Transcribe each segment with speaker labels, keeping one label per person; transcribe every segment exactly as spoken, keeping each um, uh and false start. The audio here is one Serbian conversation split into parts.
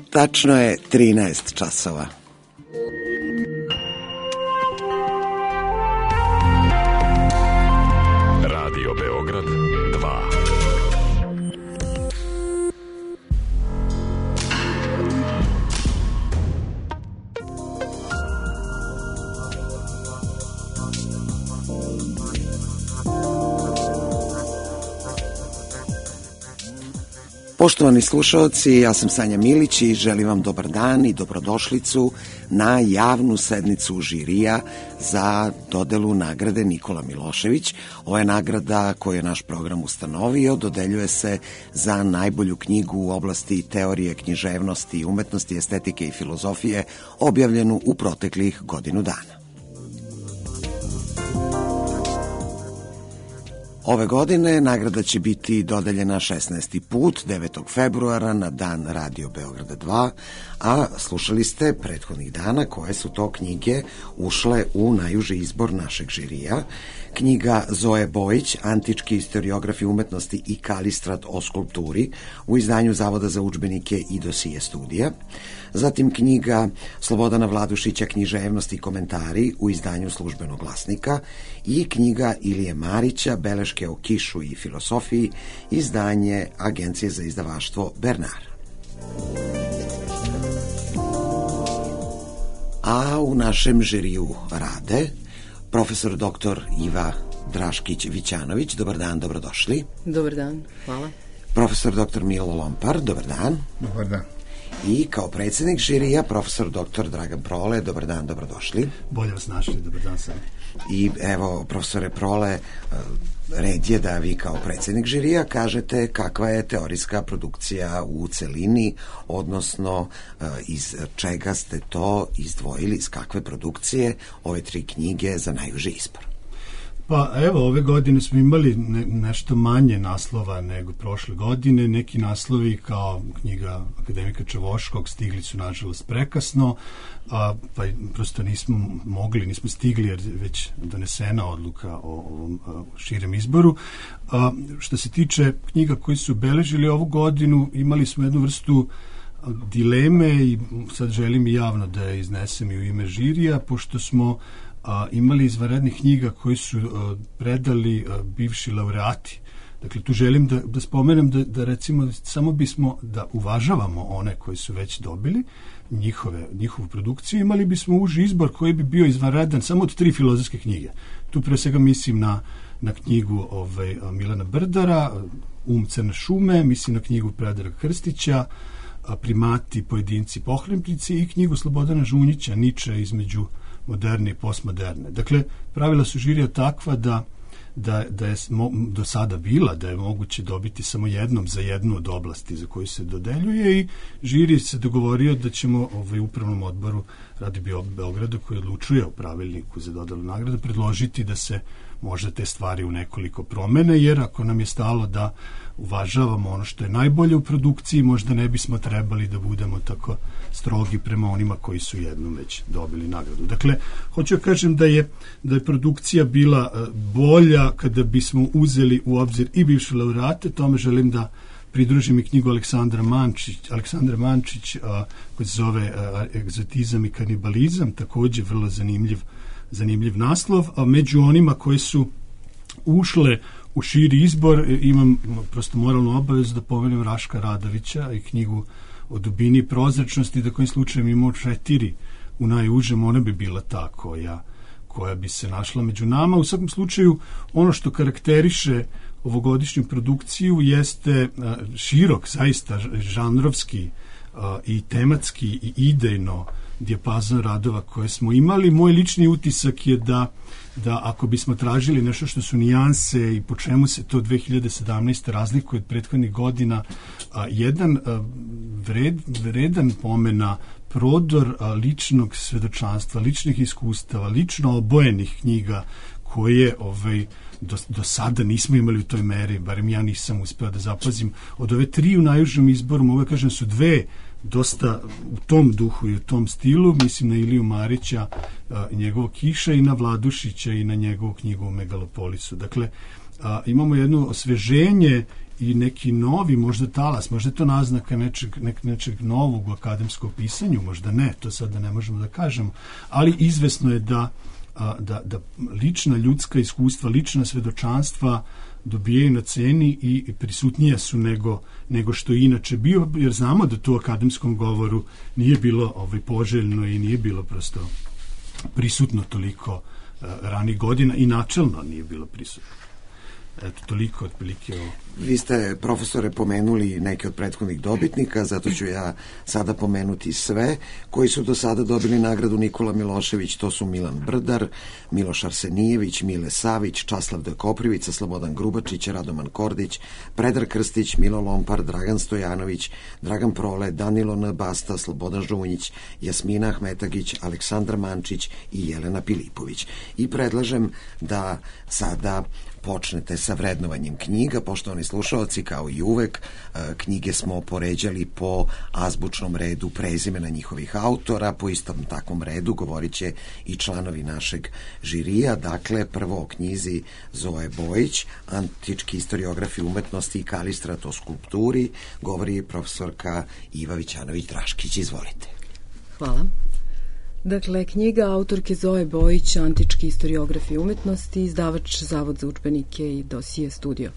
Speaker 1: Tačno je trinaest časova.
Speaker 2: Radio Beograd dva.
Speaker 1: Poštovani slušalci, ja sam Sanja Milić i želim vam dobar dan i dobrodošlicu na javnu sednicu žirija za dodelu nagrade Nikola Milošević. Ovo je nagrada koju je naš program ustanovio, dodeljuje se za najbolju knjigu u oblasti teorije, književnosti, umetnosti, estetike i filozofije, objavljenu u proteklih godinu dana. Ove godine nagrada će biti dodeljena šesnaesti put, devetog februara, na dan Radio Beograda dva, a slušali ste prethodnih dana koje su to knjige ušle u najuži izbor našeg žirija. Knjiga Zoe Bojić, Antički istoriografi umetnosti i Kalistrad o skulpturi, u izdanju Zavoda za udžbenike i dosije studija. Zatim knjiga Slobodana Vladušića, Književnosti i komentari, u izdanju Službenog glasnika, i knjiga Ilije Marića, Beleške o kišu i filosofiji, izdanje Agencije za izdavaštvo Bernard. A u našem žiriju rade profesor doktor Iva Draškić-Vićanović. Dobar dan, dobrodošli.
Speaker 3: Dobar dan, hvala.
Speaker 1: Profesor doktor Milo Lompar. Dobar dan.
Speaker 4: Dobar dan.
Speaker 1: I kao predsjednik žirija profesor doktor Dragan Prole. Dobar dan, dobrodošli.
Speaker 4: Bolje vas našli, dobar dan sam.
Speaker 1: I evo, profesore Prole, red je da vi kao predsjednik žirija kažete kakva je teorijska produkcija u celini, odnosno iz čega ste to izdvojili, iz kakve produkcije ove tri knjige za najuži izbor.
Speaker 4: Pa evo, ove godine smo imali ne, nešto manje naslova nego prošle godine. Neki naslovi kao knjiga akademika Čavoškog stigli su nažalost prekasno, a, pa prosto nismo mogli, nismo stigli jer već donesena odluka o ovom a, širem izboru. A, što se tiče knjiga koji su obeležili ovu godinu, imali smo jednu vrstu dileme i sad želim i javno da je iznesem i u ime žirija, pošto smo A, imali izvanrednih knjiga koji su a, predali a, bivši laureati. Dakle, tu želim da, da spomenem da, da recimo samo bismo da uvažavamo one koji su već dobili njihove, njihovu produkciju, imali bismo uži izbor koji bi bio izvanredan samo od tri filozofske knjige. Tu pre svega mislim na, na knjigu ovaj, Milana Brdara, Um crne šume, mislim na knjigu Predraga Krstića, Primati, pojedinci, pohlepnici, i knjigu Slobodana Žunjića, Niče između moderne i postmoderne. Dakle, pravila su žirija takva da, da, da je mo, do sada bila da je moguće dobiti samo jednom za jednu od oblasti za koju se dodeljuje, i žiri se dogovorio da ćemo ovaj, upravnom odboru Radio Beograda, koji odlučuje o pravilniku za dodelu nagrade, predložiti da se možda te stvari u nekoliko promene, jer ako nam je stalo da uvažavamo ono što je najbolje u produkciji, možda ne bismo trebali da budemo tako strogi prema onima koji su jednom već dobili nagradu. Dakle, hoću da kažem da je, da je produkcija bila bolja kada bismo uzeli u obzir i bivše laureate. Tome želim da pridružim i knjigu Aleksandra Mančić, Aleksandra Mančić a, koja se zove a, Egzotizam i kanibalizam, također vrlo zanimljiv zanimljiv naslov, a među onima koji su ušle u širi izbor imam prosto moralnu obavezu da pomenem Raška Radovića i knjigu o dubini i prozračnosti, da kojim slučajem imao četiri u najužem, ona bi bila ta koja, koja bi se našla među nama. U svakom slučaju, ono što karakteriše ovogodišnju produkciju jeste širok, zaista žanrovski i tematski i idejno dijapazon radova koje smo imali. Moj lični utisak je da, da ako bismo tražili nešto što su nijanse i po čemu se to dve hiljade sedamnaeste razlikuje od prethodnih godina, a, jedan a, vred, vredan pomena prodor a, ličnog svedočanstva, ličnih iskustava, lično obojenih knjiga koje ovaj, do, do sada nismo imali u toj meri, barem ja nisam uspeo da zapazim. Od ove tri u najužem izboru, mogu da kažem, su dve dosta u tom duhu i u tom stilu, mislim na Iliju Marića i njegovo Kiša, i na Vladušića i na njegovu knjigu o Megalopolisu. Dakle, a, imamo jedno osveženje i neki novi, možda talas, možda je to naznaka nečeg, nek, nečeg novog u akademskom pisanju, možda ne, to sada ne možemo da kažemo, ali izvesno je da, a, da, da lična ljudska iskustva, lična svedočanstva dobijaju na ceni i prisutnija su nego, nego što je inače bio, jer znamo da to u akademskom govoru nije bilo ovaj, poželjno i nije bilo prosto prisutno toliko uh, ranih godina i načelno nije bilo prisutno. Eto, toliko otprilike o...
Speaker 1: Vi ste, profesore, pomenuli neke od prethodnih dobitnika, zato ću ja sada pomenuti sve koji su do sada dobili nagradu Nikola Milošević. To su Milan Brdar, Miloš Arsenijević, Mile Savić, Časlav D. Koprivica, Slobodan Grubačić, Radoman Kordić, Predrag Krstić, Milo Lompar, Dragan Stojanović, Dragan Prole, Danilo N. Basta, Slobodan Žunjić, Jasmina Ahmetagić, Aleksandar Mančić i Jelena Pilipović. I predlažem da sada počnete sa vrednovanjem knjiga. Poštovani slušalci, kao i uvek, knjige smo poređali po azbučnom redu prezimena njihovih autora, po istom takvom redu govorit će i članovi našeg žirija. Dakle, prvo o knjizi Zoe Bojić, Antički historiografi umetnosti i Kalistrat o skulpturi, govori profesorka Iva Vićanović-Draškić. Izvolite.
Speaker 3: Hvala. Dakle, knjiga autorke Zoe Bojić, Antički historiografi umetnosti, izdavač Zavod za udžbenike i Dosije studio.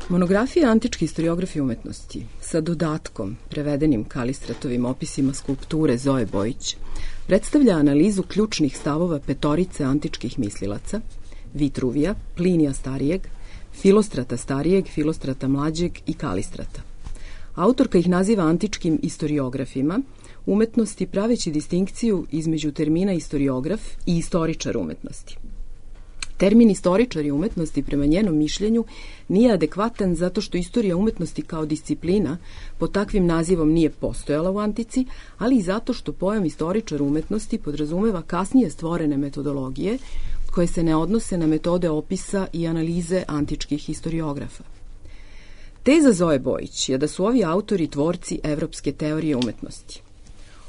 Speaker 3: Monografija Antički historiografi umetnosti sa dodatkom, prevedenim Kalistratovim opisima skulpture Zoe Bojić, predstavlja analizu ključnih stavova petorice antičkih mislilaca, Vitruvija, Plinija starijeg, Filostrata starijeg, Filostrata mlađeg i Kalistrata. Autorka ih naziva antičkim historiografima umetnosti, praveći distinkciju između termina historiograf i istoričar umetnosti. Termin istoričari umetnosti, prema njenom mišljenju, nije adekvatan zato što istorija umetnosti kao disciplina pod takvim nazivom nije postojala u antici, ali i zato što pojam istoričar umetnosti podrazumeva kasnije stvorene metodologije koje se ne odnose na metode opisa i analize antičkih historiografa. Teza Zoe Bojić je da su ovi autori tvorci evropske teorije umetnosti.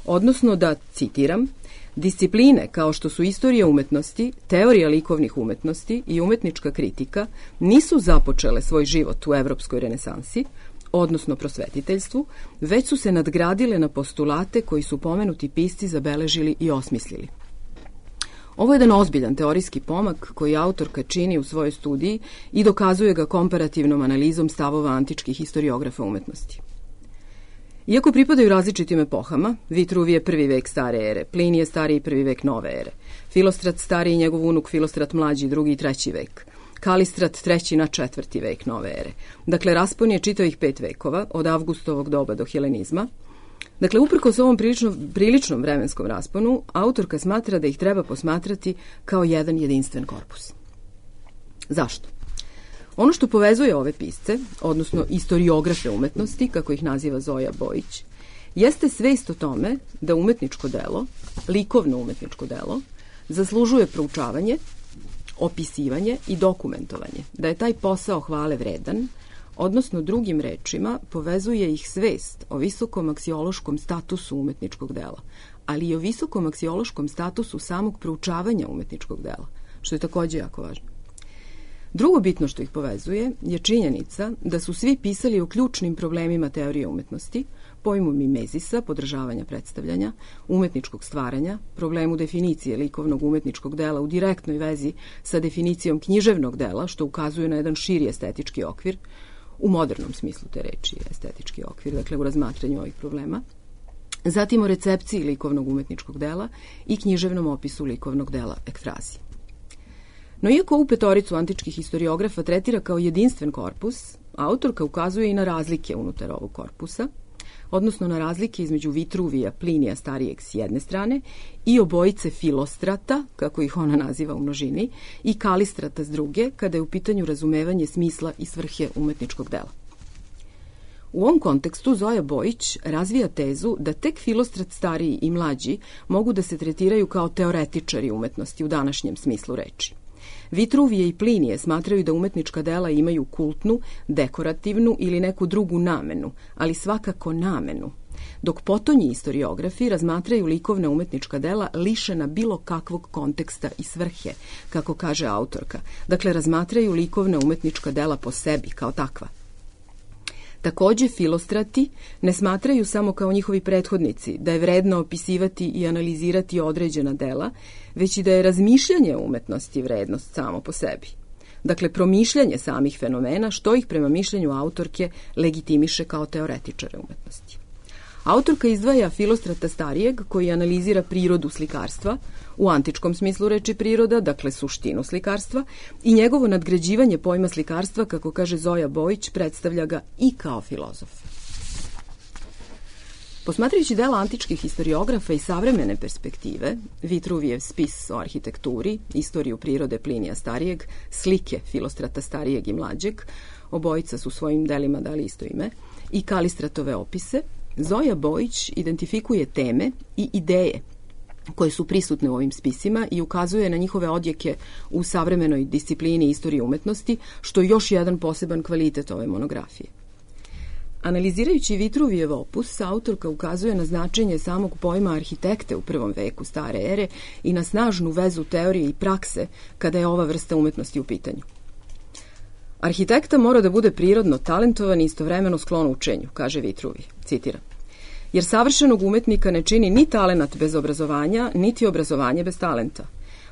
Speaker 3: Odnosno da, citiram, discipline kao što su istorija umetnosti, teorija likovnih umetnosti i umetnička kritika nisu započele svoj život u evropskoj renesansi, odnosno prosvetiteljstvu, već su se nadgradile na postulate koji su pomenuti pisci zabeležili i osmislili. Ovo je jedan ozbiljan teorijski pomak koji autorka čini u svojoj studiji i dokazuje ga komparativnom analizom stavova antičkih historiografa umetnosti. Iako pripadaju različitim epohama, Vitruv je prvi vek stare ere, Plinije stariji prvi vek nove ere, Filostrat stariji i njegov unuk Filostrat mlađi drugi i treći vek, Kalistrat treći na četvrti vek nove ere. Dakle, raspon je čitavih pet vekova, od Avgustovog doba do helenizma. Dakle, uprkos ovom prilično, priličnom vremenskom rasponu, autorka smatra da ih treba posmatrati kao jedan jedinstven korpus. Zašto? Ono što povezuje ove pisce, odnosno istoriografe umetnosti, kako ih naziva Zoja Bojić, jeste svest o tome da umetničko delo, likovno umetničko delo, zaslužuje proučavanje, opisivanje i dokumentovanje, da je taj posao hvale vredan, odnosno drugim rečima povezuje ih svest o visokom aksiološkom statusu umetničkog dela, ali i o visokom aksiološkom statusu samog proučavanja umetničkog dela, što je takođe jako važno. Drugo bitno što ih povezuje je činjenica da su svi pisali o ključnim problemima teorije umetnosti, pojmu mimezisa, podržavanja predstavljanja, umetničkog stvaranja, problemu definicije likovnog umetničkog dela u direktnoj vezi sa definicijom književnog dela, što ukazuje na jedan širi estetički okvir, u modernom smislu te reči estetički okvir, dakle u razmatranju ovih problema. Zatim o recepciji likovnog umetničkog dela i književnom opisu likovnog dela ekfrazije. No iako ovu petoricu antičkih historiografa tretira kao jedinstven korpus, autorka ukazuje i na razlike unutar ovog korpusa, odnosno na razlike između Vitruvija, Plinija starijeg s jedne strane i obojice Filostrata, kako ih ona naziva u množini, i Kalistrata s druge, kada je u pitanju razumevanje smisla i svrhe umetničkog dela. U ovom kontekstu Zoja Bojić razvija tezu da tek Filostrat stariji i mlađi mogu da se tretiraju kao teoretičari umetnosti u današnjem smislu reči. Vitruvije i Plinije smatraju da umetnička dela imaju kultnu, dekorativnu ili neku drugu namenu, ali svakako namenu, dok potonji historiografi razmatraju likovna umetnička dela lišena bilo kakvog konteksta i svrhe, kako kaže autorka. Dakle, razmatraju likovna umetnička dela po sebi, kao takva. Takođe, filostrati ne smatraju samo kao njihovi prethodnici da je vredno opisivati i analizirati određena dela, već i da je razmišljanje umetnosti vrednost samo po sebi. Dakle, promišljanje samih fenomena, što ih prema mišljenju autorke legitimiše kao teoretičare umetnosti. Autorka izdvaja Filostrata starijeg, koji analizira prirodu slikarstva, u antičkom smislu reči priroda, dakle suštinu slikarstva, i njegovo nadgrađivanje pojma slikarstva, kako kaže Zoja Bojić, predstavlja ga i kao filozof. Posmatrajući dela antičkih historiografa i savremene perspektive, Vitruvijev spis o arhitekturi, istoriju prirode Plinija starijeg, slike Filostrata starijeg i mlađeg, obojica su svojim delima dali isto ime, i Kalistratove opise, Zoja Bojić identifikuje teme i ideje koje su prisutne u ovim spisima i ukazuje na njihove odjeke u savremenoj disciplini istorije umetnosti, što je još jedan poseban kvalitet ove monografije. Analizirajući Vitruvijev opus, autorka ukazuje na značenje samog pojma arhitekte u prvom veku stare ere i na snažnu vezu teorije i prakse kada je ova vrsta umetnosti u pitanju. Arhitekta mora da bude prirodno talentovan i istovremeno sklon učenju, kaže Vitruvije, citiram. Jer savršenog umetnika ne čini ni talenat bez obrazovanja, niti obrazovanje bez talenta.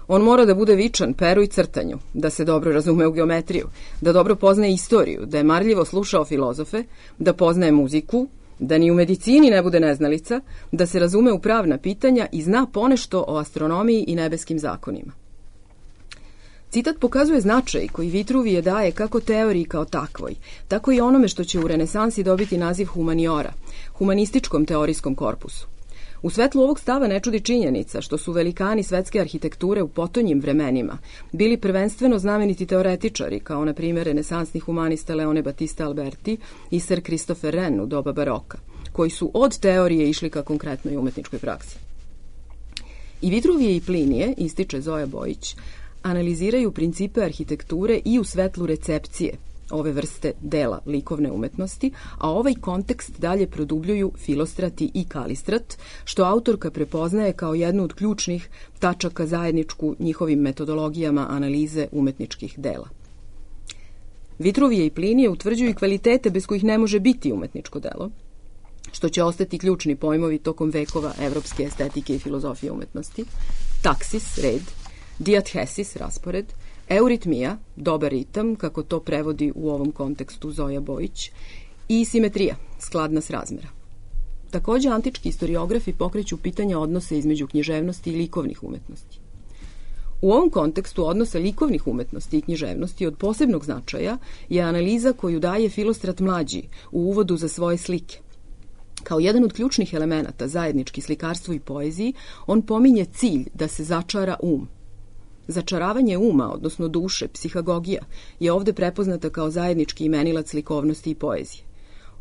Speaker 3: On mora da bude vičan peru i crtanju, da se dobro razume u geometriju, da dobro poznaje istoriju, da je marljivo slušao filozofe, da poznaje muziku, da ni u medicini ne bude neznalica, da se razume u pravna pitanja i zna ponešto o astronomiji i nebeskim zakonima. Citat pokazuje značaj koji Vitruvije daje kako teoriji kao takvoj, tako i onome što će u renesansi dobiti naziv humaniora, humanističkom teorijskom korpusu. U svetlu ovog stava ne čudi činjenica što su velikani svetske arhitekture u potonjim vremenima bili prvenstveno znameniti teoretičari, kao na primjer renesansni humanista Leone Battista Alberti i Sir Christopher Wren u doba baroka, koji su od teorije išli ka konkretnoj umetničkoj praksi. I Vitruvije i Plinije, ističe Zoja Bojić, analiziraju principe arhitekture i u svetlu recepcije ove vrste dela likovne umetnosti, a ovaj kontekst dalje produbljuju Filostrati i Kalistrat, što autorka prepoznaje kao jednu od ključnih tačaka zajedničku njihovim metodologijama analize umetničkih dela. Vitruvije i Plinije utvrđuju kvalitete bez kojih ne može biti umetničko delo, što će ostati ključni pojmovi tokom vekova evropske estetike i filozofije umetnosti, taksis, red, diathesis, raspored, euritmija, dobar ritam, kako to prevodi u ovom kontekstu Zoja Bojić, i simetrija, skladna s razmera. Takođe, antički historiografi pokreću pitanja odnosa između književnosti i likovnih umetnosti. U ovom kontekstu odnosa likovnih umetnosti i književnosti od posebnog značaja je analiza koju daje Filostrat mlađi u uvodu za svoje slike. Kao jedan od ključnih elemenata zajednički slikarstvu i poeziji, on pominje cilj da se začara um. Začaravanje uma, odnosno duše, psihagogija, je ovde prepoznata kao zajednički imenilac likovnosti i poezije.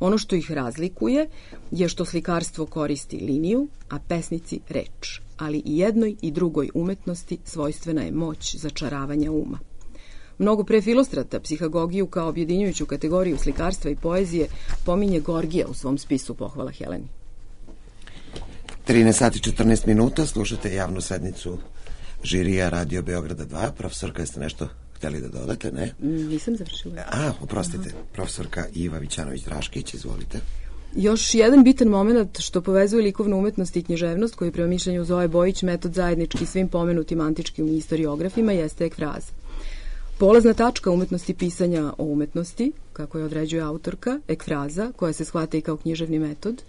Speaker 3: Ono što ih razlikuje je što slikarstvo koristi liniju, a pesnici reč, ali i jednoj i drugoj umetnosti svojstvena je moć začaravanja uma. Mnogo pre Filostrata psihagogiju kao objedinjujuću kategoriju slikarstva i poezije pominje Gorgija u svom spisu Pohvala Heleni.
Speaker 1: trinaest sati četrnaest minuta, slušate javnu sednicu žirija Radio Beograda dva. Profesorka, jeste nešto hteli da dodate, ne?
Speaker 3: Nisam završila.
Speaker 1: A, oprostite, profesorka Iva Vićanović-Draškić, izvolite.
Speaker 3: Još jedan bitan moment što povezuje likovnu umetnost i književnost, koji prema mišljenju Zoje Bojić metod zajednički svim pomenutim antičkim historiografima, jeste ekfraza. Polazna tačka umetnosti pisanja o umetnosti, kako je određuje autorka, ekfraza, koja se shvata i kao književni metod,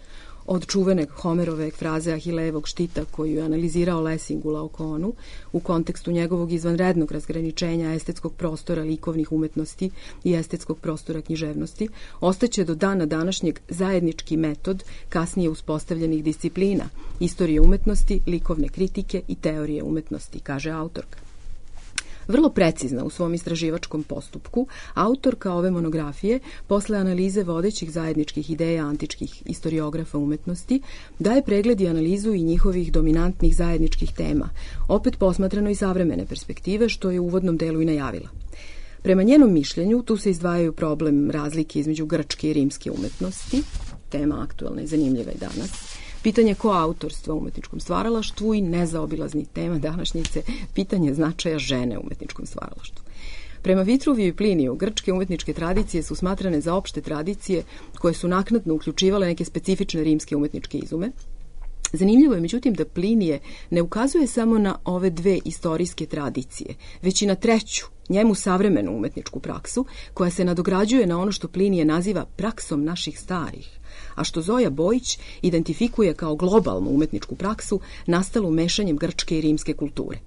Speaker 3: od čuvene Homerove ekfraze Ahilejevog štita koju je analizirao Lessing u Laokonu u kontekstu njegovog izvanrednog razgraničenja estetskog prostora likovnih umetnosti i estetskog prostora književnosti, ostaće do dana današnjeg zajednički metod kasnije uspostavljenih disciplina, istorije umetnosti, likovne kritike i teorije umetnosti, kaže autorka. Vrlo precizna u svom istraživačkom postupku, autorka ove monografije, posle analize vodećih zajedničkih ideja antičkih historiografa umetnosti, daje pregled i analizu i njihovih dominantnih zajedničkih tema, opet posmatrano i savremene perspektive, što je u uvodnom delu i najavila. Prema njenom mišljenju, tu se izdvajaju problem razlike između grčke i rimske umetnosti, tema aktualna i zanimljiva i danas, pitanje koautorstva u umetničkom stvaralaštvu i nezaobilazni tema današnjice, pitanje značaja žene u umetničkom stvaralaštvu. Prema Vitruviju i Pliniju, grčke umetničke tradicije su smatrane za opšte tradicije koje su naknadno uključivale neke specifične rimske umetničke izume. Zanimljivo je, međutim, da Plinije ne ukazuje samo na ove dve istorijske tradicije, već i na treću, njemu savremenu umetničku praksu, koja se nadograđuje na ono što Plinije naziva praksom naših starih, a što Zoja Bojić identifikuje kao globalnu umetničku praksu nastalu mešanjem grčke i rimske kulture.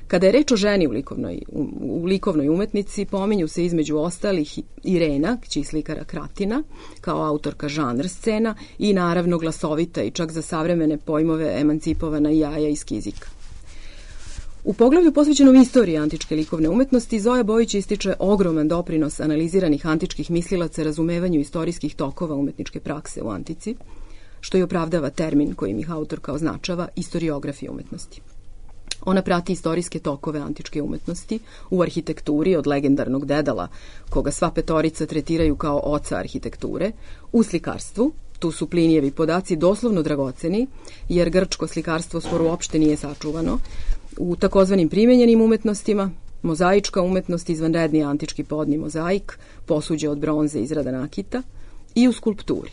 Speaker 3: Kada je reč o ženi u likovnoj, u likovnoj umetnici, pominju se između ostalih Irena, kći slikara Kratina, kao autorka žanr scena i naravno glasovita i čak za savremene pojmove emancipovana jaja iz Kizika. U poglavlju posvećenom istoriji antičke likovne umetnosti, Zoja Bojić ističe ogroman doprinos analiziranih antičkih mislilaca razumevanju istorijskih tokova umetničke prakse u antici, što i opravdava termin kojim ih autorka označava istoriografija umetnosti. Ona prati istorijske tokove antičke umetnosti u arhitekturi od legendarnog Dedala, koga sva petorica tretiraju kao oca arhitekture, u slikarstvu, tu su Plinijevi podaci doslovno dragoceni, jer grčko slikarstvo skoro uopšte nije sačuvano, u takozvanim primenjenim umetnostima, mozaička umetnost, izvanredni antički podni mozaik, posuđe od bronze izrada nakita, i u skulpturi.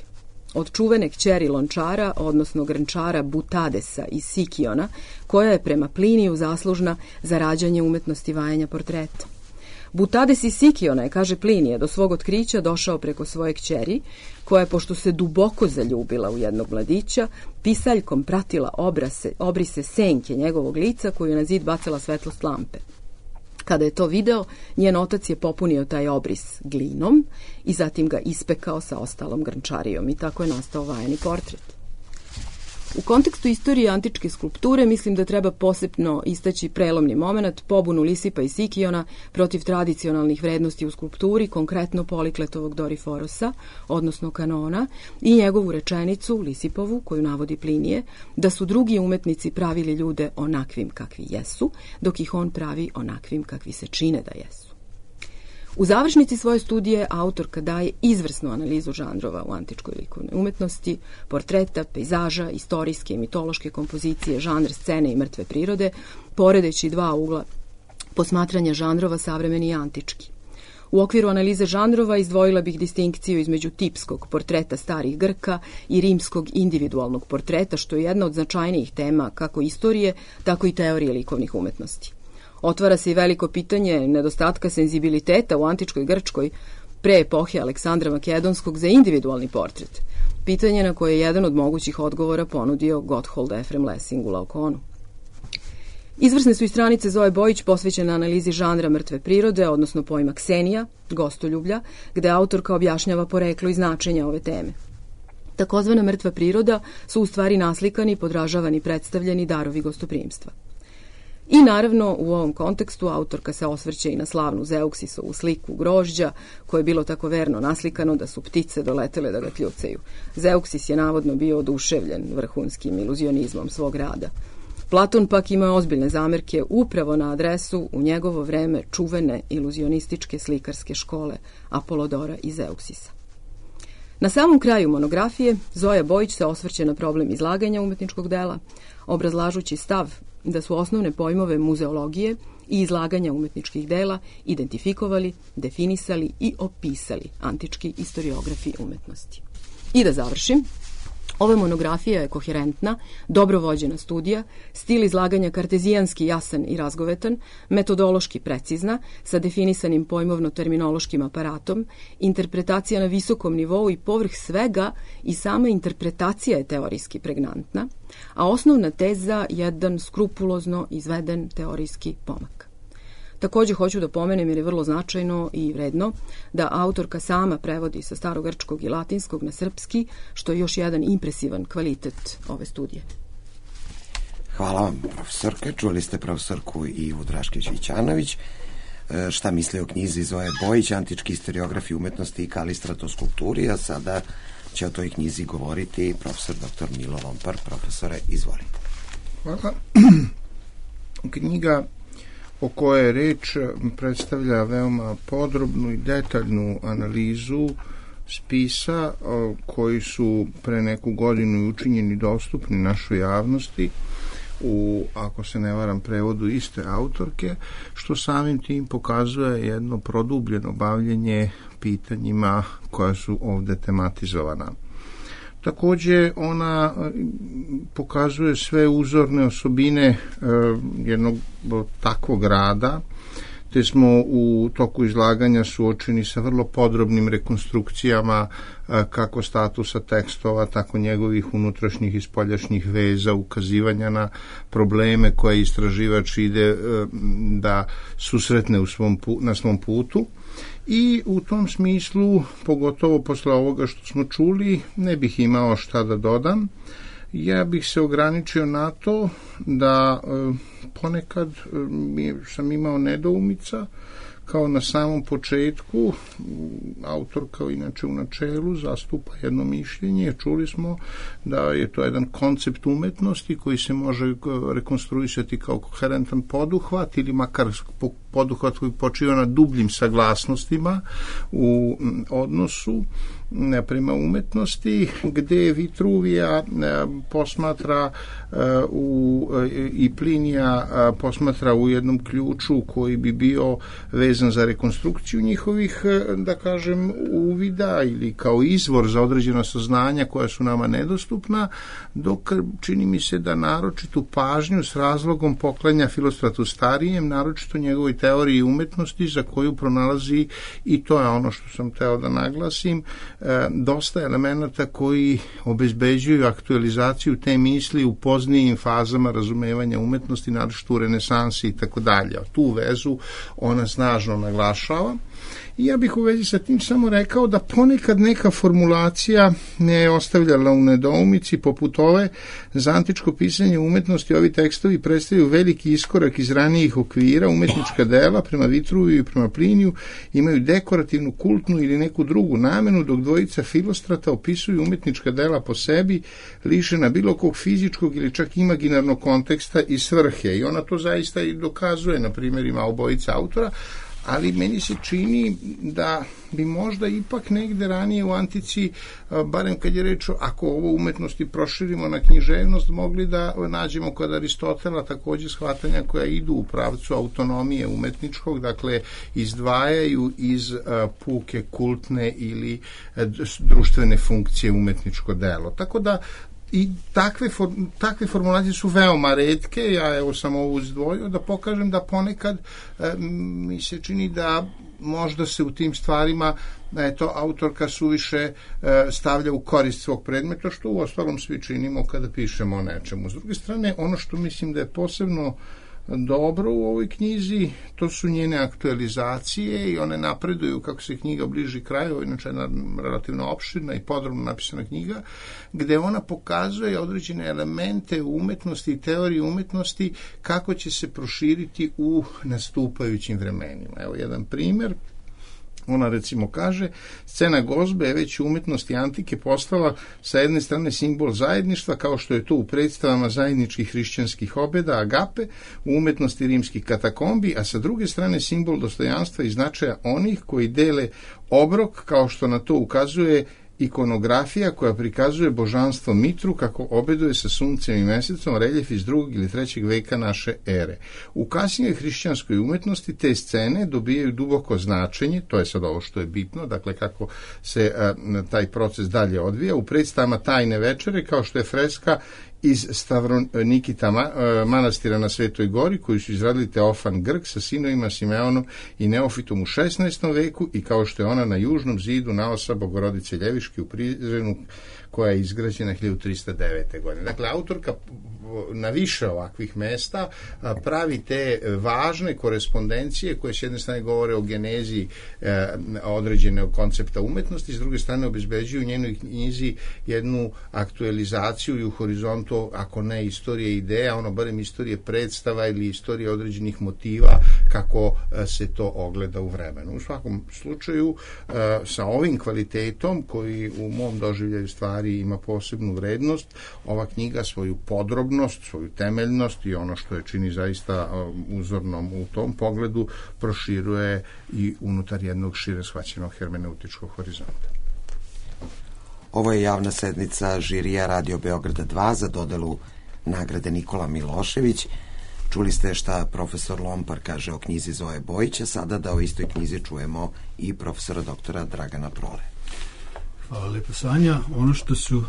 Speaker 3: Od čuvene kćeri lončara, odnosno grnčara Butadesa iz Sikiona, koja je prema Pliniju zaslužna za rađanje umetnosti vajanja portreta. Butades iz Sikiona je, kaže Plinije, do svog otkrića došao preko svoje kćeri, koja je, pošto se duboko zaljubila u jednog mladića, pisaljkom pratila obrase, obrise senke njegovog lica koju je na zid bacala svetlost lampe. Kada je to video, njen otac je popunio taj obris glinom i zatim ga ispekao sa ostalom grnčarijom i tako je nastao vajani portret. U kontekstu istorije antičke skulpture mislim da treba posebno istaći prelomni moment, pobunu Lisipa i Sikiona protiv tradicionalnih vrednosti u skulpturi, konkretno Polikletovog Doriforosa, odnosno kanona, i njegovu rečenicu, Lisipovu, koju navodi Plinije, da su drugi umetnici pravili ljude onakvim kakvi jesu, dok ih on pravi onakvim kakvi se čine da jesu. U završnici svoje studije autorka daje izvrsnu analizu žanrova u antičkoj likovnoj umetnosti, portreta, pejzaža, istorijske i mitološke kompozicije, žanr scene i mrtve prirode, poredeći dva ugla posmatranja žanrova savremeni i antički. U okviru analize žanrova izdvojila bih distinkciju između tipskog portreta starih Grka i rimskog individualnog portreta, što je jedna od značajnijih tema kako istorije, tako i teorije likovnih umetnosti. Otvara se i veliko pitanje nedostatka senzibiliteta u antičkoj Grčkoj pre epohe Aleksandra Makedonskog za individualni portret. Pitanje na koje je jedan od mogućih odgovora ponudio Gotthold Ephraim Lessing u Laokonu. Izvrsne su i stranice Zoje Bojić posvećene analizi žanra mrtve prirode, odnosno pojma ksenija, gostoljublja, gde autorka objašnjava poreklo i značenja ove teme. Takozvana mrtva priroda su u stvari naslikani, podražavani, predstavljeni darovi gostoprimstva. I naravno, u ovom kontekstu autorka se osvrće i na slavnu Zeuksisovu sliku grožđa, koje je bilo tako verno naslikano da su ptice doletele da ga kljucaju. Zeuksis je navodno bio oduševljen vrhunskim iluzionizmom svog rada. Platon pak ima ozbiljne zamerke upravo na adresu u njegovo vreme čuvene iluzionističke slikarske škole Apolodora i Zeuksisa. Na samom kraju monografije Zoja Bojić se osvrće na problem izlaganja umetničkog dela, obrazlažući stav da su osnovne pojmove muzeologije i izlaganja umetničkih dela identifikovali, definisali i opisali antički istoriografi umetnosti. I da završim, ova monografija je koherentna, dobro vođena studija, stil izlaganja kartezijanski jasan i razgovetan, metodološki precizna, sa definisanim pojmovno-terminološkim aparatom, interpretacija na visokom nivou i povrh svega i sama interpretacija je teorijski pregnantna, a osnovna teza jedan skrupulozno izveden teorijski pomak. Takođe hoću da pomenem, jer je vrlo značajno i vredno, da autorka sama prevodi sa starogrčkog i latinskog na srpski, što je još jedan impresivan kvalitet ove studije.
Speaker 1: Hvala vam, profesorke. Čuli ste profesorku Ivu Draškić-Vićanović. Šta misli o knjizi Zoje Bojić, antički istoriografi umetnosti i kalistratoskulpturi, a sada će o toj knjizi govoriti profesor doktor Milo Lompar. Profesore, izvolite.
Speaker 5: Hvala. Knjiga o kojoj je reč predstavlja veoma podrobnu i detaljnu analizu spisa koji su pre neku godinu učinjeni dostupni našoj javnosti u, ako se ne varam, prevodu iste autorke, što samim tim pokazuje jedno produbljeno bavljenje pitanjima koja su ovde tematizovana. Takođe, ona pokazuje sve uzorne osobine e, jednog takvog rada, te smo u toku izlaganja suočeni sa vrlo podrobnim rekonstrukcijama e, kako statusa tekstova, tako njegovih unutrašnjih i spoljašnjih veza, ukazivanja na probleme koje istraživač ide e, da susretne u svom, na svom putu. I u tom smislu, pogotovo posle ovoga što smo čuli, ne bih imao šta da dodam. Ja bih se ograničio na to da e, ponekad e, sam imao nedoumica, kao na samom početku. Autor, kao inače u načelu, zastupa jedno mišljenje. Čuli smo da je to jedan koncept umetnosti koji se može rekonstruisati kao koherentan poduhvat ili makar poduhvat koji počiva na dubljim saglasnostima u odnosu prema umetnosti, gde Vitruvija posmatra u, i Plinija posmatra u jednom ključu koji bi bio vezan za rekonstrukciju njihovih, da kažem, uvida ili kao izvor za određena saznanja koja su nama nedostupna, dok čini mi se da naročitu pažnju s razlogom poklanja Filostratu Starijem, naročito njegovoj teoriji umetnosti, za koju pronalazi, i to je ono što sam teo da naglasim, dosta elemenata koji obezbeđuju aktualizaciju te misli u poznijim fazama razumevanja umetnosti, naročito u renesansi i tako dalje. Tu vezu ona snažno naglašava. I ja bih u vezi sa tim samo rekao da ponekad neka formulacija ne je ostavljala u nedoumici, poput ove: za antičko pisanje umetnosti ovi tekstovi predstavljaju veliki iskorak iz ranijih okvira, umetnička dela prema Vitruviju i prema Pliniju imaju dekorativnu, kultnu ili neku drugu namenu, dok dvojica Filostrata opisuju umetnička dela po sebi, lišena bilo kog fizičkog ili čak imaginarnog konteksta i svrhe. I ona to zaista i dokazuje na primjerima obojica autora, ali meni se čini da bi možda ipak negde ranije u antici, barem kad je reč, ako ovo umetnosti proširimo na književnost, mogli da nađemo kod Aristotela takođe shvatanja koja idu u pravcu autonomije umetničkog, dakle izdvajaju iz puke kultne ili društvene funkcije umetničko delo. Tako da i takve, for, takve formulacije su veoma retke. Ja evo sam ovo izdvojio da pokažem da ponekad e, mi se čini da možda se u tim stvarima eto, autorka suviše e, stavlja u korist svog predmeta, što u ostalom svi činimo kada pišemo o nečemu. S druge strane, ono što mislim da je posebno dobro u ovoj knjizi, to su njene aktualizacije i one napreduju kako se knjiga bliži kraju. Ovo je inače jedna relativno opširna i podrobno napisana knjiga, gde ona pokazuje određene elemente umetnosti i teorije umetnosti kako će se proširiti u nastupajućim vremenima. Evo jedan primer. Ona recimo kaže: scena gozbe je već u umetnosti antike postala sa jedne strane simbol zajedništva, kao što je to u predstavama zajedničkih hrišćanskih obeda, agape, u umetnosti rimskih katakombi, a sa druge strane simbol dostojanstva i značaja onih koji dele obrok, kao što na to ukazuje ikonografija koja prikazuje božanstvo Mitru kako obeduje sa suncem i mesecom, reljef iz drugog ili trećeg veka naše ere. U kasnijoj hrišćanskoj umetnosti te scene dobijaju duboko značenje, to je sad ovo što je bitno, dakle kako se a, taj proces dalje odvija, u predstavama Tajne večere, kao što je freska iz Stavronikita manastira na Svetoj Gori, koju su izradili Teofan Grk sa sinovima Simeonom i Neofitom u šesnaestom veku, i kao što je ona na južnom zidu naosa Bogorodice Ljeviške u Prizrenu, koja je izgrađena hiljadu trista devete. godine. Dakle, autorka na više ovakvih mesta pravi te važne korespondencije koje s jedne strane govore o genezi e, određenog koncepta umetnosti, s druge strane obezbeđuju u njenoj knjizi jednu aktualizaciju i u horizontu, ako ne istorije ideja, ono barem istorije predstava ili istorije određenih motiva kako se to ogleda u vremenu. U svakom slučaju, e, sa ovim kvalitetom koji u mom doživljaju stvari ima posebnu vrednost, ova knjiga svoju podrobnost, svoju temeljnost i ono što je čini zaista uzornom u tom pogledu proširuje i unutar jednog šire shvaćenog hermeneutičkog horizonta.
Speaker 1: Ovo je javna sednica žirija Radio Beograda dva za dodelu nagrade Nikola Milošević. Čuli ste šta profesor Lompar kaže o knjizi Zoje Bojića, sada da o istoj knjizi čujemo i profesora doktora Dragana Prole.
Speaker 4: Hvala lepo, Sanja. Ono što su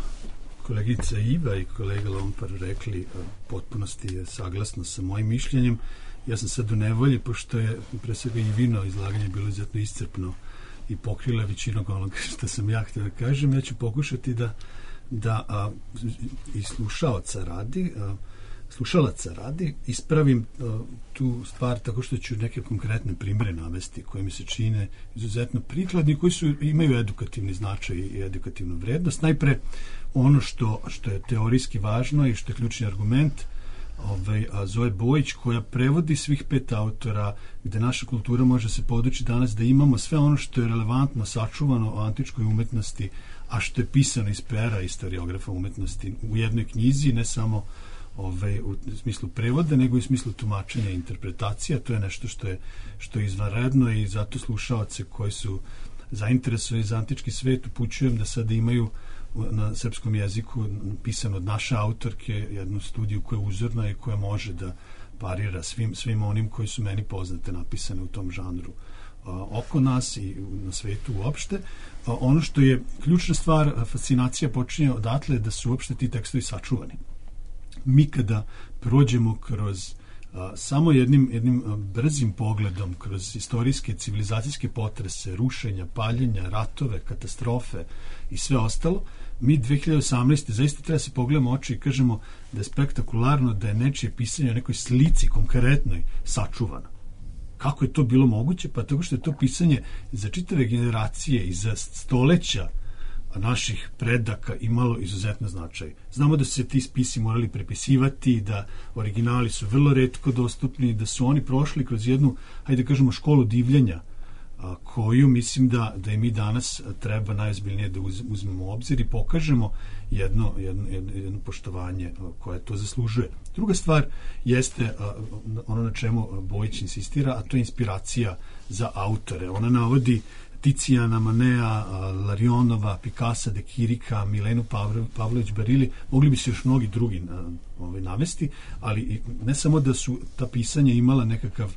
Speaker 4: kolegica Iva i kolega Lompar rekli potpunosti je saglasno sa mojim mišljenjem. Ja sam sad u nevolji, pošto je pre svega i vino izlaganje bilo izuzetno iscrpno i pokrila većinog onoga što sam ja htio da kažem. Ja ću pokušati da, da a, i slušaoca radi, a, slušalaca radi, ispravim a, tu stvar tako što ću neke konkretne primere navesti koje mi se čine izuzetno prikladni, koji su, imaju edukativni značaj i edukativnu vrednost. Najpre ono što, što je teorijski važno i što je ključni argument, Ovaj, a Zoe Bojić, koja prevodi svih pet autora, gde naša kultura može se podući danas da imamo sve ono što je relevantno, sačuvano o antičkoj umetnosti, a što je pisano iz pera istoriografa umetnosti u jednoj knjizi, ne samo ovaj, u smislu prevoda, nego i u smislu tumačenja i interpretacija. To je nešto što je, što je izvanredno i zato slušaoce koji su zainteresovani za antički svet upućujem da sada imaju na srpskom jeziku pisano od naše autorke jednu studiju koja je uzorna i koja može da parira svim, svim onim koji su meni poznate napisane u tom žanru a, oko nas i na svetu uopšte. A, ono što je ključna stvar, fascinacija počinje odatle da su uopšte ti tekstovi sačuvani. Mi kada prođemo kroz a, samo jednim, jednim a, brzim pogledom kroz istorijske, civilizacijske potrese, rušenja, paljenja, ratove, katastrofe i sve ostalo, mi dve hiljade osamnaeste zaista treba se pogledamo oči i kažemo da je spektakularno da je nečije pisanje o nekoj slici konkretnoj sačuvano. Kako je to bilo moguće? Pa tako što je to pisanje za čitave generacije i za stoleća naših predaka imalo izuzetno značaj. Znamo da su se ti spisi morali prepisivati, da originali su vrlo retko dostupni, da su oni prošli kroz jednu, hajde da kažemo, školu divljenja, a, koju mislim da, da i mi danas treba najozbiljnije da uz, uzmemo u obzir i pokažemo jedno, jedno, jedno, jedno poštovanje a, koje to zaslužuje. Druga stvar jeste a, ono na čemu Bojić insistira, a to je inspiracija za autore. Ona navodi Ticijana, Manea, Larionova, Pikasa, De Kirika, Milenu Pavlović Barili, mogli bi se još mnogi drugi na, ovaj, navesti, ali ne samo da su ta pisanja imala nekakav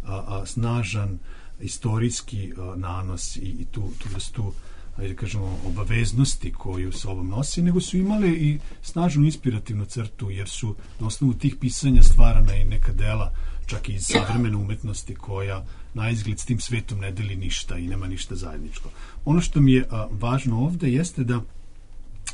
Speaker 4: a, a, snažan istorijski a, nanos i, i tu, tu vrstu, ajde kažemo, obaveznosti koju s ovom nosi, nego su imale i snažnu inspirativnu crtu, jer su na osnovu tih pisanja stvarana i neka dela, čak i iz savremene umetnosti, koja na izgled s tim svetom ne deli ništa i nema ništa zajedničko. Ono što mi je a, važno ovde jeste da,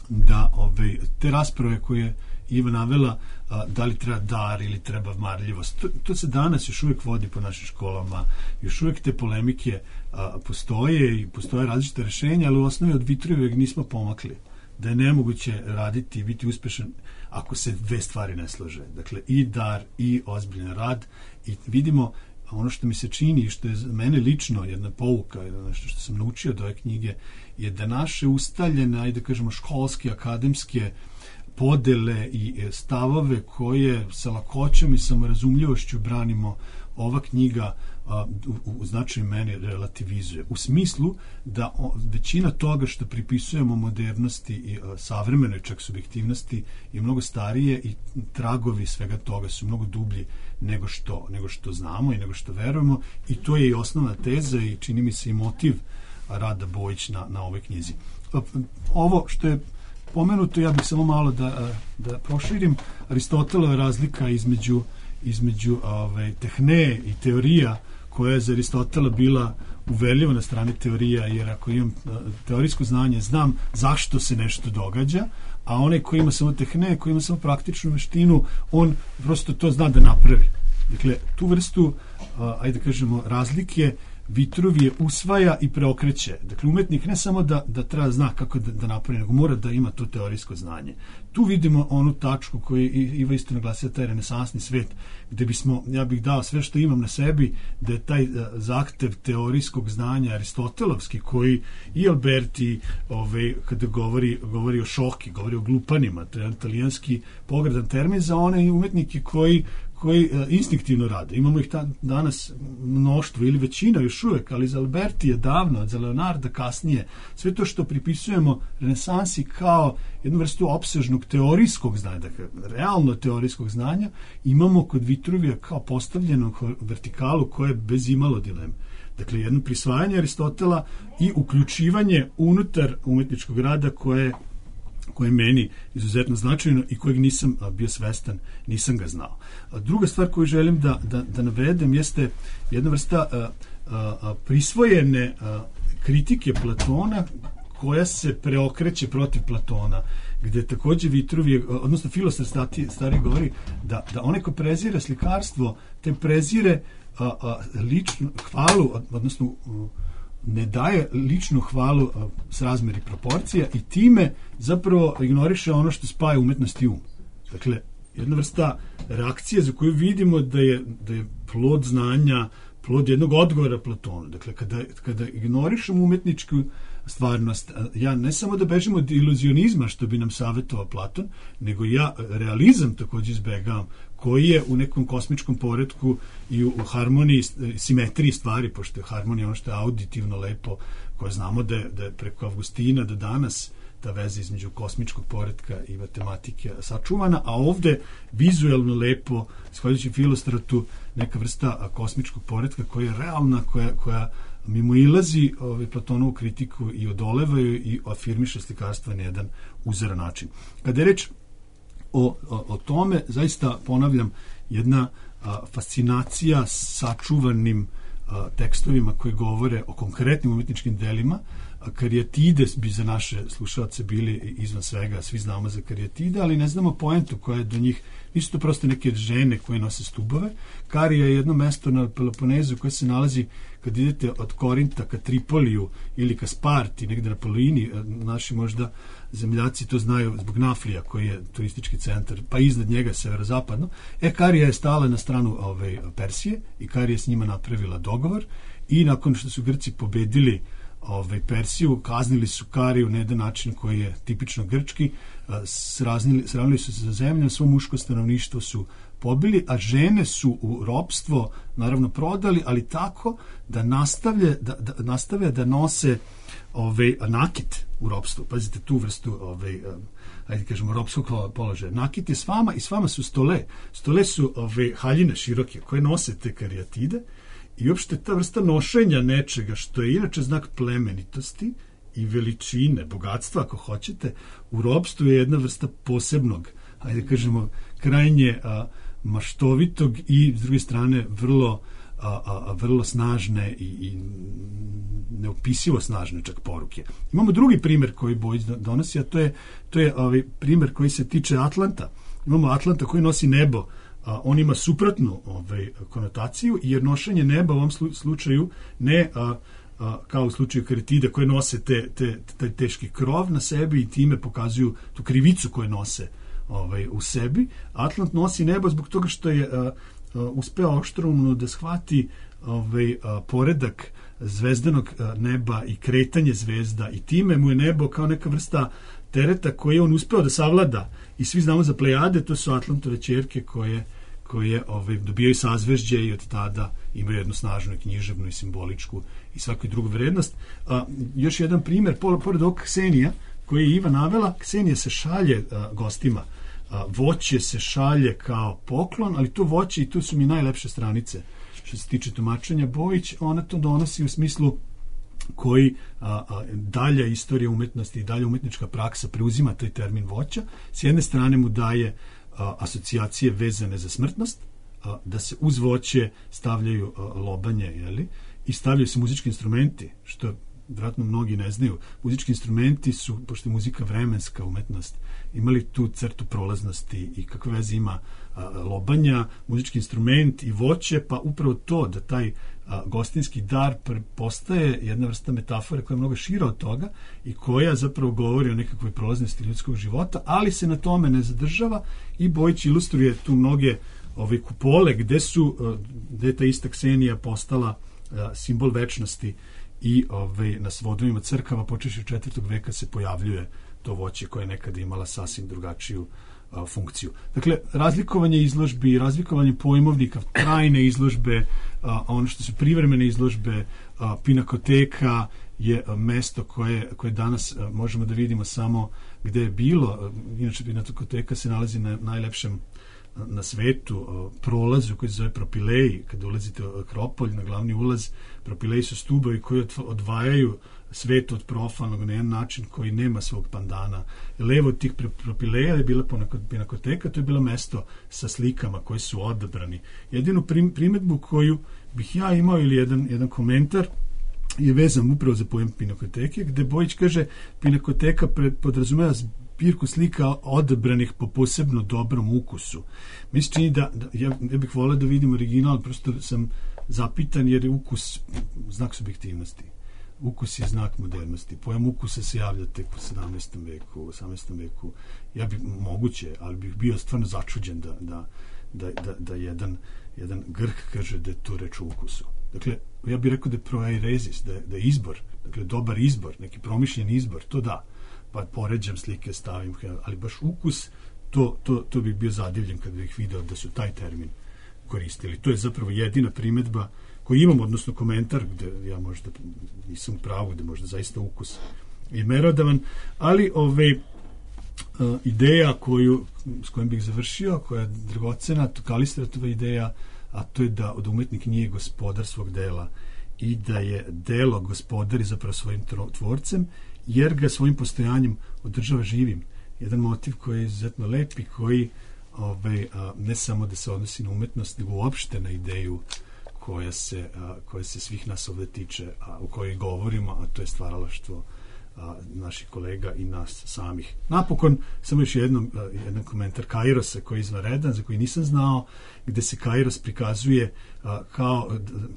Speaker 4: da ove, te rasprave koje Iva navela, a, da li treba dar ili treba marljivost, to, to se danas još uvijek vodi po našim školama, još uvijek te polemike a, postoje i postoje različite rešenja, ali u osnovi od Vitrujevog nismo pomakli. Da je nemoguće raditi i biti uspešan ako se dve stvari ne slože. Dakle, i dar i ozbiljan rad. I vidimo ono što mi se čini i što je za mene lično jedna pouka, nešto što sam naučio od ove knjige, je da naše ustaljene, ajde da kažemo, školske, akademske podele i stavove koje sa lakoćom i samorazumljivošću branimo, ova knjiga a, u, u značaju meni relativizuje. U smislu da o, većina toga što pripisujemo modernosti i a, savremenoj čak subjektivnosti je mnogo starije i tragovi svega toga su mnogo dublji nego što, nego što znamo i nego što verujemo, i to je i osnovna teza i čini mi se i motiv rada Bojić na, na ovoj knjizi. Ovo što je pomenuto, ja bih samo malo da, da proširim. Aristotelova razlika između između ove, tehne i teorija, koja je za Aristotela bila uverljiva na strani teorija, jer ako imam teorijsko znanje, znam zašto se nešto događa, a onaj koji ima samo tehne, koji ima samo praktičnu veštinu, on prosto to zna da napravi. Dakle, tu vrstu, a, ajde da kažemo, razlike Vitruvije usvaja i preokreće. Dakle, umetnik ne samo da, da treba zna kako da, da napravi, nego mora da ima to teorijsko znanje. Tu vidimo onu tačku koju Iva isto naglasila, taj renesansni svet, gde bismo, ja bih dao sve što imam na sebi, da je taj zahtev teorijskog znanja aristotelovski, koji i Alberti, ovaj, kada govori, govori o šoki, govori o glupanima, to je italijanski pogredan termin za one umetnike koji koji uh, instinktivno rade. Imamo ih ta, danas mnoštvo ili većina još uvek, ali za Alberti je davno, za Leonarda kasnije. Sve to što pripisujemo renesansi kao jednu vrstu opsežnog teorijskog znanja, dakle, realno teorijskog znanja, imamo kod Vitruvija kao postavljenu vertikalu koja je bez imalo dileme. Dakle, jedno prisvajanje Aristotela i uključivanje unutar umetničkog rada koje koje je meni izuzetno značajno i kojeg nisam bio svestan, nisam ga znao. Druga stvar koju želim da, da, da navedem jeste jedna vrsta a, a, prisvojene a, kritike Platona koja se preokreće protiv Platona, gde takođe Vitruvije, odnosno Filostar stari govori da, da onaj ko prezire slikarstvo, te prezire a, a, ličnu hvalu, odnosno ne daje ličnu hvalu a, s razmeri proporcija i time zapravo ignoriše ono što spaja umetnost i um. Dakle, jedna vrsta reakcije za koju vidimo da je, da je plod znanja, plod jednog odgovora Platonu. Dakle, kada, kada ignorišemo umetničku stvarnost, ja ne samo da bežim od iluzionizma, što bi nam savjetovao Platon, nego ja realizam takođe izbegavam, koji je u nekom kosmičkom poretku i u, u harmoniji, simetriji stvari, pošto je harmonija ono što je auditivno lepo, koje znamo da je, da je preko Avgustina do danas ta veza između kosmičkog poretka i matematike sačuvana, a ovde vizuelno lepo, shvaljujući Filostratu, neka vrsta kosmičkog poretka koja je realna, koja, koja mimo ilazi ovaj, Platonovu kritiku i odolevaju i afirmiše slikarstva na jedan uzoran način. Kada je reč o, o, o tome, zaista ponavljam, jedna a, fascinacija sačuvanim a, tekstovima koji govore o konkretnim umetničkim delima. Karijatide bi za naše slušalce bili izvan svega, svi znamo za karijatide, ali ne znamo poentu koja je do njih. Nisu to prosto neke žene koje nose stubove. Karija je jedno mesto na Peloponezu koje se nalazi kad idete od Korinta ka Tripoliju ili ka Sparti, negde na Polini. Naši možda zemljaci to znaju zbog Naflija koji je turistički centar, pa iznad njega severozapadno. E, Karija je stala na stranu ove, Persije i Karija je s njima napravila dogovor i nakon što su Grci pobedili Ove, Persiju, kaznili su Kariju na jedan način koji je tipično grčki, sraznili, sravnili su se za zemljom, svo muško stanovništvo su pobili, a žene su u ropstvo naravno prodali, ali tako da nastavlje da, da, nastave da nose ove, nakit u ropstvu. Pazite tu vrstu ove, ajde kažemo ropskog položaja. Nakit je s vama i s vama su stole. Stole su ove, haljine široke koje nose te karijatide. I uopšte ta vrsta nošenja nečega, što je inače znak plemenitosti i veličine, bogatstva, ako hoćete, u ropstvu je jedna vrsta posebnog, hajde kažemo, krajnje a, maštovitog i, s druge strane, vrlo, a, a, vrlo snažne i, i neopisivo snažne čak poruke. Imamo drugi primer koji Bojić donosi, a to je, to je ovaj primer koji se tiče Atlanta. Imamo Atlanta koji nosi nebo. A, on ima suprotnu ovaj, konotaciju, jer nošenje neba u ovom slučaju ne a, a, kao u slučaju karijatida koje nose te, te, te teški krov na sebi i time pokazuju tu krivicu koju nose ovaj, u sebi. Atlant nosi nebo zbog toga što je a, a, uspeo oštroumno da shvati ovaj, a, poredak zvezdanog a, neba i kretanje zvezda i time mu je nebo kao neka vrsta tereta koji je on uspeo da savlada. I svi znamo za Plejade, to su Atlantove ćerke koje, koje ovaj, dobijaju sazvežđe i od tada imaju jednu snažnu književnu i simboličku i svaku drugu vrednost. A, još jedan primjer, pored ovog Ksenija, koji je Iva navela, Ksenija se šalje a, gostima. A, voće se šalje kao poklon, ali to voće, i tu su mi najlepše stranice što se tiče tumačenja Bojić, ona to donosi u smislu koji a, a, dalja istorija umetnosti i dalja umetnička praksa preuzima taj termin voća. S jedne strane mu daje a, asocijacije vezane za smrtnost, a, da se uz voće stavljaju a, lobanje, jeli? I stavljaju se muzički instrumenti, što vjerojatno mnogi ne znaju. Muzički instrumenti su, pošto je muzika vremenska umetnost, imali tu crtu prolaznosti i kakve veze ima a, lobanja, muzički instrument i voće, pa upravo to da taj a, gostinski dar postaje jedna vrsta metafore koja je mnogo šira od toga i koja zapravo govori o nekakvoj prolaznosti ljudskog života, ali se na tome ne zadržava i Bojić ilustruje tu mnoge ove kupole gde su, gde je ta ista Ksenija postala a, simbol večnosti i ove, na svodovima crkava počeši od četvrtog veka se pojavljuje to voće koje je nekada imala sasvim drugačiju a, funkciju. Dakle, razlikovanje izložbi, razlikovanje pojmovnika, trajne izložbe, a, ono što su privremene izložbe, a, pinakoteka je a, mesto koje, koje danas a, možemo da vidimo samo gde je bilo, inače Pinakoteka se nalazi na najlepšem na svetu prolazu koji se zove Propileji, kada ulazite u Akropolj na glavni ulaz. Propileji su stubovi koji odvajaju svet od profanog na jedan način koji nema svog pandana. Levo od tih Propileja je bila Pinakoteka, to je bilo mesto sa slikama koji su odabrani. Jedinu primetbu koju bih ja imao ili jedan, jedan komentar je vezan upravo za pojam Pinakoteke, gde Bojić kaže Pinakoteka podrazumeva zbirku slika odabranih po posebno dobrom ukusu. Mi se čini da, da ja, ja bih voleo da vidim original, prosto sam zapitan jer je ukus znak subjektivnosti. Ukus je znak modernosti. Pojam ukusa se javlja tek u sedamnaestom veku, u osamnaestom veku. Ja bih moguće, ali bih bio stvarno začuđen da, da, da, da, da jedan, jedan Grk kaže da je to reč o ukusu. Dakle, ja bih rekao da je proairezis, da je, da je izbor, dakle, dobar izbor, neki promišljen izbor, to da, pa poređam slike, stavim, ali baš ukus, to, to, to bih bio zadivljen kad bih video da su taj termin koristili. To je zapravo jedina primetba koju imam, odnosno komentar, gde ja možda nisam u pravu, gde možda zaista ukus je merodavan, ali ove uh, ideja koju, s kojom bih završio, koja je dragocena, to Kalistratova ideja, a to je da, da umetnik nije gospodar svog dela i da je delo gospodari zapravo svojim tvorcem, jer ga svojim postojanjem održava živim. Jedan motiv koji je izuzetno lep i koji ovaj, a, ne samo da se odnosi na umetnost, nego uopšte na ideju koja se, a, koja se svih nas ovde tiče, a o kojoj govorimo, a to je stvaralaštvo a, naših kolega i nas samih. Napokon, samo još jednom, a, jedan komentar Kairosa koji je izvanredan, za koji nisam znao, gde se Kairos prikazuje a, kao,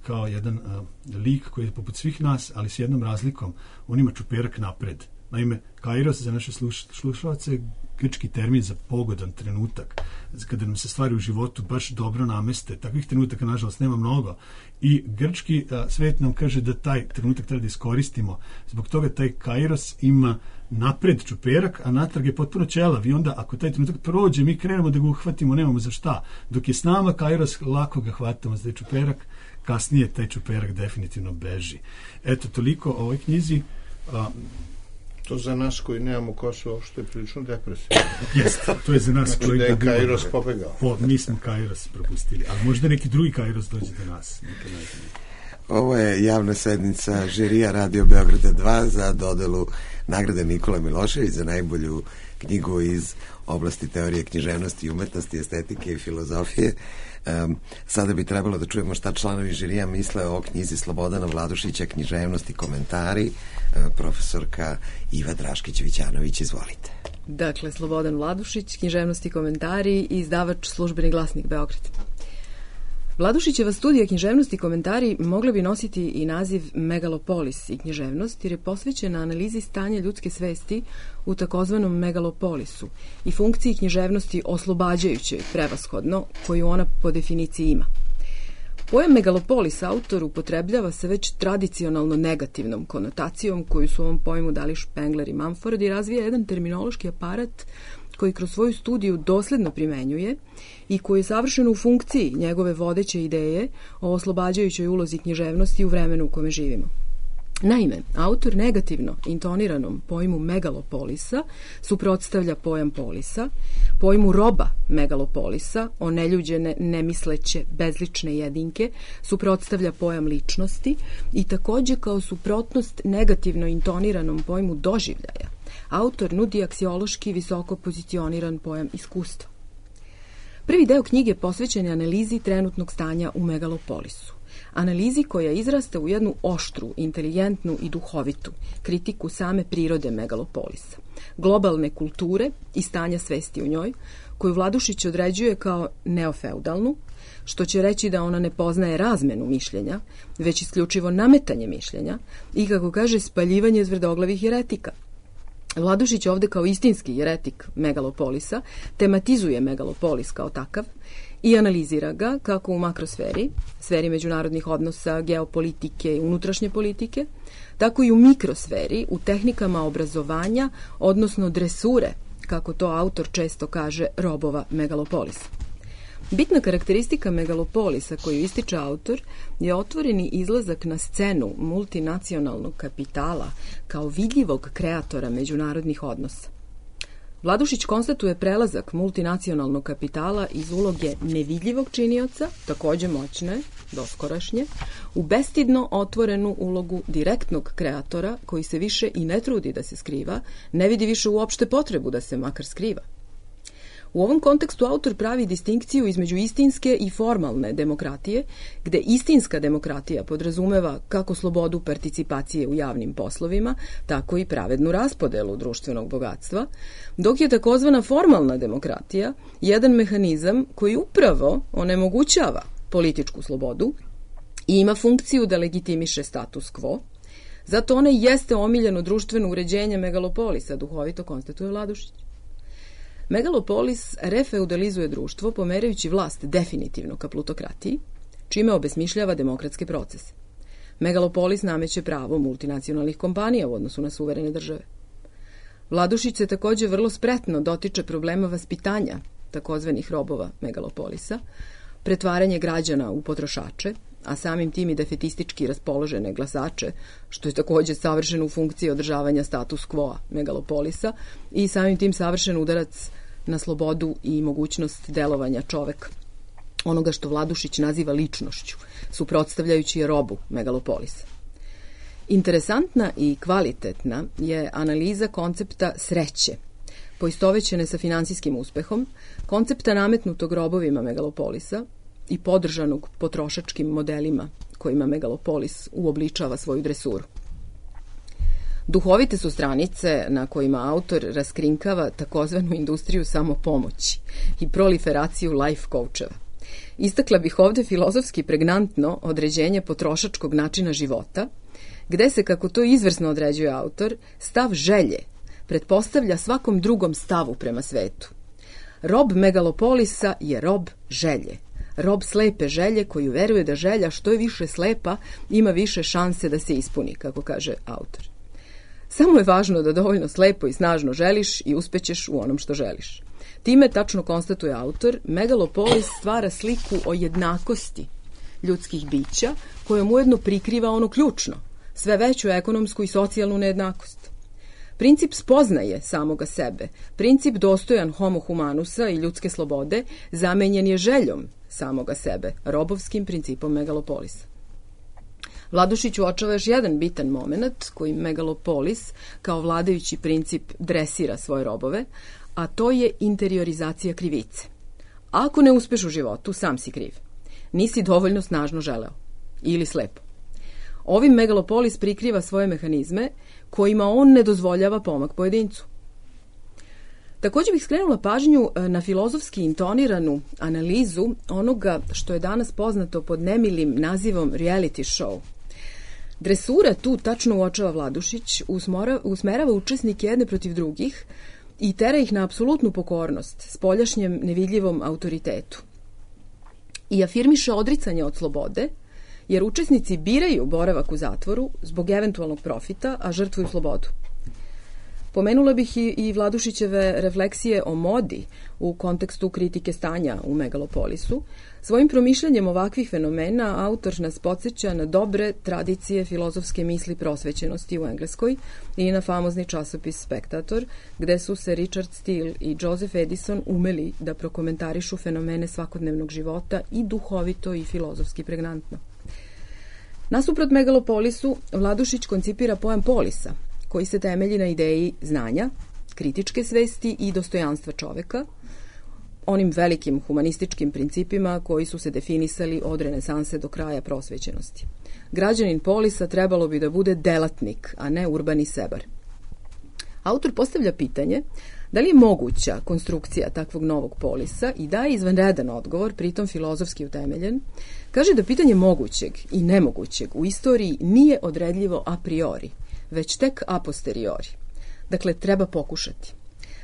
Speaker 4: kao jedan a, lik koji je poput svih nas, ali s jednom razlikom, on ima čuperak napred. Naime, Kairos za naše sluš, slušalce je grčki termin za pogodan trenutak, kada nam se stvari u životu baš dobro nameste. Takvih trenutaka, nažalost, nema mnogo. I grčki a, svet nam kaže da taj trenutak treba da iskoristimo. Zbog toga taj Kairos ima napred čuperak, a natrag je potpuno ćelav. I onda, ako taj trenutak prođe, mi krenemo da ga uhvatimo, nemamo za šta. Dok je s nama Kairos, lako ga hvatamo za taj čuperak, kasnije taj čuperak definitivno beži. Eto, toliko o ovoj knjizi. A,
Speaker 5: To za nas koji nemamo Kosovo, što je prilično depresivno.
Speaker 4: Jeste, to je za nas
Speaker 5: znači
Speaker 4: koji...
Speaker 5: da je Kairos pobegao.
Speaker 4: Po, mi smo Kairos propustili, ali možda neki drugi Kairos dođe do nas.
Speaker 1: Ovo je javna sednica žirija Radio Beograda dva za dodelu nagrade Nikola Milošević za najbolju knjigu iz oblasti teorije književnosti i umetnosti, estetike i filozofije. Um, sada bi trebalo da čujemo šta članovi žirija misle o knjizi Slobodana Vladušića Književnost i komentari. Uh, profesorka Iva Draškić-Vićanović, izvolite.
Speaker 3: Dakle, Slobodan Vladušić, Književnost i komentari i izdavač Službeni glasnik Beograd. Vladušićeva studija Književnost i komentari mogla bi nositi i naziv Megalopolis i književnost, jer je posvećena analizi stanja ljudske svesti u takozvanom megalopolisu i funkciji književnosti oslobađajućoj prevashodno, koju ona po definiciji ima. Pojam megalopolis autor upotrebljava sa već tradicionalno negativnom konotacijom koju su ovom pojmu dali Spengler i Mumford i razvija jedan terminološki aparat koji kroz svoju studiju dosledno primenjuje i koji je savršeno u funkciji njegove vodeće ideje o oslobađajućoj ulozi književnosti u vremenu u kome živimo. Naime, autor negativno intoniranom pojmu megalopolisa suprotstavlja pojam polisa, pojmu roba megalopolisa, oneljuđene, nemisleće, bezlične jedinke, suprotstavlja pojam ličnosti i takođe kao suprotnost negativno intoniranom pojmu doživljaja. Autor nudi aksiološki visoko pozicioniran pojam iskustva. Prvi deo knjige posvećen je analizi trenutnog stanja u megalopolisu. Analizi koja izrasta u jednu oštru, inteligentnu i duhovitu kritiku same prirode megalopolisa, globalne kulture i stanja svesti u njoj, koju Vladušić određuje kao neofeudalnu, što će reći da ona ne poznaje razmenu mišljenja, već isključivo nametanje mišljenja i, kako kaže, spaljivanje zvrdoglavih jeretika. Vladušić ovde kao istinski jeretik megalopolisa tematizuje megalopolis kao takav i analizira ga kako u makrosferi, sferi međunarodnih odnosa, geopolitike i unutrašnje politike, tako i u mikrosferi, u tehnikama obrazovanja, odnosno dresure, kako to autor često kaže, robova megalopolisa. Bitna karakteristika megalopolisa koju ističe autor je otvoreni izlazak na scenu multinacionalnog kapitala kao vidljivog kreatora međunarodnih odnosa. Vladušić konstatuje prelazak multinacionalnog kapitala iz uloge nevidljivog činioca, takođe moćne, doskorašnje, u bestidno otvorenu ulogu direktnog kreatora koji se više i ne trudi da se skriva, ne vidi više uopšte potrebu da se makar skriva. U ovom kontekstu autor pravi distinkciju između istinske i formalne demokratije, gde istinska demokratija podrazumeva kako slobodu participacije u javnim poslovima, tako i pravednu raspodelu društvenog bogatstva, dok je takozvana formalna demokratija jedan mehanizam koji upravo onemogućava političku slobodu i ima funkciju da legitimiše status quo, zato ona jeste omiljeno društveno uređenje megalopolisa, duhovito konstatuje Vladušić. Megalopolis refeudalizuje društvo pomerajući vlast definitivno ka plutokratiji, čime obesmišljava demokratske procese. Megalopolis nameće pravo multinacionalnih kompanija u odnosu na suverene države. Vladušić se takođe vrlo spretno dotiče problema vaspitanja takozvanih robova megalopolisa, pretvaranje građana u potrošače, a samim tim i defetistički raspoložene glasače, što je takođe savršeno u funkciji održavanja status quo megalopolisa i samim tim savršen udarac na slobodu i mogućnost delovanja čoveka, onoga što Vladušić naziva ličnošću, suprotstavljajući je robu megalopolisa. Interesantna i kvalitetna je analiza koncepta sreće, poistovećene sa finansijskim uspehom, koncepta nametnutog robovima megalopolisa i podržanog potrošačkim modelima kojima megalopolis uobličava svoju dresuru. Duhovite su stranice na kojima autor raskrinkava takozvanu industriju samopomoći i proliferaciju life coacheva. Istakla bih ovde filozofski pregnantno određenje potrošačkog načina života, gde se, kako to izvrsno određuje autor, stav želje pretpostavlja svakom drugom stavu prema svetu. Rob megalopolisa je rob želje. Rob slepe želje koju veruje da želja što je više slepa ima više šanse da se ispuni, kako kaže autor. Samo je važno da dovoljno slepo i snažno želiš i uspećeš u onom što želiš. Time, tačno konstatuje autor, megalopolis stvara sliku o jednakosti ljudskih bića kojom ujedno prikriva ono ključno, sve veću ekonomsku i socijalnu nejednakost. Princip spoznaje samoga sebe, princip dostojan homo humanusa i ljudske slobode, zamenjen je željom samoga sebe, robovskim principom megalopolisa. Vladušić uočava još jedan bitan moment koji megalopolis kao vladajući princip dresira svoje robove, a to je interiorizacija krivice. Ako ne uspeš u životu, sam si kriv. Nisi dovoljno snažno želeo. Ili slepo. Ovim megalopolis prikriva svoje mehanizme kojima on ne dozvoljava pomak pojedincu. Takođe bih skrenula pažnju na filozofski intoniranu analizu onoga što je danas poznato pod nemilim nazivom reality show. Dresura tu tačno uočava Vladušić, usmerava učesnike jedne protiv drugih i tera ih na apsolutnu pokornost spoljašnjem nevidljivom autoritetu. I afirmiše odricanje od slobode, jer učesnici biraju boravak u zatvoru zbog eventualnog profita, a žrtvuju slobodu. Pomenula bih i, i Vladušićeve refleksije o modi u kontekstu kritike stanja u megalopolisu. Svojim promišljanjem ovakvih fenomena autor nas podsjeća na dobre tradicije filozofske misli prosvećenosti u Engleskoj i na famozni časopis Spectator, gde su se Richard Steele i Joseph Edison umeli da prokomentarišu fenomene svakodnevnog života i duhovito i filozofski pregnantno. Nasuprot megalopolisu, Vladušić koncipira pojam polisa, koji se temelji na ideji znanja, kritičke svesti i dostojanstva čoveka, onim velikim humanističkim principima koji su se definisali od renesanse do kraja prosvećenosti. Građanin polisa trebalo bi da bude delatnik, a ne urbani sebar. Autor postavlja pitanje da li je moguća konstrukcija takvog novog polisa i daje izvanredan odgovor, pritom filozofski utemeljen. Kaže da pitanje mogućeg i nemogućeg u istoriji nije odredljivo a priori, već tek a posteriori. Dakle, treba pokušati.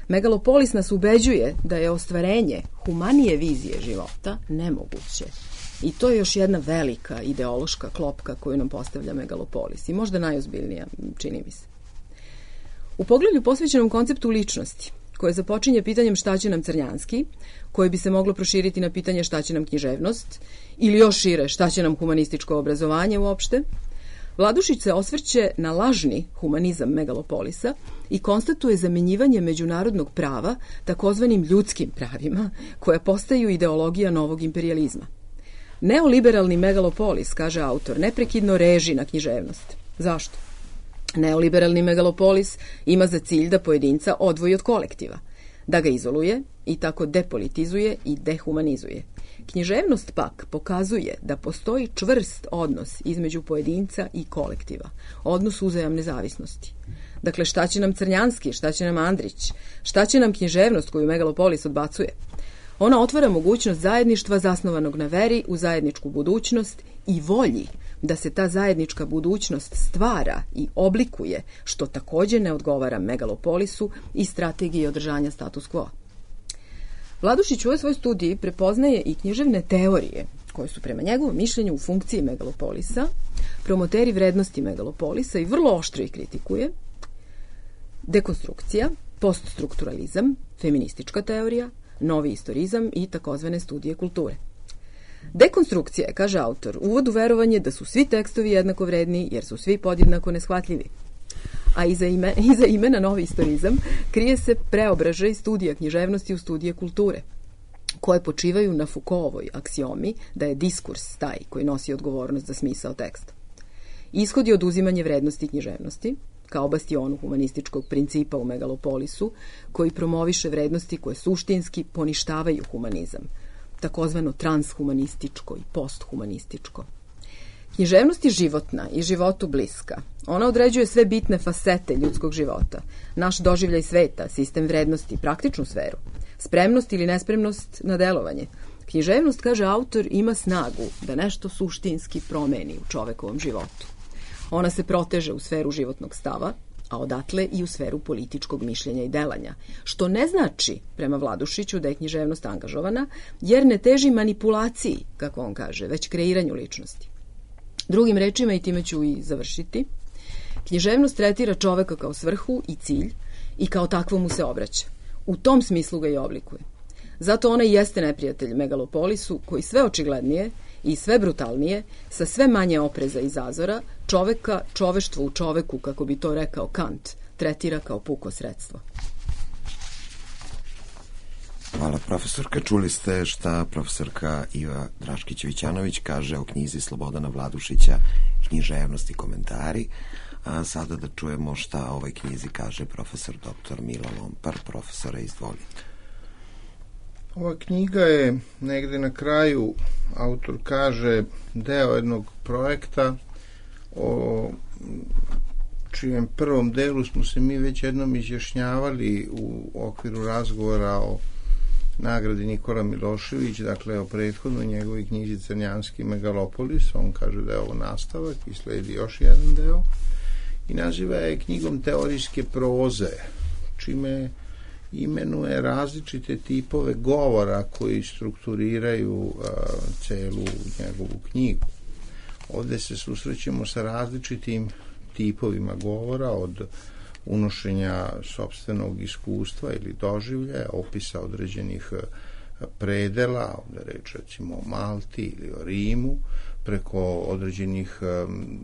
Speaker 3: Megalopolis nas ubeđuje da je ostvarenje humanije vizije života nemoguće. I to je još jedna velika ideološka klopka koju nam postavlja megalopolis i možda najozbiljnija, čini mi se. U poglavlju posvećenom konceptu ličnosti, koje započinje pitanjem šta će nam Crnjanski, koje bi se moglo proširiti na pitanje šta će nam književnost, ili još šire šta će nam humanističko obrazovanje uopšte, Vladušić se osvrće na lažni humanizam megalopolisa i konstatuje zamenjivanje međunarodnog prava takozvanim ljudskim pravima, koje postaju ideologija novog imperijalizma. Neoliberalni megalopolis, kaže autor, neprekidno reži na književnost. Zašto? Neoliberalni megalopolis ima za cilj da pojedinca odvoji od kolektiva, da ga izoluje i tako depolitizuje i dehumanizuje. Književnost pak pokazuje da postoji čvrst odnos između pojedinca i kolektiva, odnos uzajamne zavisnosti. Dakle, šta će nam Crnjanski, šta će nam Andrić, šta će nam književnost koju megalopolis odbacuje? Ona otvara mogućnost zajedništva zasnovanog na veri u zajedničku budućnost i volji da se ta zajednička budućnost stvara i oblikuje, što takođe ne odgovara megalopolisu i strategiji održanja status quo. Vladušić u ovoj svojoj studiji prepoznaje i književne teorije, koje su prema njegovom mišljenju u funkciji megalopolisa, promoteri vrednosti megalopolisa i vrlo oštro ih kritikuje: dekonstrukcija, poststrukturalizam, feministička teorija, novi istorizam i takozvane studije kulture. Dekonstrukcija je, kaže autor, uvod u verovanje da su svi tekstovi jednako vredni jer su svi podjednako neshvatljivi. A iza, ime, iza imena novi istorizam krije se preobražaj studija književnosti u studije kulture, koje počivaju na Foucaultovoj aksiomi da je diskurs taj koji nosi odgovornost za smisao teksta. Ishod je oduzimanje vrednosti književnosti, kao bastionu humanističkog principa u megalopolisu, koji promoviše vrednosti koje suštinski poništavaju humanizam, takozvano transhumanističko i posthumanističko. Književnost je životna i životu bliska. Ona određuje sve bitne fasete ljudskog života, naš doživljaj sveta, sistem vrednosti, praktičnu sferu, spremnost ili nespremnost na delovanje. Književnost, kaže autor, ima snagu da nešto suštinski promeni u čovekovom životu. Ona se proteže u sferu životnog stava, a odatle i u sferu političkog mišljenja i delanja, što ne znači, prema Vladušiću, da je književnost angažovana, jer ne teži manipulaciji, kako on kaže, već kreiranju ličnosti. Drugim rečima, i time ću i završiti, književnost tretira čoveka kao svrhu i cilj i kao takvo mu se obraća. U tom smislu ga i oblikuje. Zato ona i jeste neprijatelj megalopolisu, koji sve očiglednije i sve brutalnije, sa sve manje opreza i zazora, čoveka, čoveštvo u čoveku, kako bi to rekao Kant, tretira kao puko sredstvo.
Speaker 1: Hvala, profesorka. Čuli ste šta profesorka Iva Draškić-Vićanović kaže o knjizi Slobodana Vladušića Književnost i komentari. A sada da čujemo šta o ovoj knjizi kaže profesor doktor Mila Lompar. Profesore, izvolite.
Speaker 5: Ova knjiga je negde na kraju, autor kaže, deo jednog projekta o čijem prvom delu smo se mi već jednom izjašnjavali u okviru razgovora o nagradi Nikola Milošević, dakle o prethodnoj njegovoj knjizi Crnjanski megalopolis. On kaže da je ovo nastavak i sledi još jedan deo i naziva je knjigom teorijske proze, čime imenuje različite tipove govora koji strukturiraju uh, celu njegovu knjigu. Ovde se susrećemo sa različitim tipovima govora, od unošenja sopstvenog iskustva ili doživljaja, opisa određenih predela, ovde reč recimo o Malti ili o Rimu, preko određenih um,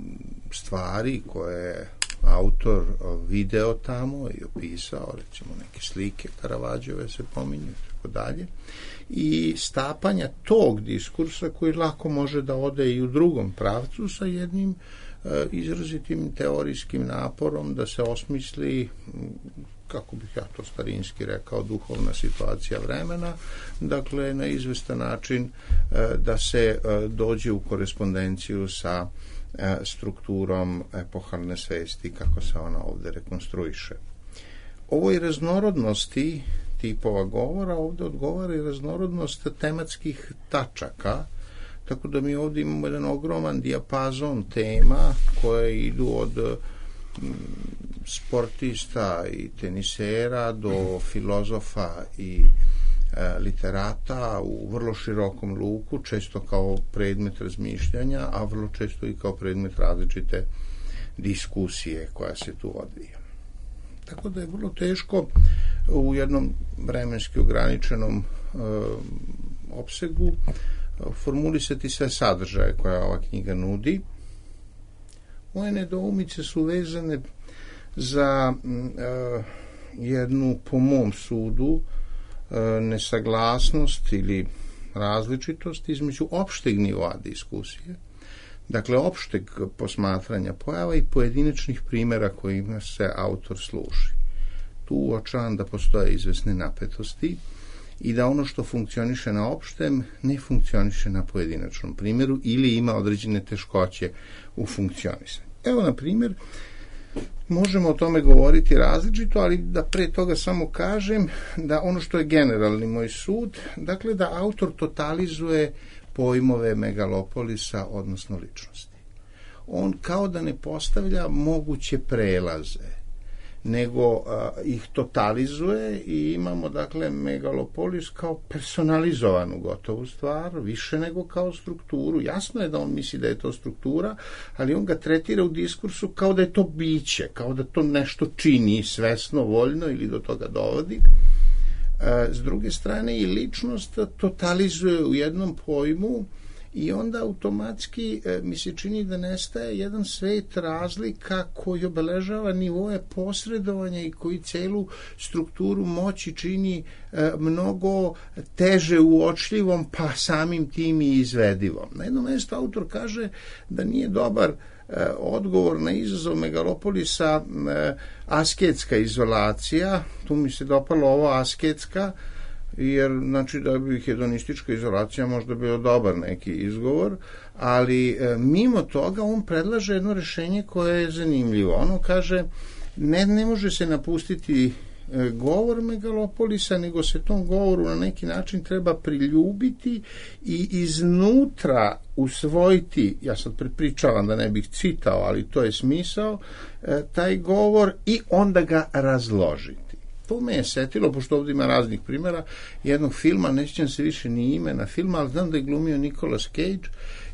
Speaker 5: stvari koje je autor video tamo i opisao, recimo neke slike Karavađove se pominju i tako dalje, i stapanja tog diskursa koji lako može da ode i u drugom pravcu sa jednim e, izrazitim teorijskim naporom da se osmisli, kako bih ja to starinski rekao, duhovna situacija vremena, dakle na izvestan način e, da se e, dođe u korespondenciju sa strukturom epohalne svesti, kako se ona ovde rekonstruiše. Ovoj raznorodnosti tipova govora ovde odgovara i raznorodnost tematskih tačaka, tako da mi ovde imamo jedan ogroman dijapazon tema koje idu od sportista i tenisera do filozofa i literata u vrlo širokom luku, često kao predmet razmišljanja, a vrlo često i kao predmet različite diskusije koja se tu odvija. Tako da je vrlo teško u jednom vremenski ograničenom e, opsegu formulisati sve sadržaje koje ova knjiga nudi. Moje nedoumice su vezane za uh, jednu, po mom sudu, uh, nesaglasnost ili različitost između opšteg nivoa diskusije, dakle opšteg posmatranja pojava i pojedinačnih primjera kojima se autor služi. Tu uočavam da postoje izvesne napetosti i da ono što funkcioniše na opštem ne funkcioniše na pojedinačnom primjeru ili ima određene teškoće u funkcionisanju. Evo, na primjer, možemo o tome govoriti različito, ali da pre toga samo kažem da ono što je generalni moj sud, dakle da autor totalizuje pojmove megalopolisa, odnosno ličnosti. On kao da ne postavlja moguće prelaze, nego a, ih totalizuje i imamo, dakle, megalopolis kao personalizovanu gotovu stvar, više nego kao strukturu. Jasno je da on misli da je to struktura, ali on ga tretira u diskursu kao da je to biće, kao da to nešto čini svesno, voljno ili do toga dovodi. A, s druge strane, i ličnost totalizuje u jednom pojmu i onda automatski e, mi se čini da nestaje jedan svet razlika koji obeležava nivoje posredovanja i koji celu strukturu moći čini e, mnogo teže uočljivom, pa samim tim i izvedivom. Na jednom mjestu autor kaže da nije dobar e, odgovor na izazov megalopolisa e, asketska izolacija. Tu mi se dopalo ovo asketska, jer znači da bi hedonistička izolacija možda bio dobar neki izgovor, ali e, mimo toga on predlaže jedno rešenje koje je zanimljivo. Ono kaže, ne, ne može se napustiti e, govor megalopolisa, nego se tom govoru na neki način treba priljubiti i iznutra usvojiti, ja sad prepričavam da ne bih citao, ali to je smisao, e, taj govor i onda ga razložiti. To me je setilo, pošto ovdje ima raznih primjera, jednog filma, ne sjećam se više ni imena filma, ali znam da je glumio Nicolas Cage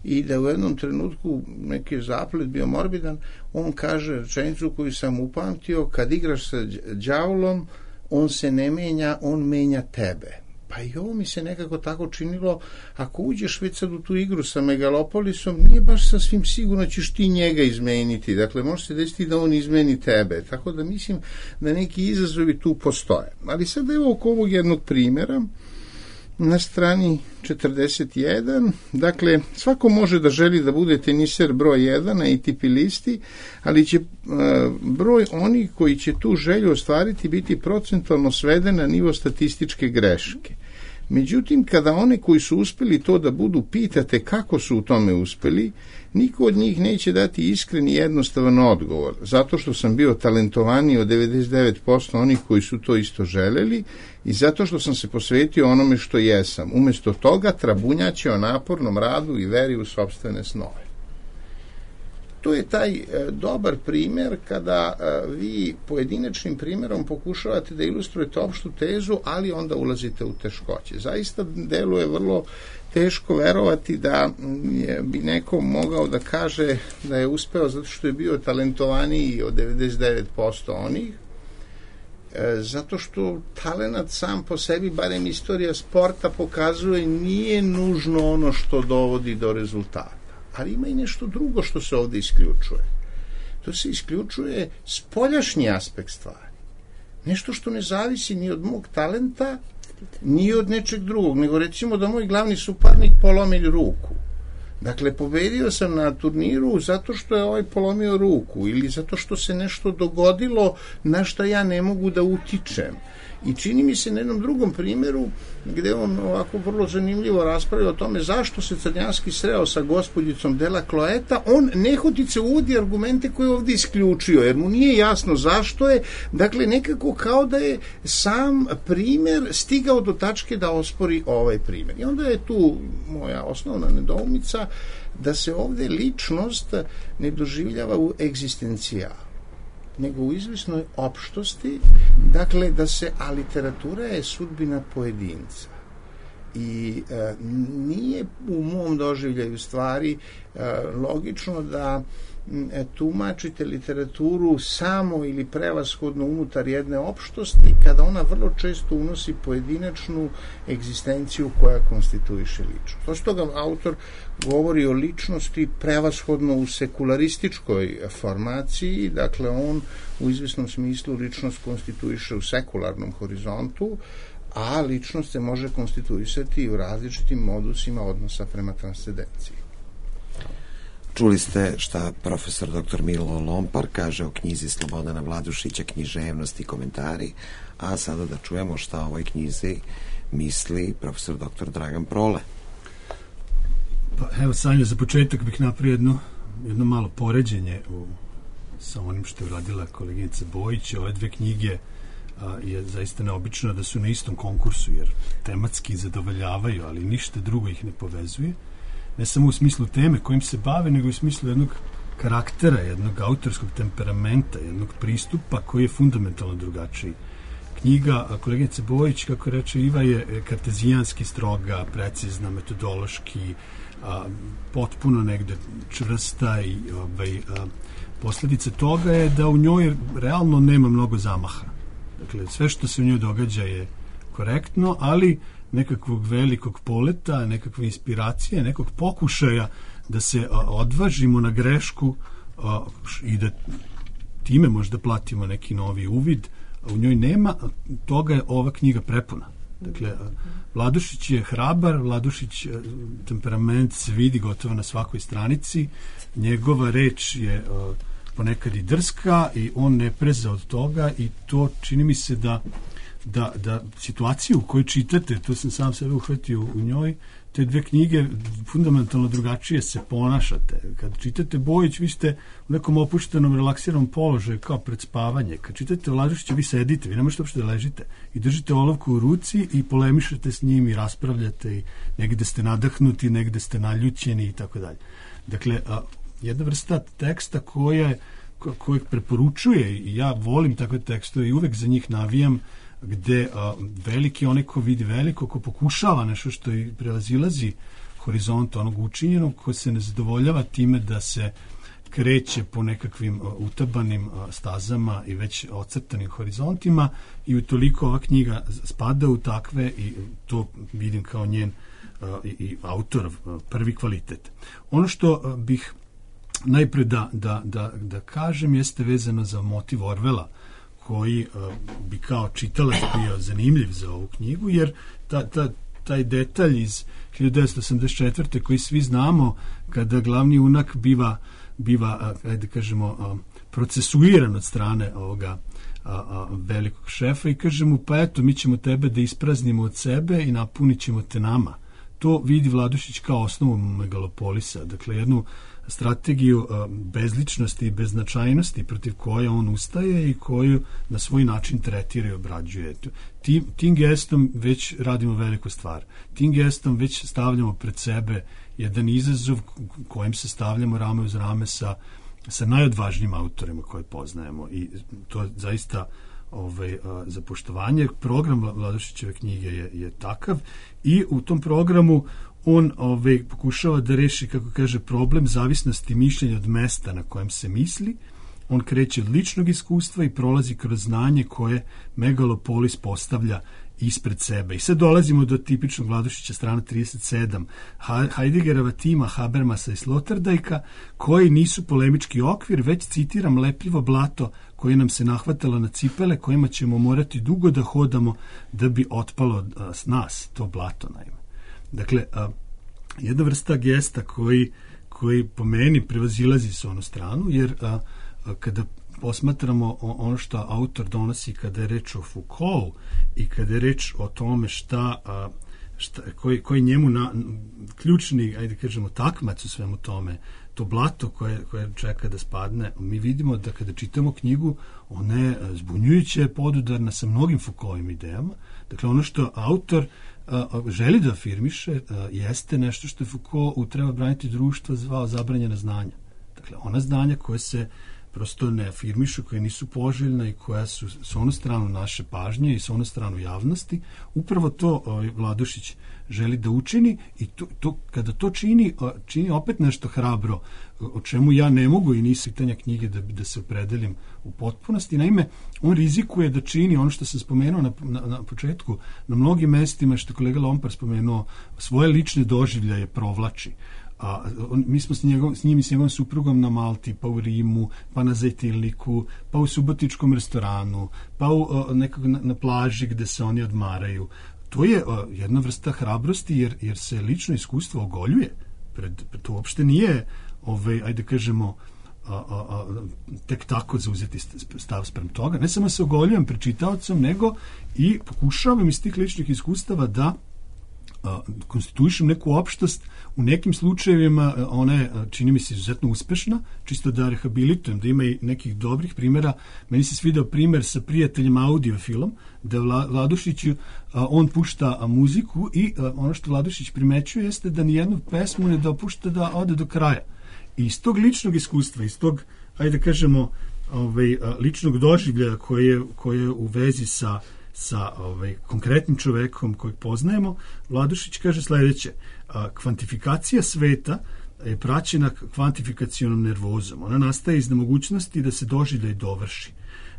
Speaker 5: i da u jednom trenutku neki zaplet bio morbidan, on kaže rečenicu koju sam upamtio, kad igraš sa đavlom, on se ne menja, on menja tebe. Pa i ovo mi se nekako tako činilo, ako uđeš već sad u tu igru sa megalopolisom, nije baš sasvim sigurno ćeš ti njega izmeniti. Dakle, može se desiti da on izmeni tebe. Tako da mislim da neki izazovi tu postoje. Ali sad evo oko ovog jednog primjera, na strani četrdeset jedan, dakle, svako može da želi da bude teniser broj jedan na A T P listi, ali će e, broj onih koji će tu želju ostvariti biti procentualno sveden na nivo statističke greške. Međutim, kada one koji su uspeli to da budu pitate kako su u tome uspeli, niko od njih neće dati iskren i jednostavan odgovor, zato što sam bio talentovaniji od devedeset devet posto onih koji su to isto želeli i zato što sam se posvetio onome što jesam. Umesto toga trabunjaće o napornom radu i veri u sopstvene snove. To je taj e, dobar primjer kada e, vi pojedinačnim primjerom pokušavate da ilustrujete opštu tezu, ali onda ulazite u teškoće. Zaista deluje vrlo teško verovati da je, bi neko mogao da kaže da je uspeo zato što je bio talentovaniji od devedeset devet posto onih, e, zato što talenat sam po sebi, barem istorija sporta pokazuje, nije nužno ono što dovodi do rezultata. Ali ima i nešto drugo što se ovdje isključuje. To se isključuje spoljašnji aspekt stvari. Nešto što ne zavisi ni od mog talenta, ni od nečeg drugog, nego recimo da moj glavni suparnik polomi ruku. Dakle, pobedio sam na turniru zato što je ovaj polomio ruku ili zato što se nešto dogodilo na što ja ne mogu da utičem. I čini mi se na jednom drugom primjeru gde on ovako vrlo zanimljivo raspravlja o tome zašto se Crnjanski sreo sa gospođicom Dela Kloeta, on nehotice uvodi argumente koje je ovdje isključio, jer mu nije jasno zašto je, dakle nekako kao da je sam primjer stigao do tačke da ospori ovaj primjer. I onda je tu moja osnovna nedoumica da se ovdje ličnost ne doživljava u egzistencijalu, nego u izvisnoj opštosti, dakle da se, a literatura je sudbina pojedinca. I e, nije u mom doživljaju stvari e, logično da e, tumačite literaturu samo ili prevashodno unutar jedne opštosti, kada ona vrlo često unosi pojedinačnu egzistenciju koja konstituiše ličnost. To što ga autor govori o ličnosti prevashodno u sekularističkoj formaciji, dakle on u izvesnom smislu ličnost konstituiše u sekularnom horizontu, a ličnost se može konstituisati u različitim modusima odnosa prema transcendenciji.
Speaker 1: Čuli ste šta profesor doktor Milo Lompar kaže o knjizi Slobodana Vladušića Književnost i komentari, a sada da čujemo šta o ovoj knjizi misli profesor doktor Dragan Prole.
Speaker 4: Pa evo, Sanja, za početak bih napravio jedno, jedno malo poređenje u, sa onim što je uradila koleginica Bojić. Ove dve knjige a, je zaista neobično da su na istom konkursu, jer tematski zadovoljavaju, ali ništa drugo ih ne povezuje. Ne samo u smislu teme kojim se bave, nego u smislu jednog karaktera, jednog autorskog temperamenta, jednog pristupa koji je fundamentalno drugačiji. Knjiga koleginice Bojić, kako reče Iva, je kartezijanski stroga, precizna, metodološki, a, potpuno negde čvrsta i ovaj, a, posljedica toga je da u njoj realno nema mnogo zamaha. Dakle, sve što se u njoj događa je korektno, ali nekakvog velikog poleta, nekakve inspiracije, nekog pokušaja da se a, odvažimo na grešku a, i da time možda platimo neki novi uvid, a u njoj nema, toga je ova knjiga prepuna. Dakle, Vladušić je hrabar, Vladušić temperament se vidi gotovo na svakoj stranici, njegova reč je a, ponekad i drska i on ne preza od toga i to čini mi se da Da, da situaciju koju čitate, to sam sam sebe uhvatio u njoj, te dve knjige fundamentalno drugačije se ponašate. Kad čitate Bojić, vi ste u nekom opuštenom, relaksiranom položaju kao pred spavanje. Kad čitate Vladušića, vi sedite, vi ne možete uopšte da ležite i držite olovku u ruci i polemišete s njim i raspravljate i negde ste nadahnuti, negde ste naljućeni i tako dalje. Dakle, a, jedna vrsta teksta koja kojeg preporučuje i ja volim takve tekstove i uvek za njih navijam, gde a, veliki onaj ko vidi veliko, ko pokušava nešto što i prevazilazi horizont onog učinjenog, ko se ne zadovoljava time da se kreće po nekakvim a, utabanim a, stazama i već ocrtanim horizontima i utoliko ova knjiga spada u takve i to vidim kao njen a, i, i autorov a, prvi kvalitet. Ono što a, bih najpre da, da, da, da kažem jeste vezano za motiv Orwella, koji uh, bi kao čitalac bio zanimljiv za ovu knjigu, jer ta, ta, taj detalj iz hiljadu devetsto osamdeset četvrte koji svi znamo, kada glavni junak biva, biva uh, ajde kažemo, uh, procesuiran od strane ovoga uh, uh, velikog šefa i kaže mu, pa eto, mi ćemo tebe da ispraznimo od sebe i napunit ćemo te nama. To vidi Vladušić kao osnovu megalopolisa, dakle jednu strategiju uh, bezličnosti i beznačajnosti protiv koje on ustaje i koju na svoj način tretira i obrađuje. Tim, tim gestom već radimo veliku stvar. Tim gestom već stavljamo pred sebe jedan izazov kojim se stavljamo rame uz rame sa, sa najodvažnijim autorima koje poznajemo i to zaista ovaj, a, za poštovanje. Program Vladušićeve knjige je, je takav i u tom programu on ovaj, pokušava da reši, kako kaže, problem zavisnosti mišljenja od mesta na kojem se misli. On kreće od ličnog iskustva i prolazi kroz znanje koje megalopolis postavlja ispred sebe. I sad dolazimo do tipičnog Vladušića, strana trideset sedam, Heideggerova tima Habermasa i Sloterdijka, koji nisu polemički okvir, već, citiram, lepljivo blato koje nam se nahvatalo na cipele, kojima ćemo morati dugo da hodamo da bi otpalo s nas, to blato, naime. Dakle, a, jedna vrsta gesta koji, koji po meni prevazilazi s onu stranu, jer a, a, kada posmatramo ono što autor donosi kada je reč o Foucault i kada je reč o tome šta, a, šta koji, koji njemu na, ključni, ajde kažemo, takmac u svemu tome, to blato koje, koje čeka da spadne, mi vidimo da kada čitamo knjigu, ona je zbunjujuće podudarna sa mnogim Foucaultovim idejama. Dakle, ono što autor a, želi da afirmiše a, jeste nešto što je Foucault u Treba braniti društvo zvao zabranjena znanja. Dakle, ona znanja koje se prosto ne afirmišu, koja nisu poželjna i koja su s onu stranu naše pažnje i s onu stranu javnosti. Upravo to ovaj, Vladušić želi da učini i to, to, kada to čini, čini opet nešto hrabro, o čemu ja ne mogu i nisu pitanja knjige da, da se opredelim u potpunosti. Naime, on rizikuje da čini ono što sam spomenuo na, na, na početku, na mnogim mestima, što je kolega Lompar spomenuo, svoje lične doživljaje provlači. A, on, mi smo s, njegov, s njim i s njegovom suprugom na Malti, pa u Rimu, pa na Zajtilniku, pa u subotičkom restoranu, pa u, o, nekako na, na plaži gde se oni odmaraju. To je o, jedna vrsta hrabrosti jer, jer se lično iskustvo ogoljuje. Pred, pred, to uopšte nije, ovaj, ajde kažemo, a, a, a, tek tako zauzeti stav sprem toga. Ne samo se ogoljujem pred čitaocom, nego i pokušavam iz tih ličnih iskustava da a, konstituišem neku opštost. U nekim slučajevima ona je, čini mi se, izuzetno uspešna, čisto da rehabilitujem, da ima i nekih dobrih primjera. Meni se svidao primer sa prijateljem audiofilom, da Vladušiću on pušta a, muziku i a, ono što Vladušić primećuje jeste da nijednu pesmu ne dopušta da ode do kraja. I iz tog ličnog iskustva, iz tog, ajde da kažemo, ovaj, ličnog doživljaja koje, koje je u vezi sa sa ovaj, konkretnim čovekom kojeg poznajemo, Vladušić kaže sledeće: a, kvantifikacija sveta je praćena kvantifikacionom nervozom. Ona nastaje iz nemogućnosti da se doživljaj dovrši.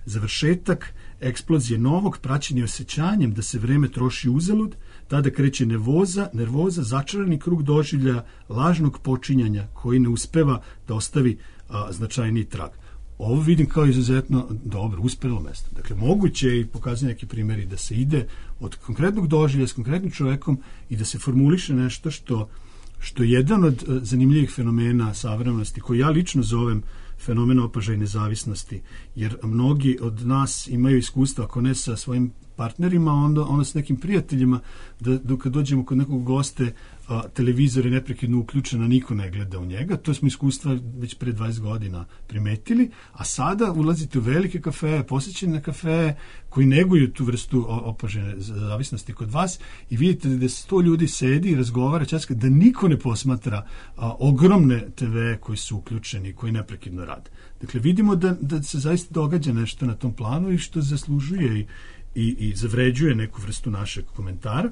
Speaker 4: Završetak eksplozije novog praćen je osjećanjem da se vreme troši uzalud, tada kreće nervoza, nervoza, začarani krug doživljaja lažnog počinjanja koji ne uspeva da ostavi a, značajniji trag. Ovo vidim kao izuzetno dobro, uspelo mesto. Dakle, moguće je i pokazati neki primjeri da se ide od konkretnog doživlja s konkretnim čovekom i da se formuliše nešto što, što je jedan od zanimljivih fenomena savremenosti, koji ja lično zovem fenomena opažaja nezavisnosti, jer mnogi od nas imaju iskustva, ako ne sa svojim partnerima, onda, onda s nekim prijateljima, da, da kad dođemo kod nekog goste, a, televizor je neprekidno uključen, a niko ne gleda u njega. To smo iskustva već pre dvadeset godina primetili, a sada ulazite u velike kafeje, posjećene kafeje koji neguju tu vrstu opažene zavisnosti kod vas i vidite da sto ljudi sedi i razgovara časka, da niko ne posmatra a, ogromne te ve koji su uključeni, koji neprekidno rade. Dakle, vidimo da, da se zaista događa nešto na tom planu i što zaslužuje i I, i zavređuje neku vrstu našeg komentara,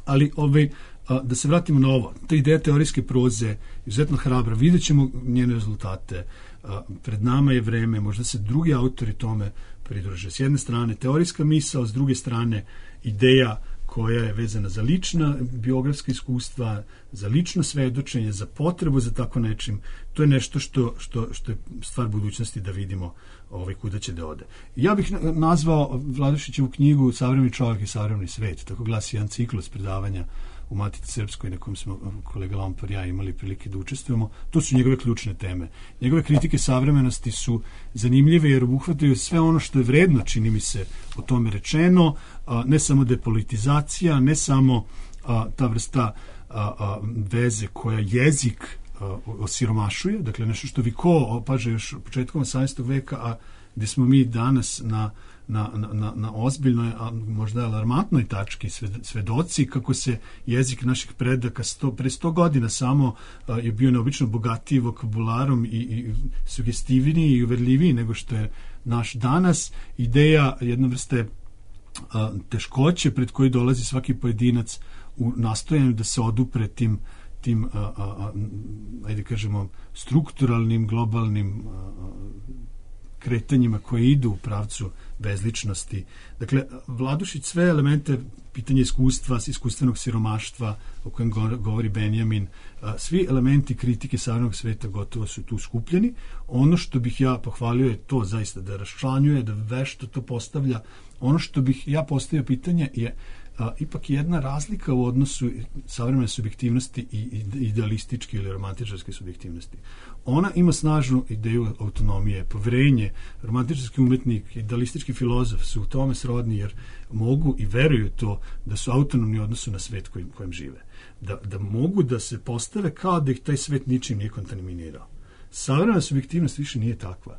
Speaker 4: ali ovaj, a, da se vratimo na ovo. Ta ideja teorijske proze izuzetno hrabra, vidjet ćemo njene rezultate. A, pred nama je vreme, možda se drugi autori tome pridruže. S jedne strane teorijska misao, s druge strane ideja koja je vezana za lična biografska iskustva, za lično svedočenje, za potrebu za tako nečim. To je nešto što, što, što je stvar budućnosti da vidimo ovaj, kuda će da ode. Ja bih nazvao Vladušićevu knjigu Savremeni čovjek i savremeni svet. Tako glasi jedan ciklus predavanja u Matici Srpskoj na kojem smo kolega Lompar i ja imali prilike da učestvujemo. To su njegove ključne teme. Njegove kritike savremenosti su zanimljive jer obuhvataju sve ono što je vredno, čini mi se, o tome rečeno, a, ne samo depolitizacija, ne samo a, ta vrsta a, a, veze koja jezik a, osiromašuje, dakle nešto što Viko opaža još početkom osamnaestog veka, a gde smo mi danas na Na, na, na ozbiljnoj, a možda alarmantnoj tački svedoci kako se jezik naših predaka sto, pre sto godina samo a, je bio neobično bogatiji vokabularom i, i sugestivniji i uverljiviji nego što je naš danas. Ideja jedne vrste a, teškoće pred koji dolazi svaki pojedinac u nastojanju da se odupre tim, tim a, a, a, ajde kažemo, strukturalnim, globalnim a, kretanjima koje idu u pravcu bezličnosti. Dakle, Vladušić sve elemente, pitanje iskustva, iskustvenog siromaštva o kojem govori Benjamin, svi elementi kritike savremenog sveta gotovo su tu skupljeni. Ono što bih ja pohvalio je to zaista da raščlanjuje, da vešto to postavlja. Ono što bih ja postavio pitanje je a, ipak jedna razlika u odnosu savremene subjektivnosti i idealističke ili romantičarske subjektivnosti. Ona ima snažnu ideju autonomije, poverenje. Romantičarski umetnik, idealistički filozof su u tome srodni jer mogu i veruju to da su autonomni u odnosu na svet kojim, kojim žive. Da, da mogu da se postave kao da ih taj svet ničim nije kontaminirao. Savremena subjektivnost više nije takva.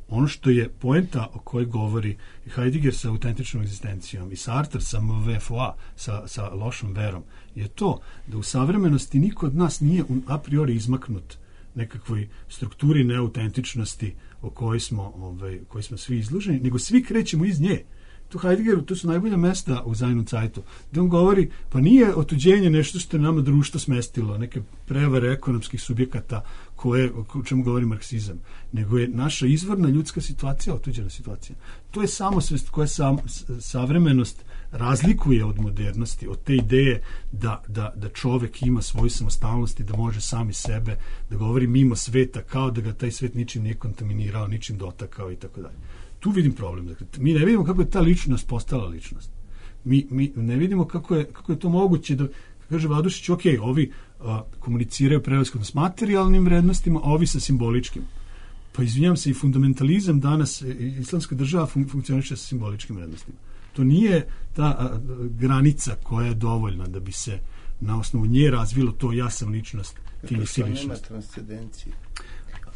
Speaker 4: Ono što je poenta o kojoj govori i Heidegger sa autentičnom egzistencijom i Sartre sa M V F O A, sa, sa lošom verom, je to da u savremenosti niko od nas nije a priori izmaknut nekakvoj strukturi neautentičnosti o kojoj smo, ovaj, kojoj smo svi izloženi, nego svi krećemo iz nje. Tu Heideggeru, to su najbolja mesta u Sein und Zeitu, gde on govori, pa nije otuđenje nešto što je nama društvo smestilo, neke prevare ekonomskih subjekata koje, o čemu govori marksizam, nego je naša izvorna ljudska situacija otuđena situacija. To je samosvest koja sam, savremenost razlikuje od modernosti, od te ideje da, da, da čovek ima svoju samostalnost i da može sami sebe, da govori mimo sveta, kao da ga taj svet ničim nije kontaminirao, ničim dotakao i tako dalje. Tu vidim problem. Dakle, mi ne vidimo kako je ta ličnost postala ličnost. Mi, mi ne vidimo kako je, kako je to moguće da, kaže Vladušić, ok, ovi a, komuniciraju prevashodno s materijalnim vrednostima, a ovi sa simboličkim. Pa izvinjam se, i fundamentalizam danas, islamska država fun, funkcioniše sa simboličkim vrednostima. To nije ta a, granica koja je dovoljna da bi se na osnovu nje razvilo to ja sam ličnost, ti nisi ličnost.
Speaker 5: Nema transcendencije.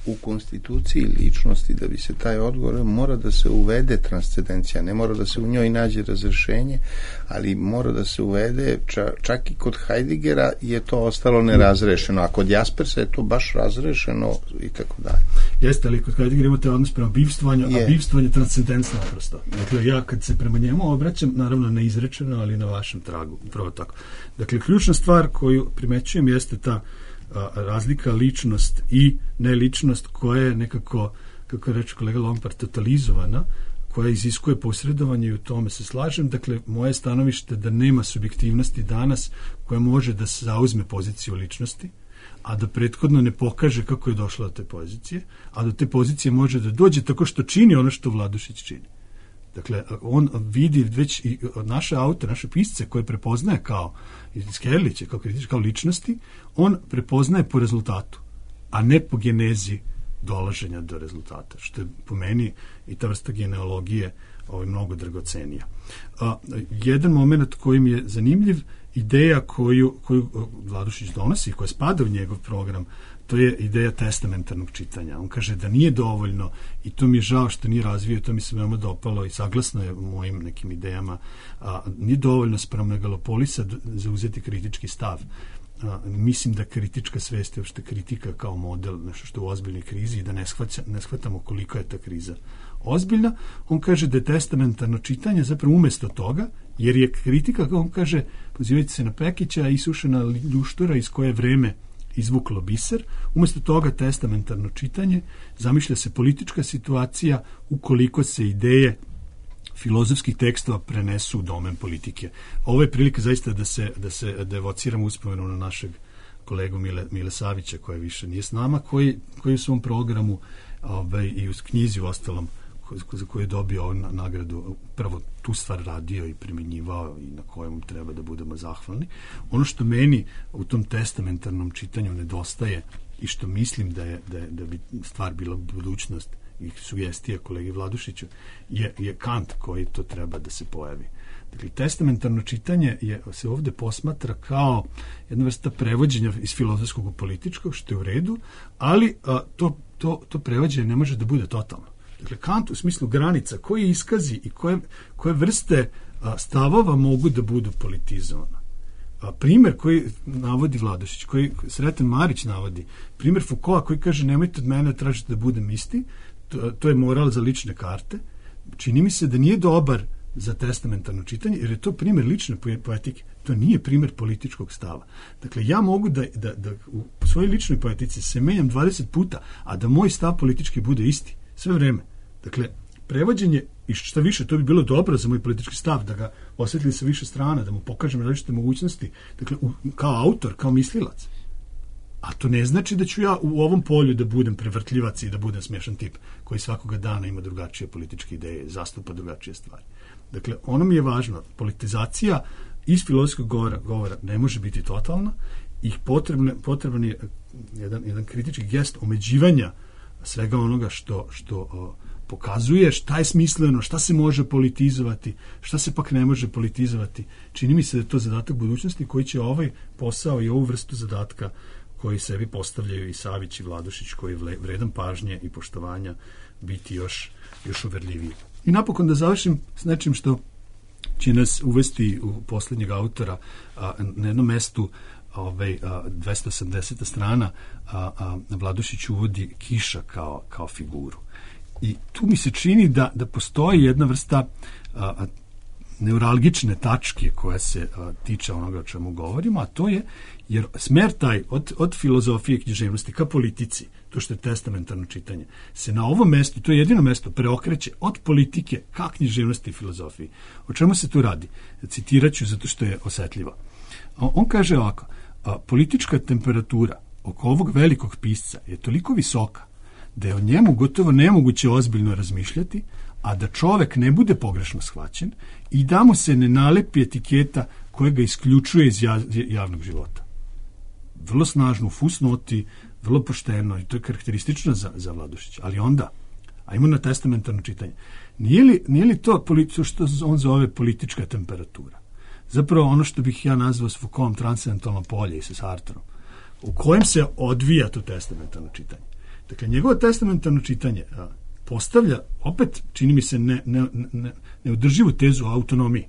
Speaker 5: U konstituciji ličnosti, da bi se taj odgovor, mora da se uvede transcendencija, ne mora da se u njoj nađe razrešenje, ali mora da se uvede, ča, čak i kod Heideggera je to ostalo nerazrešeno, a kod Jaspersa je to baš razrešeno i tako dalje.
Speaker 4: Jeste, ali kod Heideggera imate odnos prema bivstvanju, je. A bivstvanje transcendencija naprosto. Dakle, ja kad se prema njemu obraćam, naravno ne izrečeno, ali na vašem tragu, upravo tako. Dakle, ključna stvar koju primećujem jeste ta razlika ličnost i neličnost koja je nekako, kako reče kolega Lompard, totalizovana, koja iziskuje posredovanje i u tome se slažem. Dakle, moje stanovište da nema subjektivnosti danas koja može da se zauzme poziciju ličnosti, a da prethodno ne pokaže kako je došla do te pozicije, a do te pozicije može da dođe tako što čini ono što Vladušić čini. Dakle, on vidi već i naše autore, naše pisce koje prepoznaje kao Skerliće, kao kritičke, kao ličnosti, on prepoznaje po rezultatu, a ne po genezi dolaženja do rezultata, što je po meni i ta vrsta genealogije ovaj, mnogo dragocenija. A, jedan moment koji mi je zanimljiv, ideja koju, koju Vladušić donosi, koja spada u njegov program, to je ideja testamentarnog čitanja. On kaže da nije dovoljno, i to mi je žao što nije razvio, to mi se veoma dopalo i saglasno je mojim nekim idejama, a, nije dovoljno sprem Megalopolisa zauzeti kritički stav. A, mislim da kritička svest je uopšte kritika kao model, nešto što je u ozbiljnoj krizi i da ne, shvaća, ne shvatamo koliko je ta kriza ozbiljna. On kaže da je testamentarno čitanje zapravo umjesto toga, jer je kritika, kao on kaže, pozivajući se na Pekića, isušena ljuštura iz koje vreme izvuklo biser, umjesto toga testamentarno čitanje, zamišlja se politička situacija ukoliko se ideje filozofskih tekstova prenesu u domen politike. Ovo je prilika zaista da se, da se devociramo uspomenu na našeg kolegu Mile, Mile Savića, koji više nije s nama, koji, koji u svom programu ovaj, i u knjizi u ostalom za koju je dobio nagradu, prvo tu stvar radio i primjenjivao i na kojem treba da budemo zahvalni. Ono što meni u tom testamentarnom čitanju nedostaje i što mislim da je, da je, da bi stvar bila budućnost i sugestija kolegi Vladušiću je, je Kant koji to treba da se pojavi. Dakle, testamentarno čitanje je, se ovde posmatra kao jedna vrsta prevođenja iz filozofskog u političkog, što je u redu, ali a, to, to, to prevođenje ne može da bude totalno. Dakle, Kant u smislu granica, koji iskazi i koje, koje vrste a, stavova mogu da budu politizovane. A, primer koji navodi Vladušić, koji Sreten Marić navodi, primer Foucaulta koji kaže nemojte od mene tražiti da budem isti, to, to je moral za lične karte. Čini mi se da nije dobar za testamentarno čitanje, jer je to primer lične poetike. To nije primer političkog stava. Dakle, ja mogu da, da, da u svojoj ličnoj poetici se menjam dvadeset puta, a da moj stav politički bude isti. Sve vreme. Dakle, prevođenje, i šta više, to bi bilo dobro za moj politički stav, da ga osvetli sa više strana, da mu pokažem različite mogućnosti, dakle, u, kao autor, kao mislilac. A to ne znači da ću ja u ovom polju da budem prevrtljivac i da budem smiješan tip koji svakoga dana ima drugačije političke ideje, zastupa drugačije stvari. Dakle, ono mi je važno, politizacija iz filozofskog govora, govora ne može biti totalna i potrebne, potreban je jedan, jedan kritički gest omeđivanja svega onoga što, što o, pokazuje šta je smisleno, šta se može politizovati, šta se pak ne može politizovati. Čini mi se da je to zadatak budućnosti koji će ovaj posao i ovu vrstu zadatka koji sebi postavljaju i Savić i Vladušić, koji je vredan pažnje i poštovanja, biti još, još uverljiviji. I napokon da završim s nečim što će nas uvesti u posljednjeg autora a, na jednom mestu ovaj, dvesta osamdeseta strana, a, a, Vladušić uvodi Kiša kao, kao figuru. I tu mi se čini da, da postoji jedna vrsta a, a, neuralgične tačke koja se a, tiče onoga o čemu govorimo, a to je, jer smer taj od, od filozofije književnosti ka politici, to što je testamentarno čitanje, se na ovom mestu, to je jedino mesto, preokreće od politike ka književnosti i filozofiji. O čemu se tu radi? Citirat ću zato što je osetljivo. On kaže ovako, a, politička temperatura oko ovog velikog pisca je toliko visoka da je o njemu gotovo nemoguće ozbiljno razmišljati, a da čovek ne bude pogrešno shvaćen i da mu se ne nalepi etiketa koja ga isključuje iz javnog života. Vrlo snažno u fusnoti, vrlo pošteno, i to je karakteristično za, za Vladušića. Ali onda, ajmo na testamentarno čitanje, nije li, nije li to politi- što on zove politička temperatura? Zapravo ono što bih ja nazvao s Foucaultom transcendentalno polje i sa Sartrom, u kojem se odvija to testamentarno čitanje. Dakle, njegovo testamentarno čitanje a, postavlja, opet, čini mi se, ne, ne, ne, neudrživu tezu o autonomiji.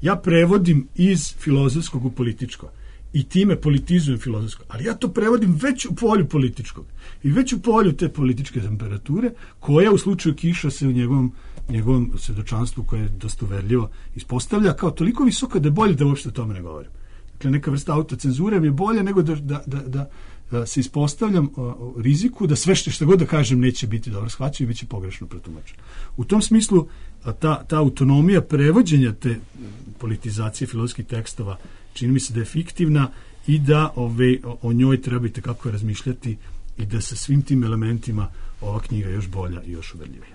Speaker 4: Ja prevodim iz filozofskog u političko i time politizujem filozofsko, ali ja to prevodim već u polju političkog i već u polju te političke temperature, koja u slučaju Kiša se u njegovom, njegovom svedočanstvu, koje je dosta uverljivo, ispostavlja kao toliko visoka da je bolje da uopšte o tome ne govorim. Dakle, neka vrsta autocenzure mi je bolje nego da, da, da, da, da se ispostavljam o riziku da sve što, što god da kažem neće biti dobro shvaćeno i bit će pogrešno protumačeno. U tom smislu ta, ta autonomija prevođenja te politizacije filozofskih tekstova čini mi se da je fiktivna i da ove, o njoj treba i tekako razmišljati i da sa svim tim elementima ova knjiga još bolja i još uverljivija.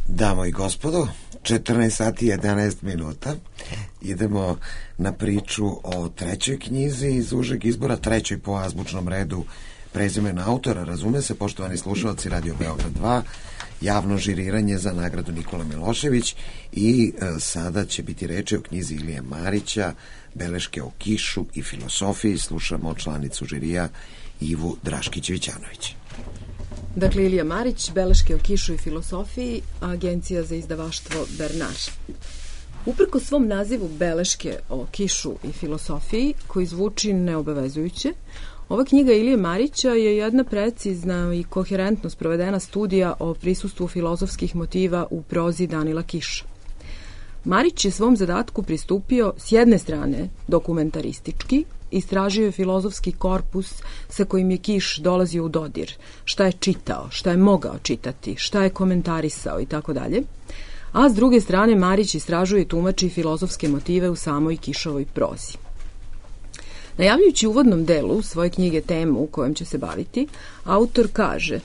Speaker 1: Damo i gospodo, četrnaest sati i jedanaest minuta. Idemo na priču o trećoj knjizi iz užeg izbora, trećoj po azbučnom redu prezimena autora. Razume se, poštovani slušalci Radio Beograd dva, javno žiriranje za nagradu Nikola Milošević i e, sada će biti reči o knjizi Ilije Marića, Beleške o Kišu i filosofiji. Slušamo članicu žirija Ivu Draškić-Vićanović.
Speaker 3: Dakle, Ilija Marić, Beleške o Kišu i filosofiji, Agencija za izdavaštvo Bernard. Uprko svom nazivu Beleške o Kišu i filosofiji, koji zvuči neobavezujuće, ova knjiga Ilije Marića je jedna precizna i koherentno sprovedena studija o prisustvu filozofskih motiva u prozi Danila Kiša. Marić je svom zadatku pristupio s jedne strane dokumentaristički, istražio je filozofski korpus sa kojim je Kiš dolazio u dodir, šta je čitao, šta je mogao čitati, šta je komentarisao i tako dalje, a s druge strane Marić istražuje i tumači filozofske motive u samoj Kišovoj prozi. Najavljujući u uvodnom delu svoje knjige temu u kojom će se baviti, autor kaže: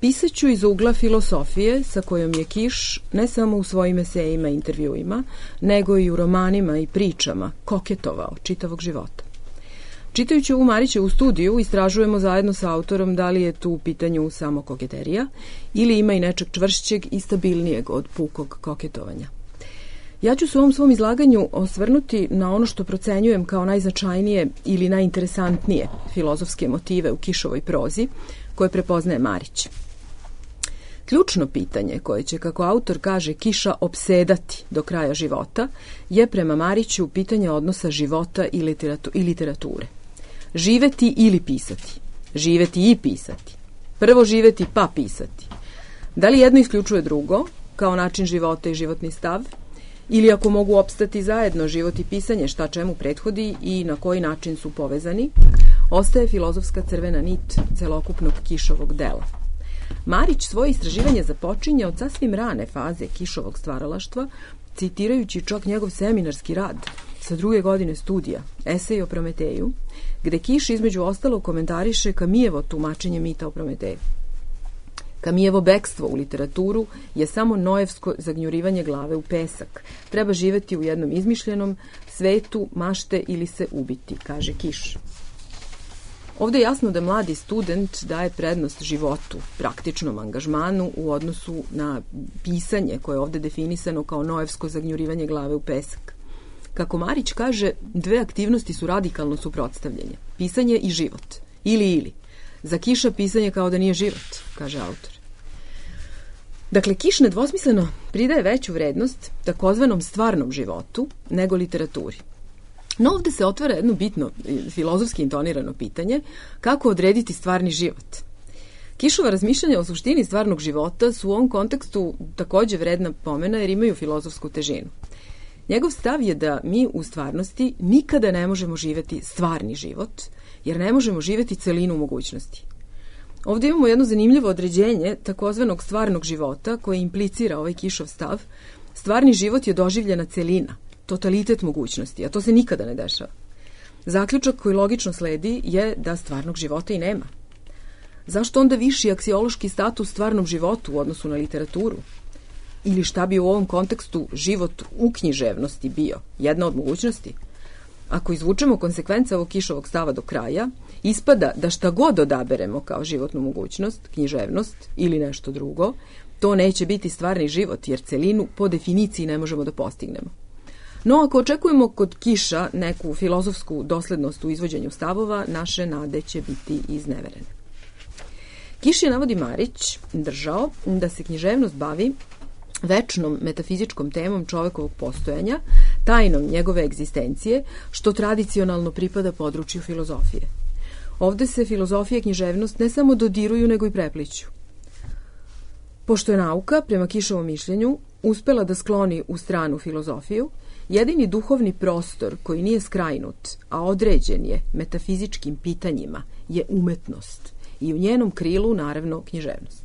Speaker 3: pisaću iz ugla filosofije sa kojom je Kiš ne samo u svojim esejima i intervjuima, nego i u romanima i pričama koketovao čitavog života. Čitajući ovu Marićevu studiju, istražujemo zajedno sa autorom da li je tu u pitanju samo koketerija ili ima i nečeg čvršćeg i stabilnijeg od pukog koketovanja. Ja ću se u ovom svom izlaganju osvrnuti na ono što procenjujem kao najznačajnije ili najinteresantnije filozofske motive u Kišovoj prozi, koje prepoznaje Marić. Ključno pitanje koje će, kako autor kaže, Kiša opsedati do kraja života je prema Mariću pitanje odnosa života i, literatu, i literature. Živeti ili pisati. Živeti i pisati. Prvo živeti pa pisati. Da li jedno isključuje drugo, kao način života i životni stav, ili ako mogu opstati zajedno život i pisanje, šta čemu prethodi i na koji način su povezani, ostaje filozofska crvena nit celokupnog Kišovog dela. Marić svoje istraživanje započinje od sasvim rane faze Kišovog stvaralaštva, citirajući čak njegov seminarski rad sa druge godine studija, esej o Prometeju, gde Kiš između ostalog komentariše Kamijevo tumačenje mita o Prometeju. Kamijevo bekstvo u literaturu je samo noevsko zagnjurivanje glave u pesak. Treba živeti u jednom izmišljenom svetu, mašte ili se ubiti, kaže Kiš. Ovde je jasno da mladi student daje prednost životu, praktičnom angažmanu u odnosu na pisanje koje je ovde definisano kao noevsko zagnjurivanje glave u pesak. Kako Marić kaže, dve aktivnosti su radikalno suprotstavljene. Pisanje i život. Ili ili. Za Kiša pisanje kao da nije život, kaže autor. Dakle, Kiš nedvosmisleno pridaje veću vrednost takozvanom stvarnom životu nego literaturi. No ovde se otvara jedno bitno, filozofski intonirano pitanje, kako odrediti stvarni život. Kišova razmišljanja o suštini stvarnog života su u ovom kontekstu takođe vredna pomena jer imaju filozofsku težinu. Njegov stav je da mi u stvarnosti nikada ne možemo živeti stvarni život, jer ne možemo živeti celinu mogućnosti. Ovde imamo jedno zanimljivo određenje takozvanog stvarnog života koje implicira ovaj Kišov stav. Stvarni život je doživljena celina, totalitet mogućnosti, a to se nikada ne dešava. Zaključak koji logično sledi je da stvarnog života i nema. Zašto onda viši aksiološki status stvarnom životu u odnosu na literaturu? Ili šta bi u ovom kontekstu život u književnosti bio? Jedna od mogućnosti? Ako izvučemo konsekvence ovog Kišovog stava do kraja, ispada da šta god odaberemo kao životnu mogućnost, književnost ili nešto drugo, to neće biti stvarni život, jer celinu po definiciji ne možemo da postignemo. No, ako očekujemo kod Kiša neku filozofsku doslednost u izvođenju stavova, naše nade će biti izneverene. Kiš je, navodi Marić, držao da se književnost bavi večnom metafizičkom temom čovekovog postojanja, tajnom njegove egzistencije, što tradicionalno pripada području filozofije. Ovde se filozofija i književnost ne samo dodiruju, nego i prepliću. Pošto je nauka, prema Kišovom mišljenju, uspela da skloni u stranu filozofiju, jedini duhovni prostor koji nije skrajnut, a određen je metafizičkim pitanjima, je umetnost i u njenom krilu, naravno, književnost.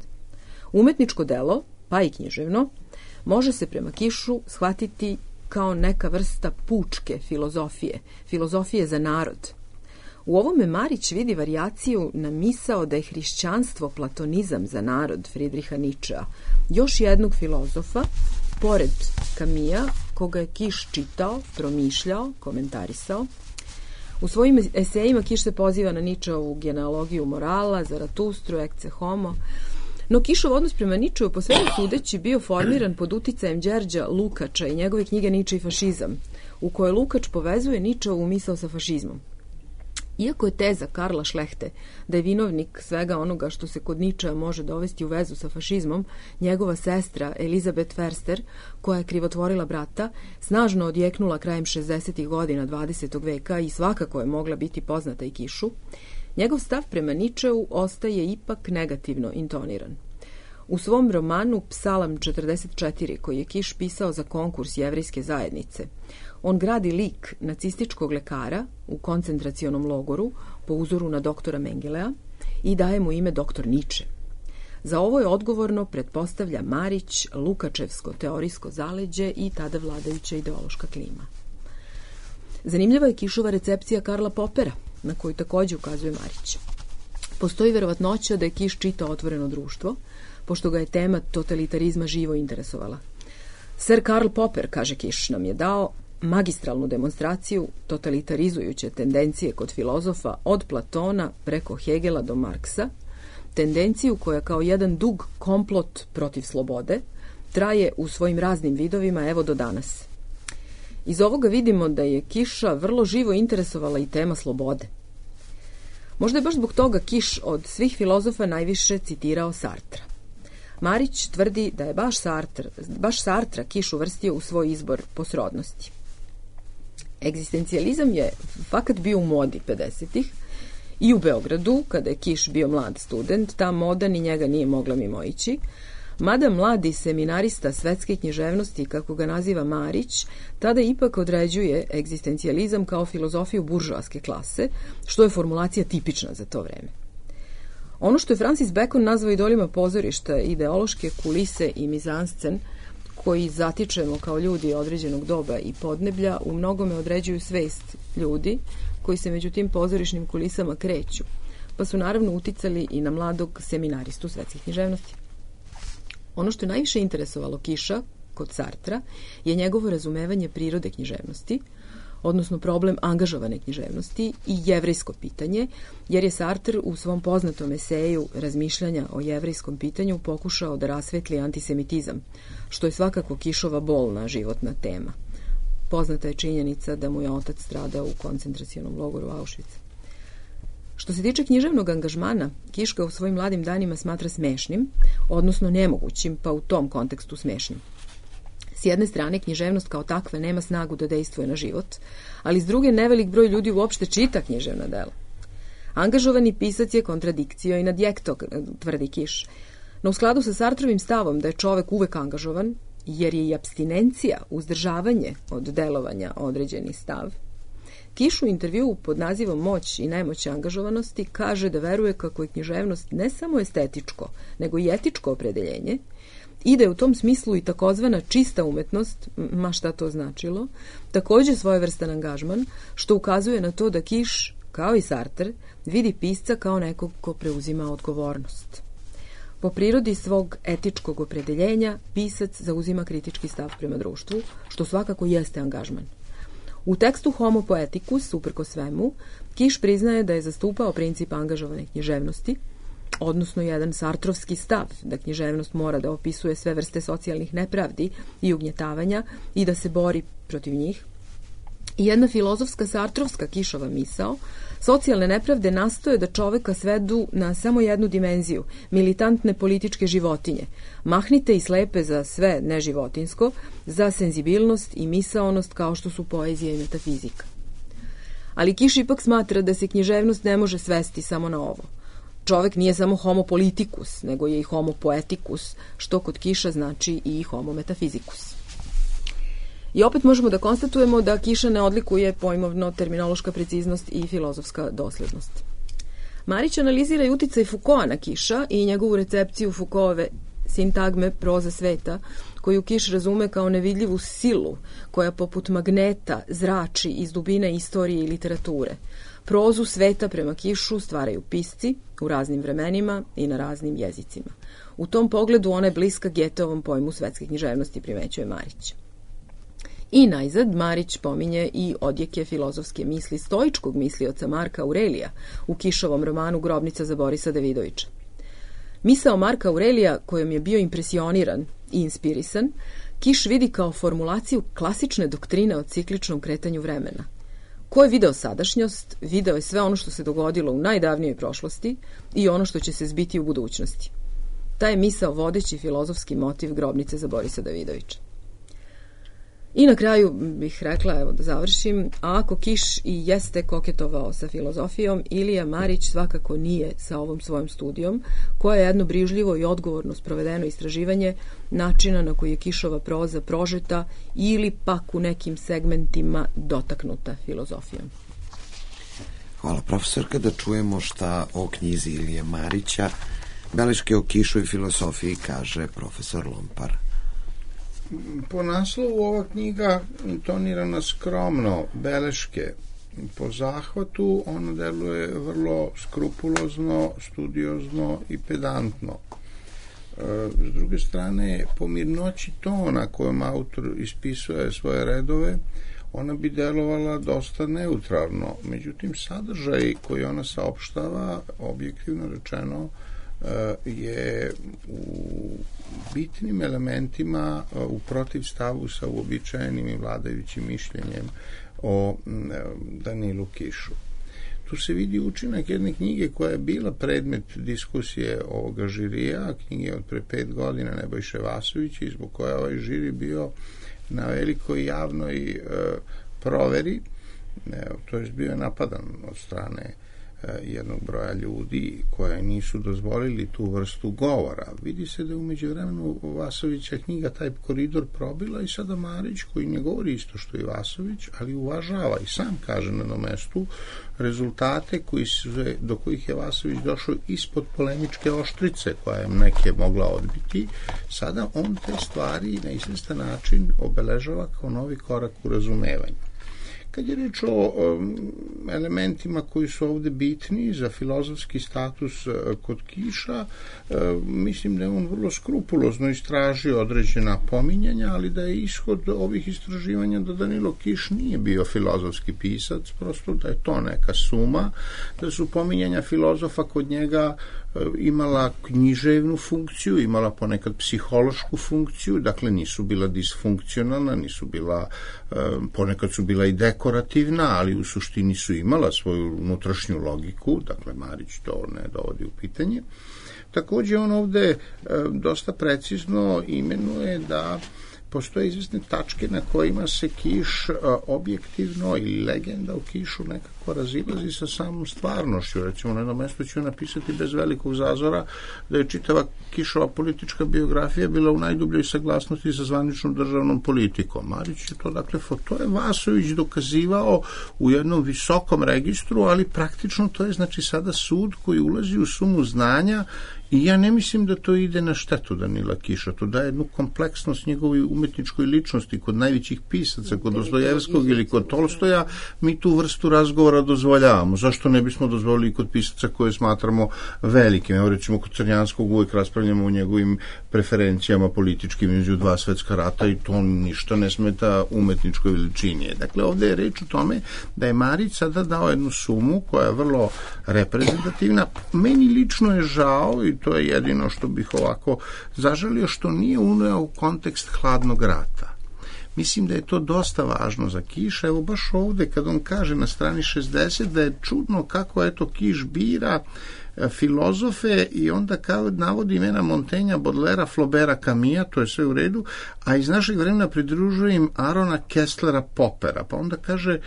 Speaker 3: Umetničko delo, pa i književno, može se prema Kišu shvatiti kao neka vrsta pučke filozofije, filozofije za narod. U ovome Marić vidi varijaciju na misao da je hrišćanstvo platonizam za narod Fridriha Ničea, još jednog filozofa, pored Kamija, koga je Kiš čitao, promišljao, komentarisao. U svojim esejima Kiš se poziva na Ničeovu genealogiju morala, Zaratustru, Ecce Homo, no Kišov odnos prema Ničeu po svemu sudeći bio formiran pod uticajem Đerđa Lukača i njegove knjige Niče i fašizam, u kojoj Lukač povezuje Ničeovu misao sa fašizmom. Iako je teza Karla Šlehte da je vinovnik svega onoga što se kod Ničea može dovesti u vezu sa fašizmom, njegova sestra Elizabeth Förster, koja je krivotvorila brata, snažno odjeknula krajem šezdesetih godina dvadesetog veka i svakako je mogla biti poznata i Kišu, njegov stav prema Ničeu ostaje ipak negativno intoniran. U svom romanu Psalam četrdeset četiri, koji je Kiš pisao za konkurs jevrejske zajednice, on gradi lik nacističkog lekara u koncentracionom logoru po uzoru na doktora Mengelea i daje mu ime doktor Niče. Za ovo je odgovorno, pretpostavlja Marić, Lukačevsko teorijsko zaleđe i tada vladajuća ideološka klima. Zanimljiva je Kišova recepcija Karla Popera, na koju takođe ukazuje Marić. Postoji verovatnoća da je Kiš čitao Otvoreno društvo, pošto ga je tema totalitarizma živo interesovala. Sir Karl Popper, kaže Kiš, nam je dao magistralnu demonstraciju totalitarizujuće tendencije kod filozofa od Platona preko Hegela do Marksa, tendenciju koja kao jedan dug komplot protiv slobode traje u svojim raznim vidovima evo do danas. Iz ovoga vidimo da je Kiša vrlo živo interesovala i tema slobode. Možda je baš zbog toga Kiš od svih filozofa najviše citirao Sartra. Marić tvrdi da je baš Sartre, baš Sartra Kiš uvrstio u svoj izbor po srodnosti. Egzistencijalizam je fakat bio u modi pedesetih i u Beogradu, kada je Kiš bio mlad student, ta moda ni njega nije mogla mimoići, mada mladi seminarista svetske književnosti, kako ga naziva Marić, tada ipak određuje egzistencijalizam kao filozofiju buržoaske klase, što je formulacija tipična za to vreme. Ono što je Francis Bacon nazvao idolima pozorišta, ideološke kulise i mizanscen, koji zatičemo kao ljudi određenog doba i podneblja, u mnogome određuju svest ljudi koji se među tim pozorišnim kulisama kreću, pa su naravno uticali i na mladog seminaristu svetskih književnosti. Ono što je najviše interesovalo Kiša kod Sartra je njegovo razumevanje prirode književnosti, odnosno problem angažovane književnosti i jevrejsko pitanje, jer je Sartre u svom poznatom eseju Razmišljanja o jevrejskom pitanju pokušao da rasvetli antisemitizam, što je svakako Kišova bolna životna tema. Poznata je činjenica da mu je otac stradao u koncentracionom logoru Auschwitz. Što se tiče književnog angažmana, Kiš ga u svojim mladim danima smatra smešnim, odnosno nemogućim, pa u tom kontekstu smešnim. S jedne strane, književnost kao takva nema snagu da dejstvuje na život, ali s druge, nevelik broj ljudi uopšte čita književna dela. Angažovani pisac je kontradikcio i nadjekto, tvrdi Kiš. No u skladu sa Sartrovim stavom da je čovek uvek angažovan, jer je i apstinencija, uzdržavanje od delovanja određeni stav, Kiš u intervjuu pod nazivom Moć i nemoć angažovanosti kaže da veruje kako je književnost ne samo estetičko, nego i etičko opredeljenje i da je u tom smislu i takozvana čista umetnost, ma šta to značilo, takođe svojevrstan angažman, što ukazuje na to da Kiš, kao i Sartre, vidi pisca kao nekog ko preuzima odgovornost. Po prirodi svog etičkog opredeljenja, pisac zauzima kritički stav prema društvu, što svakako jeste angažman. U tekstu Homo poeticus, uprko svemu, Kiš priznaje da je zastupao princip angažovane književnosti, odnosno jedan sartrovski stav da književnost mora da opisuje sve vrste socijalnih nepravdi i ugnjetavanja i da se bori protiv njih. I jedna filozofska sartrovska Kišova misao, socijalne nepravde nastoje da čoveka svedu na samo jednu dimenziju, militantne političke životinje, mahnite i slepe za sve neživotinsko, za senzibilnost i misaonost kao što su poezija i metafizika. Ali Kiš ipak smatra da se književnost ne može svesti samo na ovo. Čovek nije samo homo politicus, nego je i homo poeticus, što kod Kiša znači i homo metafizikus. I opet možemo da konstatujemo da Kiša ne odlikuje pojmovno terminološka preciznost i filozofska doslednost. Marić analizira i uticaj Foucaulta na Kiša i njegovu recepciju Foucaultove sintagme proza sveta, koju Kiš razume kao nevidljivu silu koja poput magneta zrači iz dubine istorije i literature. Prozu sveta prema Kišu stvaraju pisci u raznim vremenima i na raznim jezicima. U tom pogledu ona je bliska Getovom pojmu svetske književnosti, primećuje Marić. I najzad Marić pominje i odjeke filozofske misli stoičkog mislioca Marka Aurelija u Kišovom romanu Grobnica za Borisa Davidovića. Misao Marka Aurelija, kojom je bio impresioniran i inspirisan, Kiš vidi kao formulaciju klasične doktrine o cikličnom kretanju vremena. Ko je video sadašnjost, video je sve ono što se dogodilo u najdavnijoj prošlosti i ono što će se zbiti u budućnosti. Taj je misao vodeći filozofski motiv Grobnice za Borisa Davidovića. I na kraju bih rekla, evo da završim, a ako Kiš i jeste koketovao sa filozofijom, Ilija Marić svakako nije sa ovom svojom studijom, koja je jedno brižljivo i odgovorno sprovedeno istraživanje načina na koji je Kišova proza prožeta ili pak u nekim segmentima dotaknuta filozofijom.
Speaker 1: Hvala profesorka, da čujemo šta o knjizi Ilije Marića, beleške o Kišu i filozofiji, kaže profesor Lompar.
Speaker 5: Po naslovu ova knjiga intonirana skromno, beleške. Po zahvatu ona deluje vrlo skrupulozno, studiozno i pedantno. S druge strane, po mirnoći tona kojom autor ispisuje svoje redove, ona bi delovala dosta neutralno. Međutim, sadržaj koji ona saopštava, objektivno rečeno, je u bitnim elementima u protivstavu sa uobičajenim i vladajućim mišljenjem o Danilu Kišu. Tu se vidi učinak jedne knjige koja je bila predmet diskusije ovoga žirija, knjige od pre pet godina Nebojše Vasovića, i zbog koja ovaj žiri bio na velikoj javnoj proveri, to je bio napadan od strane jednog broja ljudi koje nisu dozvolili tu vrstu govora. Vidi se da je umeđu vremenu Vasovića knjiga taj koridor probila i sada Marić, koji ne govori isto što i Vasović, ali uvažava i sam kaže na jednom mestu rezultate koji su, do kojih je Vasović došao ispod polemičke oštrice koja je neke mogla odbiti. Sada on te stvari na izvestan način obeležava kao novi korak u razumevanju. Kad je reč o elementima koji su ovde bitni za filozofski status kod Kiša, mislim da je on vrlo skrupulozno istražio određena pominjanja, ali da je ishod ovih istraživanja da Danilo Kiš nije bio filozofski pisac, prosto da je to neka suma, da su pominjanja filozofa kod njega imala književnu funkciju, imala ponekad psihološku funkciju, dakle nisu bila disfunkcionalna, nisu bila, ponekad su bila i dekorativna, ali u suštini su imala svoju unutrašnju logiku, dakle Marić to ne dovodi u pitanje. Takođe on ovde dosta precizno imenuje da postoje izvesne tačke na kojima se Kiš a, objektivno ili legenda u Kišu nekako razilazi sa samom stvarnošću. Recimo, na jednom mjestu ću napisati bez velikog zazora da je čitava Kišova politička biografija bila u najdubljoj saglasnosti sa zvaničnom državnom politikom. Marić je to, dakle, to je Vasović dokazivao u jednom visokom registru, ali praktično to je, znači, sada sud koji ulazi u sumu znanja i ja ne mislim da to ide na štetu Danila Kiša. To daje jednu kompleksnost njegovoj umetničkoj ličnosti. Kod najvećih pisaca, kod Dostojevskog ili kod Tolstoja, mi tu vrstu razgovora dozvoljavamo. Zašto ne bismo dozvolili kod pisaca koje smatramo velikim? Evo, recimo, kod Crnjanskog uvijek raspravljamo o njegovim preferencijama političkim između dva svetska rata i to ništa ne smeta umetničkoj veličini. Dakle, ovdje je reč o tome da je Marić sada dao jednu sumu koja je vrlo reprezentativna. Meni lično je žao, i to je jedino što bih ovako zažalio, što nije uneo u kontekst hladnog rata. Mislim da je to dosta važno za Kiša. Evo baš ovdje kad on kaže na strani šezdeset da je čudno kako eto Kiš bira filozofe i onda kao navodi imena Montaigna, Baudelaire, Flaubera, Camilla, to je sve u redu, a iz našeg vremena pridružuje im Arona Kesslera, Poppera. Pa onda kaže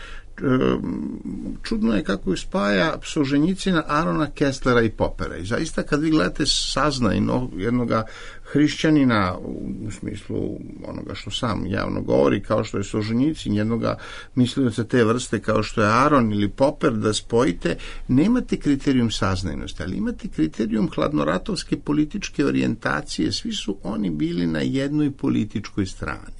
Speaker 5: čudno je kako ju spaja Solženjicina, Arona Kesslera i Poppera. I zaista kad vi gledate saznajno jednoga hrišćanina u smislu onoga što sam javno govori, kao što je Solženjicin, jednoga mislioca te vrste kao što je Aron ili Popper, da spojite, nemate kriterijum saznajnosti, ali imate kriterijum hladnoratovske političke orijentacije. Svi su oni bili na jednoj političkoj strani.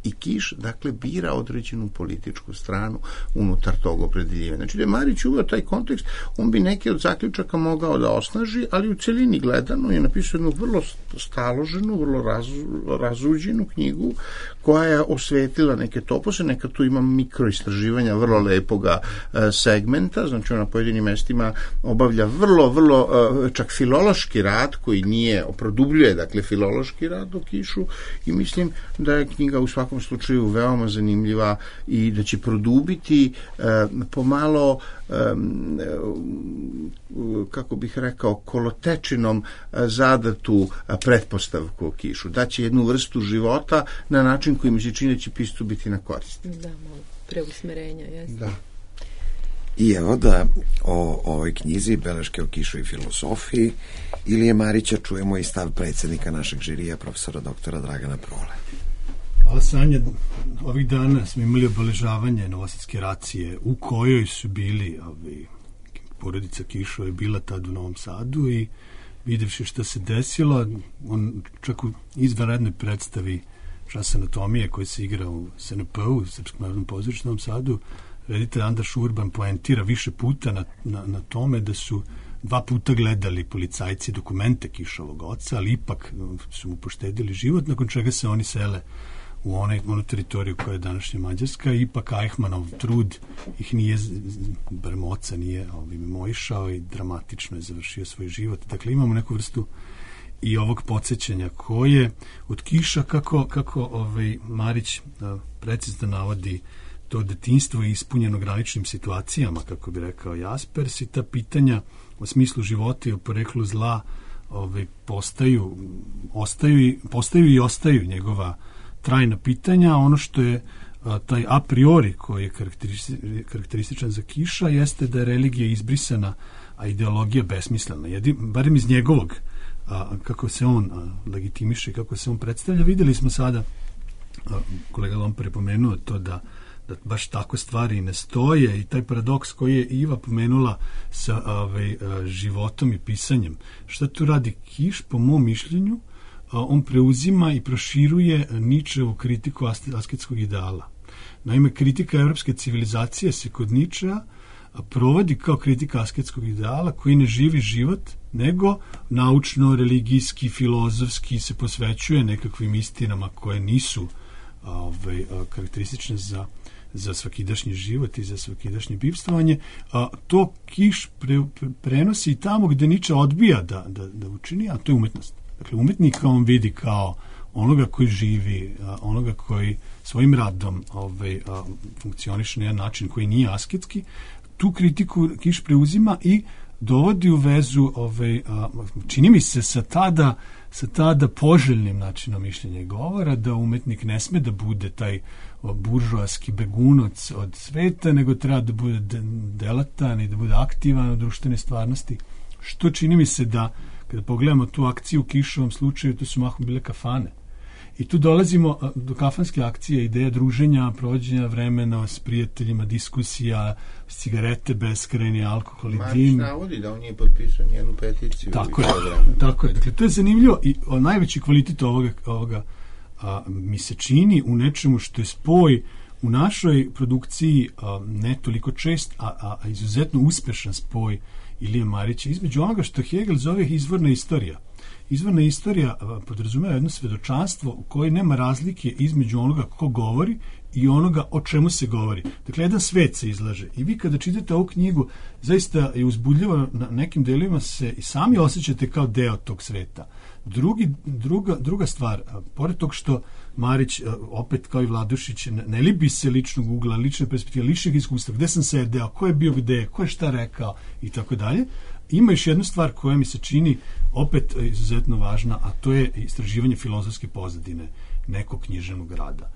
Speaker 5: I Kiš, dakle, bira određenu političku stranu unutar tog opredeljivanja. Znači, da je Marić uveo taj kontekst, on bi neke od zaključaka mogao da osnaži, ali u celini gledano je napisao jednu vrlo staloženu, vrlo razu, razuđenu knjigu koja je osvetila neke topose, neka tu ima mikroistraživanja vrlo lepoga e, segmenta, znači ona na pojedinim mestima obavlja vrlo, vrlo e, čak filološki rad koji nije, produbljuje, dakle, filološki rad o Kišu i mislim da je knjiga u svakom u slučaju veoma zanimljiva i da će produbiti e, pomalo e, kako bih rekao kolotečinom e, zadatu e, pretpostavku o Kišu. Daće jednu vrstu života na način koji mi se čini da će pistu biti na korist.
Speaker 3: Da, malo preusmerenja, jesno.
Speaker 5: Da.
Speaker 1: I evo da o ovoj knjizi Beleške o Kišu i filosofiji Ilije Marića čujemo i stav predsjednika našeg žirija, profesora doktora Dragana Prole.
Speaker 4: Hvala, Sanja. Ovih dana smo imali obeležavanje Novosadske racije u kojoj su bili ovi, porodica Kišova je bila tad u Novom Sadu i videvši šta se desilo, on čak u izvanrednoj predstavi Čas anatomije koji se igra u S N P-u, u Srpskom narodnom pozorištu u Novom Sadu, reditelj Andraš Urban poentira više puta na, na, na tome da su dva puta gledali policajci dokumente Kišovog oca, ali ipak su mu poštedili život, nakon čega se oni sele u onaj, onu teritoriju koja je današnja Mađarska. Ipak Eichmannov trud ih nije, barem oca nije ovaj, mimoišao i dramatično je završio svoj život. Dakle, imamo neku vrstu i ovog podsjećanja koje od Kiša, kako, kako ovaj, Marić a, precizno navodi to detinjstvo je ispunjeno graničnim situacijama, kako bi rekao Jaspers, i ta pitanja o smislu života i o poreklu zla ovaj, postaju, ostaju i, postaju i ostaju njegova trajna pitanja. Ono što je a, taj a priori koji je karakteristi, karakterističan za Kiša jeste da je religija izbrisana, a ideologija besmislena. Jedi, barem iz njegovog, a, kako se on a, legitimiše, kako se on predstavlja. Videli smo sada, a, kolega Lompar je pomenuo to da da baš tako stvari ne stoje i taj paradoks koji je Iva pomenula sa ovaj, životom i pisanjem. Šta tu radi Kiš? Po mom mišljenju, on preuzima i proširuje Ničevu kritiku asketskog ideala. Naime, kritika evropske civilizacije se kod Ničea provodi kao kritika asketskog ideala koji ne živi život, nego naučno, religijski, filozofski se posvećuje nekakvim istinama koje nisu ovaj, karakteristične za za svakidašnji život i za svakidašnje bivstvovanje, a to Kiš pre, pre, prenosi tamo gde Niče odbija da, da, da učini, a to je umetnost. Dakle, umetnika on vidi kao onoga koji živi, a, onoga koji svojim radom ovaj, a, funkcioniše na jedan način koji nije asketski. Tu kritiku Kiš preuzima i dovodi u vezu, ovaj, a, čini mi se sa tada, sa tada poželjnim načinom mišljenja i govora, da umetnik ne sme da bude taj buržoaski begunac od sveta, nego treba da bude delatan i da bude aktivan u društvenoj stvarnosti. Što čini mi se da, kada pogledamo tu akciju u Kišovom slučaju, to su mahom bile kafane. I tu dolazimo do kafanske akcije, ideja druženja, provođenja vremena s prijateljima, diskusija, cigarete, beskrajni alkohol i dim.
Speaker 5: Marić navodi da on nije potpisao njenu peticiju.
Speaker 4: Tako je, tako je. Dakle, to je zanimljivo i najveći kvalitet ovoga, ovoga a, mi se čini u nečemu što je spoj u našoj produkciji a, ne toliko čest, a, a, a izuzetno uspešan spoj Ilije Marića između onoga što Hegel zove izvorna istorija. Izvorna istorija podrazumeva jedno svedočanstvo u kojoj nema razlike između onoga ko govori i onoga o čemu se govori. Dakle, jedan svet se izlaže. I vi kada čitate ovu knjigu, zaista je uzbudljivo, na nekim delima se i sami osjećate kao deo tog sveta. Drugi, druga, druga stvar, pored tog što Marić, opet kao i Vladušić, ne libi se ličnog ugla, lične perspektive, ličnih iskustva, gde sam sedeo, ko je bio gde, ko je šta rekao i tako dalje. Ima još jednu stvar koja mi se čini opet izuzetno važna, a to je istraživanje filozofske pozadine nekog književnog rada.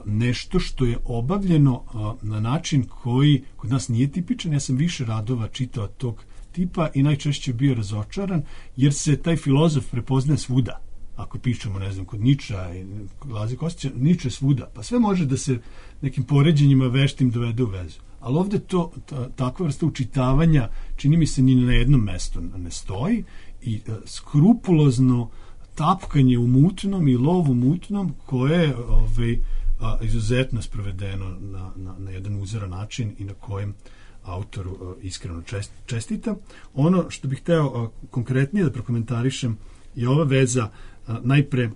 Speaker 4: Nešto što je obavljeno na način koji kod nas nije tipičan. Ja sam više radova čitao tog tipa i najčešće bio razočaran, jer se taj filozof prepoznaje svuda. Ako pišemo, ne znam, kod Niča i Laze Kostića, Niče svuda, pa sve može da se nekim poređenjima veštim dovede u vezu. Ali ovde to, ta, takva vrsta učitavanja, čini mi se, ni na jednom mestu ne stoji i a, skrupulozno tapkanje u mutnom i lov u mutnom, koje je ovaj, a, izuzetno sprovedeno na, na, na jedan uzoran način i na kojem autoru a, iskreno čest, čestita. Ono što bih hteo a, konkretnije da prokomentarišem je ova veza, a, najpre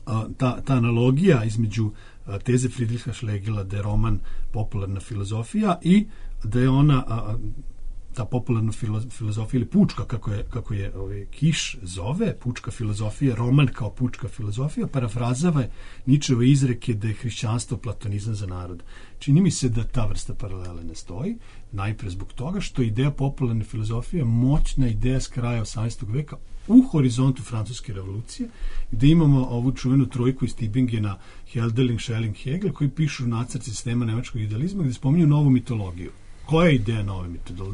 Speaker 4: a, ta, ta analogija između a, teze Friedricha Schlegela da je roman popularna filozofija i da je ona a, ta popularna filozofija ili pučka, kako je, kako je ovaj, Kiš zove, pučka filozofija, roman kao pučka filozofija, parafrazava Ničeve izreke da je hrišćanstvo platonizam za narod. Čini mi se da ta vrsta paralele ne stoji, najpre zbog toga što ideja popularne filozofije je moćna ideja s kraja osamnaestog veka u horizontu francuske revolucije, gde imamo ovu čuvenu trojku iz Tübingena, Hölderlin, Schelling, Hegel, koji pišu nacrt sistema nemačkog idealizma, gde spominju novu mitologiju. Koja je ideja nove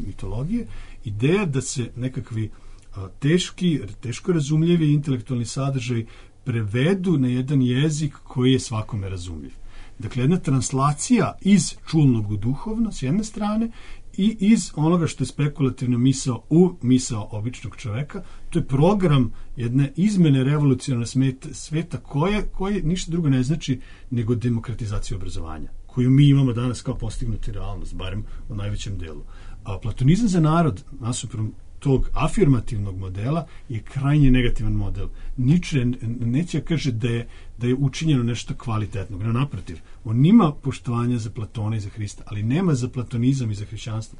Speaker 4: mitologije? Ideja da se nekakvi a, teški, teško razumljivi intelektualni sadržaj prevedu na jedan jezik koji je svakome razumljiv. Dakle, jedna translacija iz čulnog u duhovno s jedne strane i iz onoga što je spekulativna misao u misao običnog čoveka. To je program jedne izmene revolucionarne sveta koje, koje ništa drugo ne znači nego demokratizaciju obrazovanja, koju mi imamo danas kao postignuti realnost, barem u najvećem delu. A platonizam za narod, nasuprot tog afirmativnog modela, je krajnje negativan model. Niče neće kaže da je, da je učinjeno nešto kvalitetnog. No, naprotiv, on ima poštovanja za Platona i za Hrista, ali nema za platonizam i za hrišćanstvo.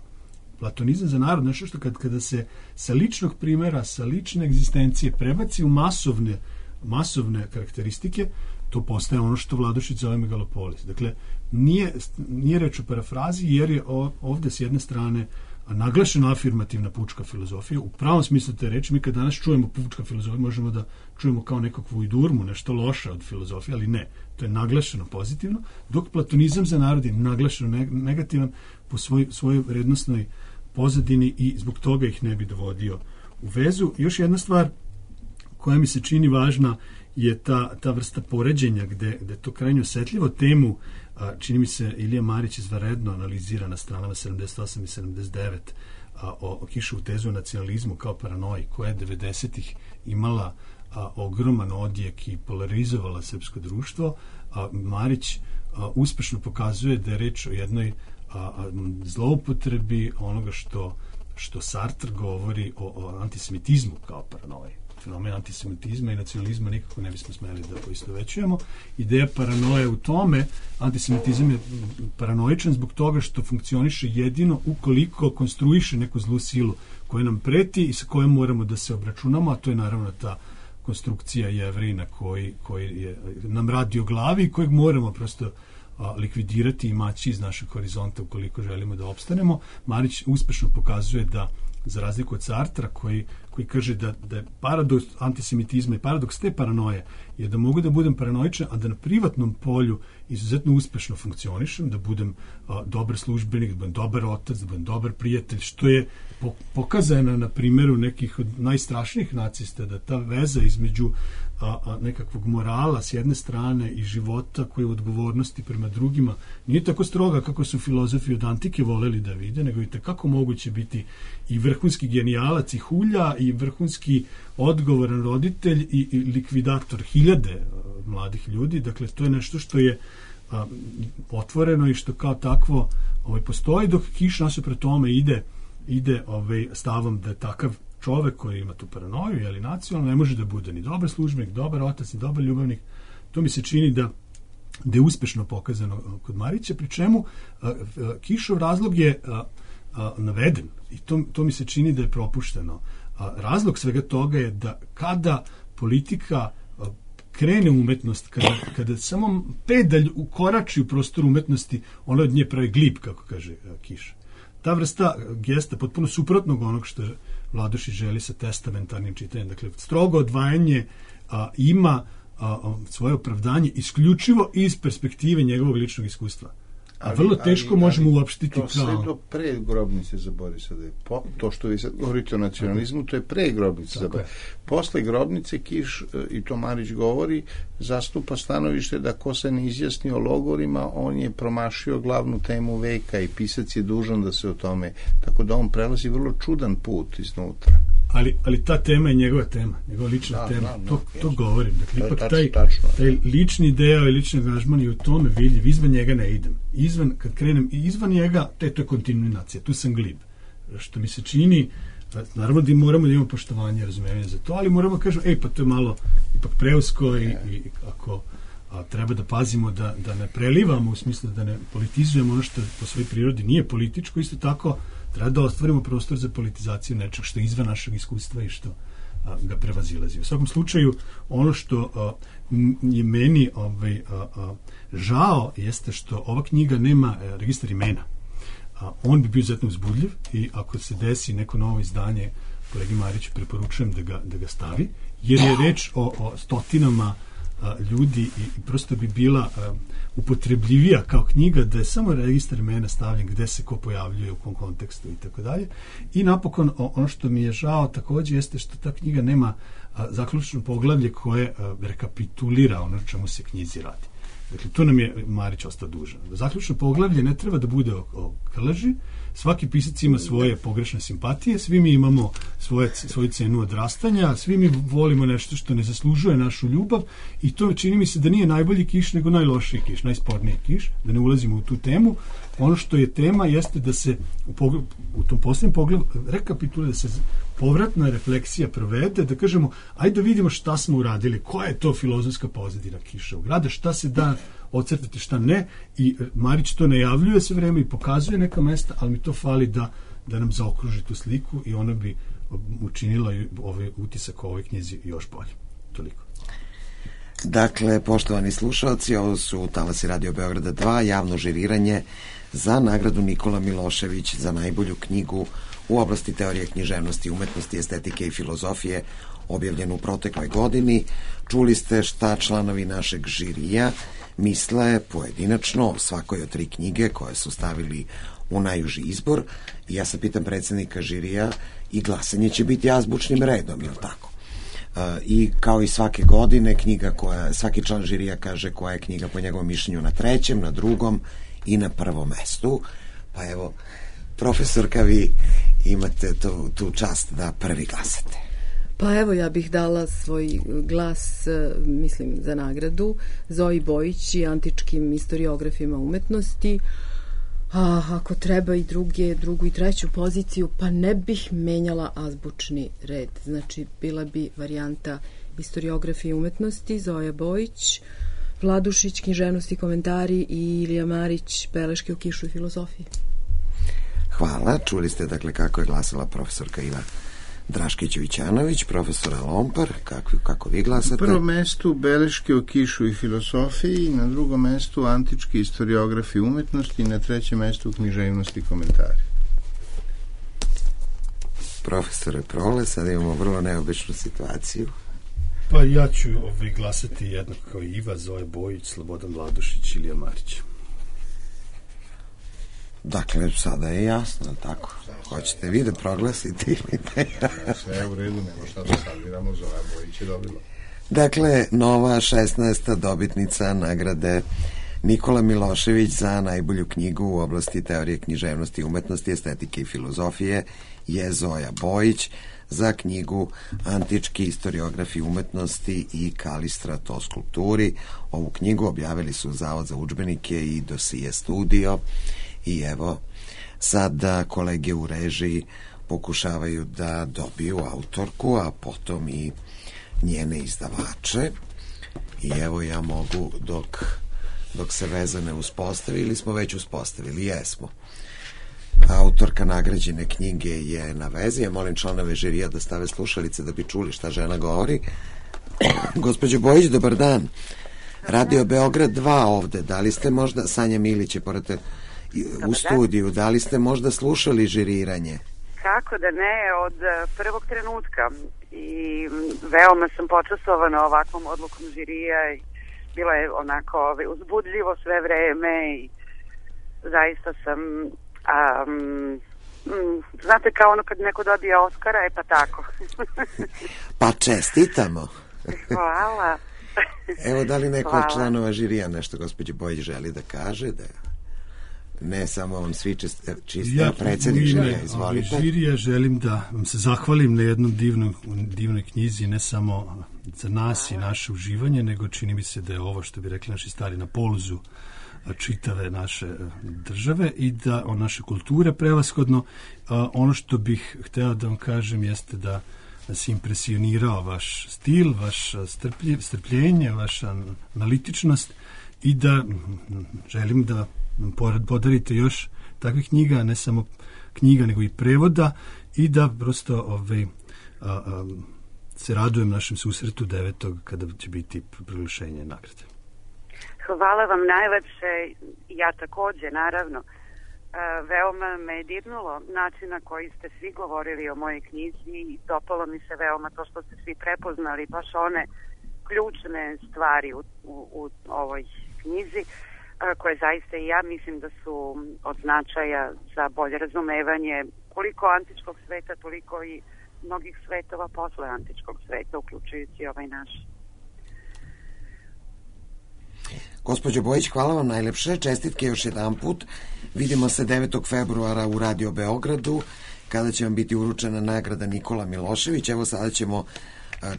Speaker 4: Platonizam za narod, nešto što kad, kada se sa ličnog primjera, sa lične egzistencije prebaci u masovne, masovne karakteristike, to postaje ono što Vladušić zove megalopolis. Dakle, nije, nije reč o parafrazi, jer je ovde s jedne strane naglašena afirmativna pučka filozofija. U pravom smislu te reči, mi kad danas čujemo pučka filozofija, možemo da čujemo kao nekakvu idurmu, nešto loše od filozofije, ali ne. To je naglašeno pozitivno, dok platonizam za narod je naglašeno negativan po svoj, svojoj vrednostnoj pozadini i zbog toga ih ne bi dovodio u vezu. Još jedna stvar koja mi se čini važna je ta, ta vrsta poređenja gde, gde to krajnje osetljivo temu, a, čini mi se Ilija Marić izvanredno analizira na stranama sedamdeset osam i sedamdeset devet a, o, o Kišovu tezu o nacionalizmu kao paranoji, koja je devedesetih imala a, ogroman odjek i polarizovala srpsko društvo. A, Marić a, uspešno pokazuje da je reč o jednoj a, a, zloupotrebi onoga što, što Sartre govori o, o antisemitizmu kao paranoji. Fenomen antisemitizma i nacionalizma nikako ne bismo smeli da poistovećujemo. Ideja paranoje u tome, antisemitizam je paranoičan zbog toga što funkcioniše jedino ukoliko konstruiše neku zlu silu koja nam preti i sa kojom moramo da se obračunamo, a to je naravno ta konstrukcija Jevrina koji, koji je, nam radi o glavi i kojeg moramo prosto a, likvidirati i maći iz našeg horizonta ukoliko želimo da opstanemo. Marić uspešno pokazuje da za razliku od Sartra koji, koji kaže da, da je paradoks antisemitizma i paradoks te paranoje je da mogu da budem paranoičan, a da na privatnom polju izuzetno uspešno funkcionišem, da budem a, dobar službenik, da budem dobar otac, da budem dobar prijatelj, što je po, pokazano na primjeru nekih od najstrašnijih nacista, da ta veza između a, a, nekakvog morala s jedne strane i života koji je u odgovornosti prema drugima nije tako stroga kako su filozofi od antike voleli da vide, nego i kako moguće biti i vrhunski genijalac i hulja i vrhunski odgovoran roditelj i, i likvidator hiljade a, mladih ljudi. Dakle, to je nešto što je a, otvoreno i što kao takvo ovaj, postoji, dok Kiš nasuprot tome ide, ide ovaj, stavom da je takav čovek koji ima tu paranoju, jeli nacionalno, ne može da bude ni dobar službenik, dobar otac, ni dobar ljubavnik. To mi se čini da, da je uspešno pokazano kod Marića, pri čemu a, a, Kišov razlog je a, a, naveden i to, to mi se čini da je propušteno. A, razlog svega toga je da kada politika a, krene umetnost, kada, kada samo pedalj ukorači u prostoru umetnosti, ona od nje pravi glib, kako kaže a, Kiš. Ta vrsta gesta, potpuno suprotnog onog što Vladušić želi sa testamentarnim čitanjem. Dakle, strogo odvajanje a, ima a, a, svoje opravdanje isključivo iz perspektive njegovog ličnog iskustva. A vrlo teško ali, možemo ali, uopštiti
Speaker 5: to
Speaker 4: kao...
Speaker 5: sve do pre grobnice za Borisa Dedeljka. To što vi sad govorite o nacionalizmu, to je pre grobnice za Borisa. Posle grobnice Kiš, i to Marić govori, zastupa stanovište da ko se ne izjasni o logorima, on je promašio glavnu temu veka i pisac je dužan da se o tome... Tako da on prelazi vrlo čudan put iznutra.
Speaker 4: Ali, ali ta tema je njegova tema, njegova lična da, tema. Da, to, to govorim. Dakle, ipak
Speaker 5: tač,
Speaker 4: taj,
Speaker 5: tačno,
Speaker 4: taj lični deo i lični angažman je u tome vidljiv. Izvan njega ne idem. Izvan, kad krenem, izvan njega, te, to je kontinuacija. Tu sam glib. Što mi se čini, naravno da moramo da imamo poštovanje, razumevanje za to, ali moramo kažemo, ej, pa to je malo ipak preusko i, i ako a, treba da pazimo da, da ne prelivamo, u smislu da ne politizujemo ono što po svojoj prirodi nije političko, isto tako treba da ostvarimo prostor za politizaciju nečeg što je izvan našeg iskustva i što a, ga prevazilazi. U svakom slučaju, ono što a, je meni ovaj, a, a, žao jeste što ova knjiga nema a, registar imena. A, on bi bio izuzetno uzbudljiv i ako se desi neko novo izdanje, kolegi Mariću preporučujem da ga, da ga stavi, jer je reč o, o stotinama a, ljudi i, i prosto bi bila a, upotrebljivija kao knjiga da je samo registar imena stavljen gde se ko pojavljuje, u kom kontekstu i tako dalje. I napokon o, ono što mi je žao takođe jeste što ta knjiga nema a, zaključno poglavlje koje a, rekapitulira ono čemu se knjizi radi. Dakle, tu nam je Marić ostao dužan. Zaključno poglavlje ne treba da bude o, o Krleži. Svaki pisac ima svoje pogrešne simpatije, svi mi imamo svoje, svoju cenu odrastanja, svi mi volimo nešto što ne zaslužuje našu ljubav i to čini mi se da nije najbolji Kiš nego najlošiji Kiš, najsporniji Kiš, da ne ulazimo u tu temu. Ono što je tema jeste da se u, pogled, u tom posljednjem pogledu rekapitulira, da se povratna refleksija provede, da kažemo, ajde da vidimo šta smo uradili, koja je to filozofska pozadina Kiševog rada, šta se da ocrtati, šta ne, i Marić to najavljuje sve vreme i pokazuje neka mesta, ali mi to fali da, da nam zaokruži tu sliku i ona bi učinila ovaj utisak o ovoj knjizi još bolje. Toliko.
Speaker 1: Dakle, poštovani slušalci, ovo su Talasi Radio Beograda dva, javno žiriranje za nagradu Nikola Milošević za najbolju knjigu u oblasti teorije književnosti, umetnosti, estetike i filozofije, objavljenu u protekloj godini. Čuli ste šta članovi našeg žirija misle pojedinačno o svakoj od tri knjige koje su stavili u najuži izbor. I ja se pitam predsjednika žirija, i glasanje će biti azbučnim redom, je li tako? I kao i svake godine knjiga koja, svaki član žirija kaže koja je knjiga po njegovom mišljenju na trećem, na drugom i na prvom mestu. Pa evo, profesorka, vi imate tu, tu čast da prvi glasate.
Speaker 3: Pa evo, ja bih dala svoj glas, mislim, za nagradu Zoji Bojić i antičkim historiografima umetnosti. A ako treba i druge, drugu i treću poziciju, pa ne bih menjala azbučni red. Znači, bila bi varijanta historiografije umetnosti, Zoja Bojić, Vladušić, književnosti i komentari i Ilija Marić, beleške o Kišu i filozofiji.
Speaker 1: Hvala. Čuli ste, dakle, kako je glasala profesorka Iva Draškić-Vićanović, profesora Lompar, kako, kako vi glasate?
Speaker 5: Na prvom mestu beleške o Kišu i filozofiji, na drugom mestu antički historiografi umetnosti i na trećem mestu književnosti i komentari.
Speaker 1: Profesore Prole, sad imamo vrlo neobičnu situaciju.
Speaker 4: Pa ja ću ovaj, glasati jednako kao Iva, Zoja Bojić, Slobodan Vladušić, Ilija Marić.
Speaker 1: Dakle, sada je jasno, tako? Hoćete vi da proglasite ili ne?
Speaker 5: Sve je u redu, nema šta da stavljamo, Zoja Bojić je dobila.
Speaker 1: Dakle, nova šesnaesta dobitnica nagrade Nikola Milošević za najbolju knjigu u oblasti teorije književnosti, umetnosti, estetike i filozofije je Zoja Bojić za knjigu Antički istoriografi umetnosti i Kalistrat o skulpturi. Ovu knjigu objavili su Zavod za udžbenike i Dosije studio i evo sada kolege u režiji pokušavaju da dobiju autorku, a potom i njene izdavače. I evo ja mogu dok dok se veza ne uspostavi, ili smo već uspostavili, jesmo. Autorka nagrađene knjige je na vezi. Ja molim članove žirija da stave slušalice da bi čuli šta žena govori. Gospođo Bojić, dobar dan. Radio Beograd dva ovde. Da li ste možda, Sanja Milić je pored u studiju, da li ste možda slušali žiriranje?
Speaker 6: Kako da ne, od prvog trenutka. I veoma sam počastovana ovakvom odlukom žirija i bilo je onako uzbudljivo sve vreme i zaista sam um, znate kao ono kad neko dobije Oskara, je pa tako.
Speaker 1: Pa čestitamo.
Speaker 6: Hvala.
Speaker 1: Evo, da li neko
Speaker 6: Hvala.
Speaker 1: od članova žirija nešto gospođe Bojić želi da kaže, da ne samo vam svi čiste, čiste
Speaker 4: ja,
Speaker 1: predsjednik žirija, izvolite.
Speaker 4: Žirija želim da vam se zahvalim na jednom divnom, divnoj knjizi, ne samo za nas i naše uživanje, nego čini mi se da je ovo, što bi rekli naši stari, na poluzu čitave naše države i da o naše kulture prevashodno. Ono što bih hteo da vam kažem jeste da nas impresionirao vaš stil, vaš strplje, strpljenje, vaša analitičnost i da želim da nam podarite još takvih knjiga, ne samo knjiga nego i prevoda i da prosto ovaj, a, a, se radujem našem susretu devetog kada će biti proglašenje nagrade.
Speaker 6: Hvala vam najlepše, ja takođe, naravno. E, veoma me je dirnulo način na koji ste svi govorili o mojoj knjizi i dopalo mi se veoma to što ste svi prepoznali baš one ključne stvari u, u, u ovoj knjizi, a, koje zaista i ja mislim da su od značaja za bolje razumevanje koliko antičkog sveta, toliko i mnogih svetova posle antičkog sveta, uključujući ovaj naš.
Speaker 1: Gospođo Bojić, hvala vam najlepše, čestitke još jedan put. Vidimo se devetog februara u Radio Beogradu, kada će vam biti uručena nagrada Nikola Milošević. Evo sada ćemo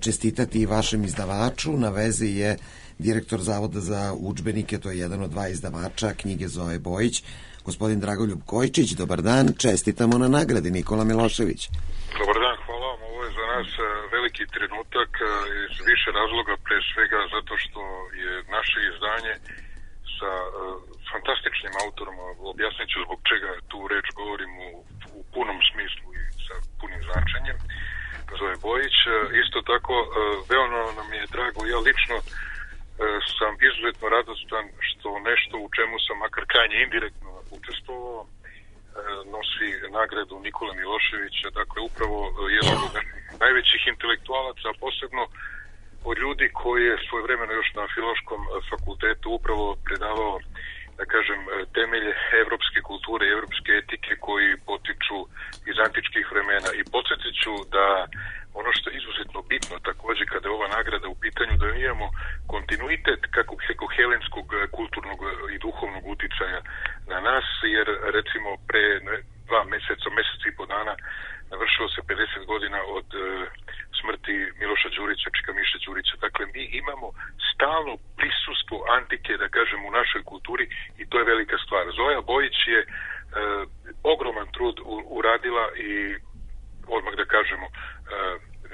Speaker 1: čestitati i vašem izdavaču. Na vezi je direktor Zavoda za udžbenike, to je jedan od dva izdavača knjige Zoje Bojić, gospodin Dragoljub Kojčić. Dobar dan, čestitamo na nagradi Nikola Milošević.
Speaker 7: Dobar dan, hvala vam. Ovo je za nas veliki trenutak iz više razloga, pre svega zato što je naše izdanje sa fantastičnim autorom, objasnit ću zbog čega tu reč govorim u, u punom smislu i sa punim značenjem, Zoje Bojić. Isto tako, veoma nam je drago, ja lično sam izuzetno radostan što nešto u čemu sam makar krajnje indirektno učestvovao nosi nagradu Nikola Miloševića, dakle upravo jedan od najvećih intelektualaca, a posebno od ljudi koji je svojevremeno još na Filološkom fakultetu upravo predavao, da kažem, temelje evropske kulture i evropske etike koji potiču iz antičkih vremena. I podsjetit ću da ono što je izuzetno bitno takođe kada je ova nagrada u pitanju, da imamo kontinuitet kako, kako helenskog kulturnog i duhovnog uticaja na nas, jer recimo pre dva meseca, mesec i po dana navršilo se pedeset godina od e, smrti Miloša Đurića, Čika Miše Đurića. Dakle, mi imamo stalno prisustvo antike, da kažem, u našoj kulturi i to je velika stvar. Zoja Bojić je e, ogroman trud u, uradila i odmah da kažemo, e,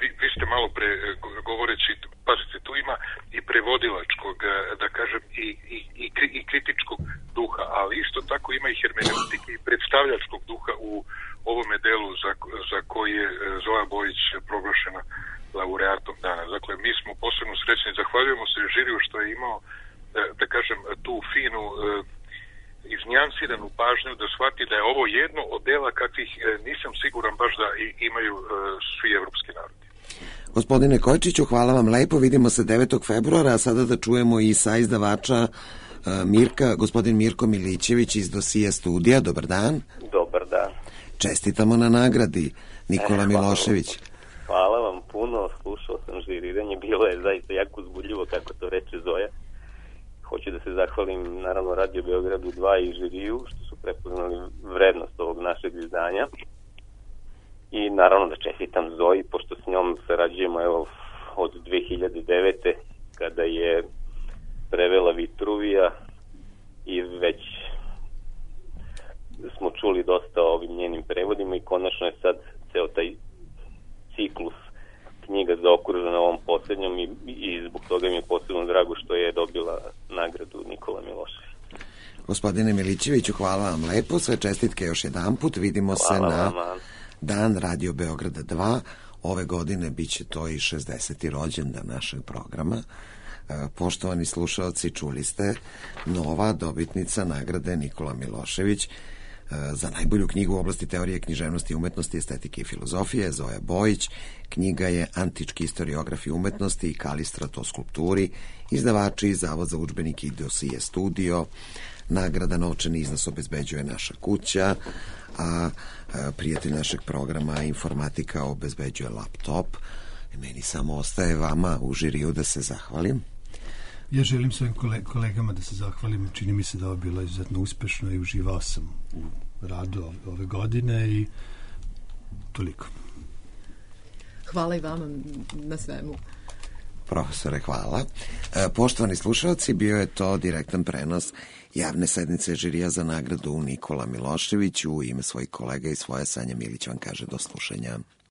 Speaker 7: vi, vi ste malo pre govoreći, pazite, tu ima i prevodilačkog, da kažem, i, i, i, i kritičkog duha, ali isto tako ima i hermeneutike i predstavljačkog duha u ovome delu za, za koji je Zoja Bojić proglašena laureatom dana. Dakle, mi smo posebno srećni, zahvaljujemo se žiriju što je imao, da, da kažem, tu finu iz nijansiranu pažnju da shvati da je ovo jedno od dela kakvih nisam siguran baš da imaju svi evropski narodi.
Speaker 1: Gospodine Kojčiću, hvala vam lepo, vidimo se devetog februara, a sada da čujemo i sa izdavača Mirka, gospodin Mirko Milićević iz Dosije studija. Dobar dan.
Speaker 8: Dobar dan.
Speaker 1: Čestitamo na nagradi, Nikola
Speaker 8: e,
Speaker 1: Milošević.
Speaker 8: Hvala vam puno, slušao sam žiriranje, bilo je zaista jako uzbudljivo, kako to reče Zoja. Hoću da se zahvalim naravno Radio Beogradu dva i žiriju što su prepoznali vrednost ovog našeg izdanja. I naravno da čestitam Zoji, pošto s njom sarađujemo evo, od dve hiljade devete kada je prevela Vitruvija i već smo čuli dosta o ovim njenim prevodima i konačno je sad ceo taj ciklus knjiga zaokružena ovom posljednjom i, i zbog toga mi je posebno drago što je dobila nagradu Nikola Milošević.
Speaker 1: Gospodine Milićeviću, hvala vam lepo, sve čestitke još jedan put, vidimo
Speaker 8: hvala
Speaker 1: se na
Speaker 8: vam.
Speaker 1: Dan Radio Beograda dva, ove godine bit će to i šezdeseti rođendan našeg programa. Poštovani slušalci, čuli ste nova dobitnica nagrade Nikola Milošević za najbolju knjigu u oblasti teorije književnosti, umetnosti, estetike i filozofije, Zoja Bojić. Knjiga je Antički istoriografi umetnosti i Kalistrato skulpturi, izdavači Zavod za udžbenike i Dosije studio. Nagrada novčani iznos obezbeđuje naša kuća, a prijatelj našeg programa Informatika obezbeđuje laptop. Meni samo ostaje vama u žiriju da se zahvalim.
Speaker 4: Ja želim svojim kolegama da se zahvalim. Čini mi se da ovo bilo izuzetno uspešno i uživao sam u radu ove godine i toliko.
Speaker 3: Hvala i vama na svemu.
Speaker 1: Profesore, hvala. Poštovani slušalci, bio je to direktan prenos javne sednice žirija za nagradu Nikola Milošević. U ime svojih kolega i svoje Sanja Milić vam kaže do slušanja.